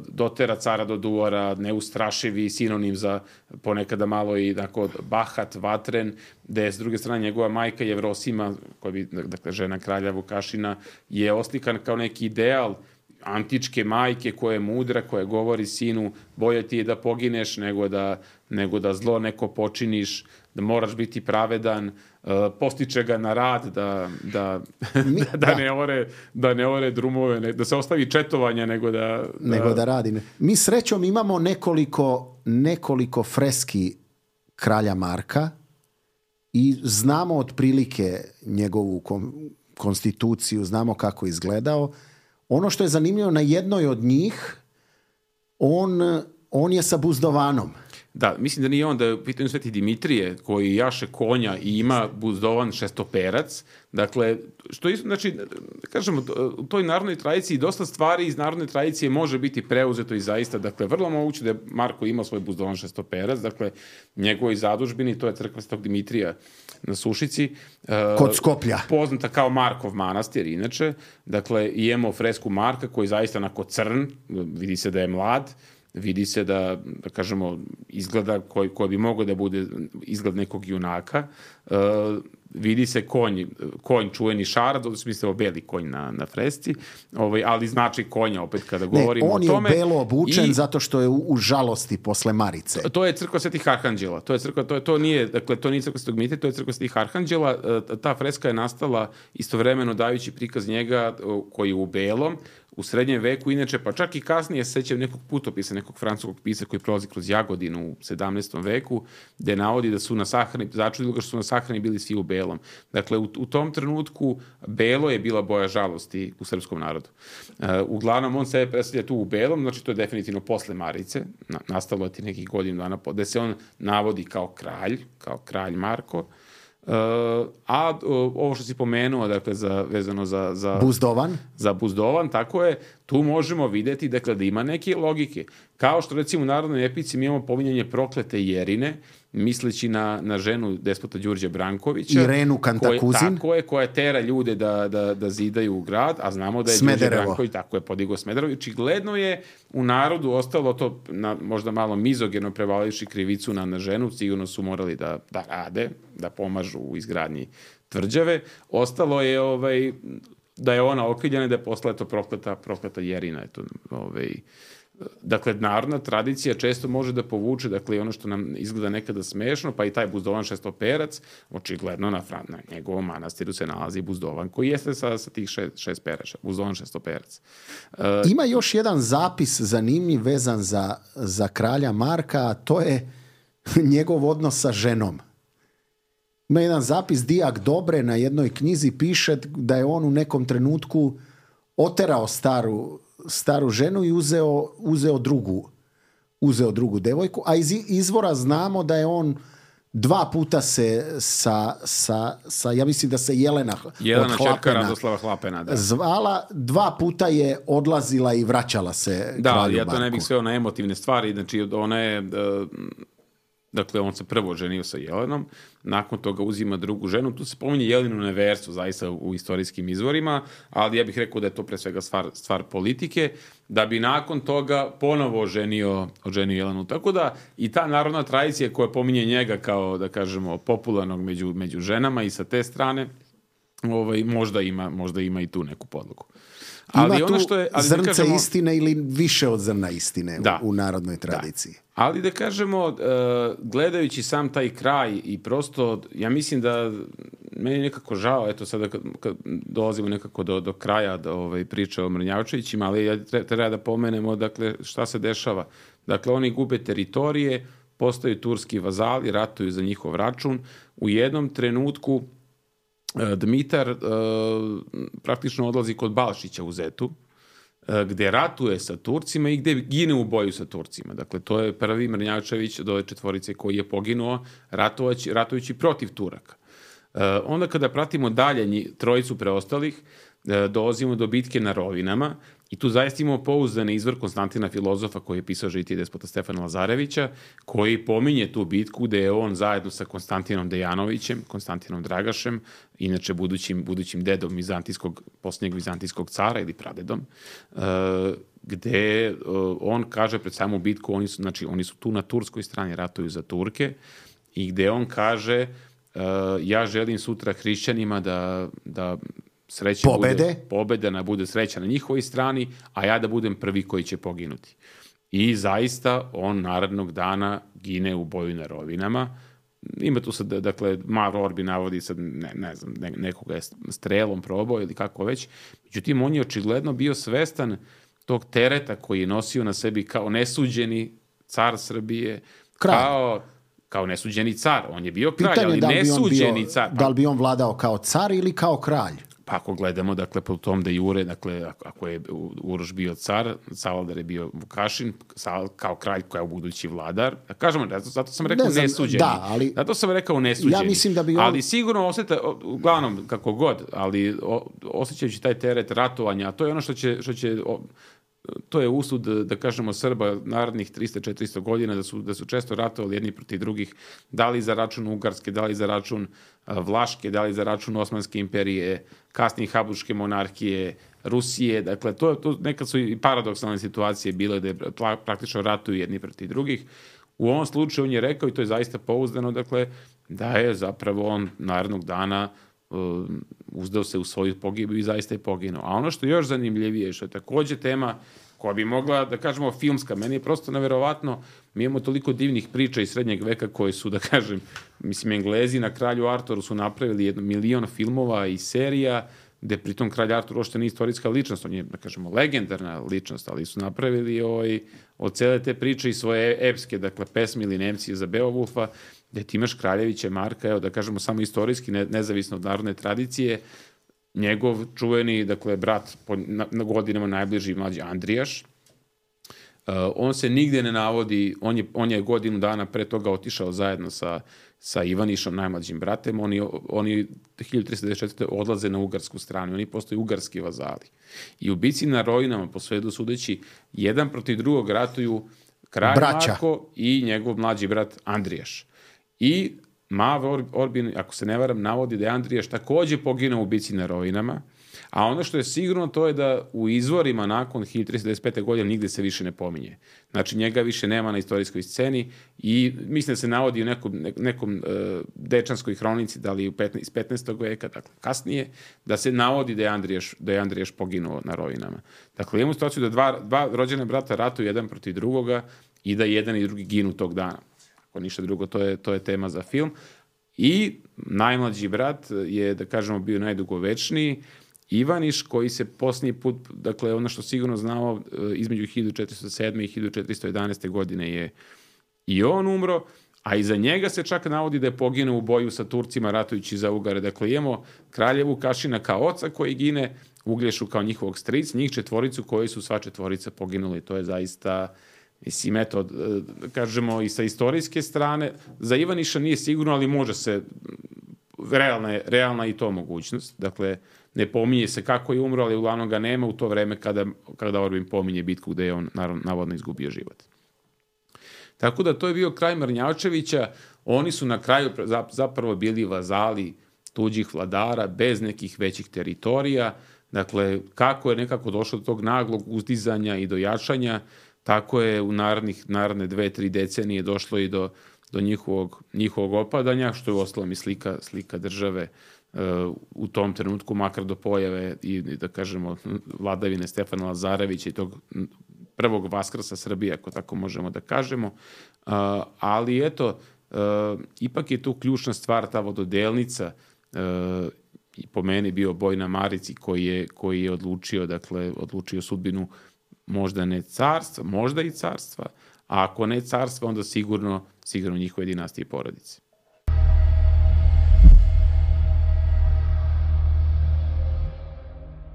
dotera cara do duvara, neustrašivi, sinonim za ponekada malo i tako bahat, vatren, gde je s druge strane njegova majka Jevrosima, koja bi, dakle, žena kralja Vukašina, je oslikan kao neki ideal antičke majke koja je mudra, koja govori sinu, bolje ti je da pogineš nego da, nego da zlo neko počiniš, da moraš biti pravedan, uh, postiče ga na rad da, da, Mi, da, da, ne ore, da ne ore drumove, ne, da se ostavi četovanja nego da... da... Nego da radi. Mi srećom imamo nekoliko, nekoliko freski kralja Marka i znamo otprilike njegovu kom, konstituciju, znamo kako je izgledao. Ono što je zanimljivo, na jednoj od njih on, on je sa buzdovanom. Da, mislim da nije on, da je u pitanju Sveti Dimitrije, koji jaše konja i ima buzdovan šestoperac. Dakle, što isto, znači, kažemo, u toj narodnoj tradiciji dosta stvari iz narodne tradicije može biti preuzeto i zaista, dakle, vrlo moguće da je Marko imao svoj buzdovan šestoperac, dakle, njegovoj zadužbini, to je crkva Svetog Dimitrija na Sušici. Kod Skoplja. Poznata kao Markov manastir, inače. Dakle, imamo fresku Marka koji je zaista onako crn, vidi se da je mlad, vidi se da, da kažemo, izgleda koji, koji bi mogao da bude izgled nekog junaka. Uh, vidi se konj, konj čuveni Šarad, u smislu beli konj na, na fresci, ovaj, ali znači konja opet kada govorimo ne, o tome. On je belo obučen i, zato što je u, u žalosti posle Marice. To, to je crkva Svetih Arhanđela. To je crkva, to, je, to nije, dakle, to nije crkva Svetog Dimitrija, to je crkva Svetih Arhanđela. Uh, ta freska je nastala istovremeno dajući prikaz njega uh, koji je u belom, u srednjem veku, inače, pa čak i kasnije se sećam nekog putopisa, nekog francuskog pisa koji prolazi kroz Jagodinu u sedamnaestom veku, gde navodi da su na sahrani, začudilo ga što su na sahrani bili svi u belom. Dakle, u, u tom trenutku belo je bila boja žalosti u srpskom narodu. Uh, uglavnom, on sebe predstavlja tu u belom, znači to je definitivno posle Marice, na, nastalo je ti nekih godinu dana, gde se on navodi kao kralj, kao kralj Marko. Uh, a uh, ovo što si pomenuo, dakle, za, vezano za, za Buzdovan. Za Buzdovan, tako je, tu možemo videti, dakle, da ima neke logike. Kao što, recimo, u narodnoj epici mi imamo pominjanje proklete Jerine, misleći na, na ženu despota Đurđa Brankovića. Irenu Kantakuzin. Koje, tako je, koja tera ljude da, da, da zidaju u grad, a znamo da je Đurđe Branković, tako je, podigao Smederevo. Očigledno je u narodu ostalo to na, možda malo mizogeno prevaливši krivicu na, na ženu, sigurno su morali da, da rade, da pomažu u izgradnji tvrđave. Ostalo je ovaj, da je ona okrivljena, da je posle to prokleta, prokleta Jerina. Eto, ovaj, dakle, narodna tradicija često može da povuče, dakle, ono što nam izgleda nekada smešno, pa i taj buzdovan šestoperac, očigledno na, na njegovom manastiru se nalazi buzdovan, koji jeste sa, sa tih šest, šest perača, buzdovan šestoperac. Uh, Ima još jedan zapis zanimljiv vezan za, za kralja Marka, a to je njegov odnos sa ženom. Ima jedan zapis, Dijak Dobre na jednoj knjizi piše da je on u nekom trenutku oterao staru staru ženu i uzeo, uzeo drugu uzeo drugu devojku, a iz izvora znamo da je on dva puta se sa, sa, sa ja mislim da se Jelena Jelena čerka Radoslava Hlapena, da. Zvala, dva puta je odlazila i vraćala se da, kralju ja to Marku. Ne bih sveo na emotivne stvari, znači ona je dakle, on se prvo ženio sa Jelenom, nakon toga uzima drugu ženu. Tu se pominje Jelenu neverstvo, zaista u istorijskim izvorima, ali ja bih rekao da je to pre svega stvar, stvar politike, da bi nakon toga ponovo oženio, oženio Jelenu. Tako da i ta narodna tradicija koja pominje njega kao, da kažemo, popularnog među, među ženama i sa te strane, ovaj, možda, ima, možda ima i tu neku podlogu. Ali ima ono što je, ali zrnce da kažemo, istine ili više od zrna istine da, u, u narodnoj tradiciji. Da. Ali da kažemo, uh, gledajući sam taj kraj i prosto, ja mislim da meni je nekako žao, eto sada kad, kad dolazimo nekako do, do kraja do, ovaj, priče o Mrnjavčevićima, ali ja treba da pomenemo dakle, šta se dešava. Dakle, oni gube teritorije, postaju turski vazali, ratuju za njihov račun. U jednom trenutku Dmitar uh, praktično odlazi kod Balšića u Zetu, uh, gde ratuje sa Turcima i gde gine u boju sa Turcima. Dakle, to je prvi Mrnjavčević od ove četvorice koji je poginuo ratujući, ratujući protiv Turaka. Uh, onda kada pratimo dalje njih, trojicu preostalih, uh, dolazimo do bitke na Rovinama i tu zaista imamo pouzdani izvor Konstantina Filozofa koji je pisao žitije despota Stefana Lazarevića, koji pominje tu bitku gde je on zajedno sa Konstantinom Dejanovićem, Konstantinom Dragašem, inače budućim, budućim dedom vizantijskog, posljednjeg vizantijskog cara ili pradedom, uh, gde uh, on kaže pred samu bitku, oni su, znači, oni su tu na turskoj strani, ratuju za Turke, i gde on kaže uh, ja želim sutra hrišćanima da, da sreća pobede. bude, pobeda bude sreća na njihovoj strani, a ja da budem prvi koji će poginuti. I zaista on narednog dana gine u boju na rovinama. Ima tu sad, dakle, Marv Orbi navodi sad, ne, ne znam, ne, nekoga je strelom probao ili kako već. Međutim, on je očigledno bio svestan tog tereta koji je nosio na sebi kao nesuđeni car Srbije, kralj. kao, kao nesuđeni car. On je bio kralj, Pitanje ali da li nesuđeni bio, car. Pa, da li bi on vladao kao car ili kao kralj? Pa ako gledamo, dakle, po tom de jure, dakle, ako je Uroš bio car, Savaldar je bio Vukašin, kao kralj koja je u budući vladar. Kažemo, zato sam rekao ne znam, nesuđeni. Da, ali, zato sam rekao nesuđeni. Ja mislim da bi on... Ali sigurno osjeta, uglavnom, kako god, ali osjećajući taj teret ratovanja, a to je ono što će... Što će to je usud, da kažemo, Srba narednih trista do četiristo godina, da su, da su često ratovali jedni protiv drugih, da li za račun Ugarske, da li za račun Vlaške, da li za račun Osmanske imperije, kasnije Habsburške monarhije, Rusije. Dakle, to, to nekad su i paradoksalne situacije bile da praktično ratuju jedni protiv drugih. U ovom slučaju on je rekao, i to je zaista pouzdano, dakle, da je zapravo on narednog dana uzdao se u svoju pogibiju i zaista je poginuo. A ono što je još zanimljivije, što je takođe tema koja bi mogla, da kažemo, filmska, meni je prosto neverovatno, mi imamo toliko divnih priča iz srednjeg veka koji su, da kažem, mislim, Englezi na kralju Arturu su napravili jedno milion filmova i serija, gde pritom kralj Artur uopšte nije istorijska ličnost, on je, da kažemo, legendarna ličnost, ali su napravili ovaj, od cele te priče i svoje epske, dakle, pesme ili Nemci za Beowulfa, gde ti imaš Kraljevića Marka, evo da kažemo samo istorijski, ne, nezavisno od narodne tradicije, njegov čuveni, dakle, brat po na, na godinama najbliži mlađi Andrijaš, uh, on se nigde ne navodi, on je, on je godinu dana pre toga otišao zajedno sa, sa Ivanišom, najmlađim bratem, oni, oni hiljadu trista devedeset četvrte odlaze na ugarsku stranu, oni postaju ugarski vazali. I u bici na Rovinama, po svedu sudeći, jedan protiv drugog ratuju kralj Braća. Marko i njegov mlađi brat Andrijaš. I Mav Orbin, ako se ne varam, navodi da je Andrijaš takođe poginuo u bici na Rovinama, a ono što je sigurno to je da u izvorima nakon hiljadu trista devedeset pete. godine nigde se više ne pominje. Znači njega više nema na istorijskoj sceni i mislim da se navodi u nekom, nekom uh, dečanskoj hronici, da li iz petnaestog veka, dakle kasnije, da se navodi da je Andrijaš, da je Andrijaš poginuo na Rovinama. Dakle, imamo situaciju da dva, dva rođene brata ratuju jedan protiv drugoga i da jedan i drugi ginu tog dana. Ako ništa drugo, to je, to je tema za film. I najmlađi brat je, da kažemo, bio najdugovečniji, Ivaniš, koji se posljednji put, dakle, ono što sigurno znamo, između hiljadu četiristo sedme. i hiljadu četiristo jedanaeste. godine je i on umro, a iza njega se čak navodi da je poginuo u boju sa Turcima ratujući za Ugare. Dakle, imamo kralja Vukašina kao oca koji gine, Uglješu kao njihovog stric, njih četvoricu koji su sva četvorica poginuli. To je zaista... Mislim, eto, kažemo i sa istorijske strane, za Ivaniša nije sigurno, ali može se, realna je, realna i to mogućnost. Dakle, ne pominje se kako je umro, ali uglavnom ga nema u to vreme kada, kada Orbin pominje bitku gde je on naravno, navodno izgubio život. Tako da to je bio kraj Mrnjavčevića. Oni su na kraju zapravo bili vazali tuđih vladara bez nekih većih teritorija. Dakle, kako je nekako došlo do tog naglog uzdizanja i do jačanja, tako je u narednih, naredne dve, tri decenije došlo i do, do njihovog, njihovog opadanja, što je uostalom i slika, slika države uh, u tom trenutku, makar do pojave i, da kažemo, vladavine Stefana Lazarevića i tog prvog vaskrsa Srbije, ako tako možemo da kažemo. Uh, ali eto, uh, ipak je tu ključna stvar, ta vododelnica, uh, i po meni bio boj na Marici koji je, koji je odlučio, dakle, odlučio sudbinu možda ne carstva, možda i carstva, a ako ne carstva, onda sigurno, sigurno njihove dinastije i porodice.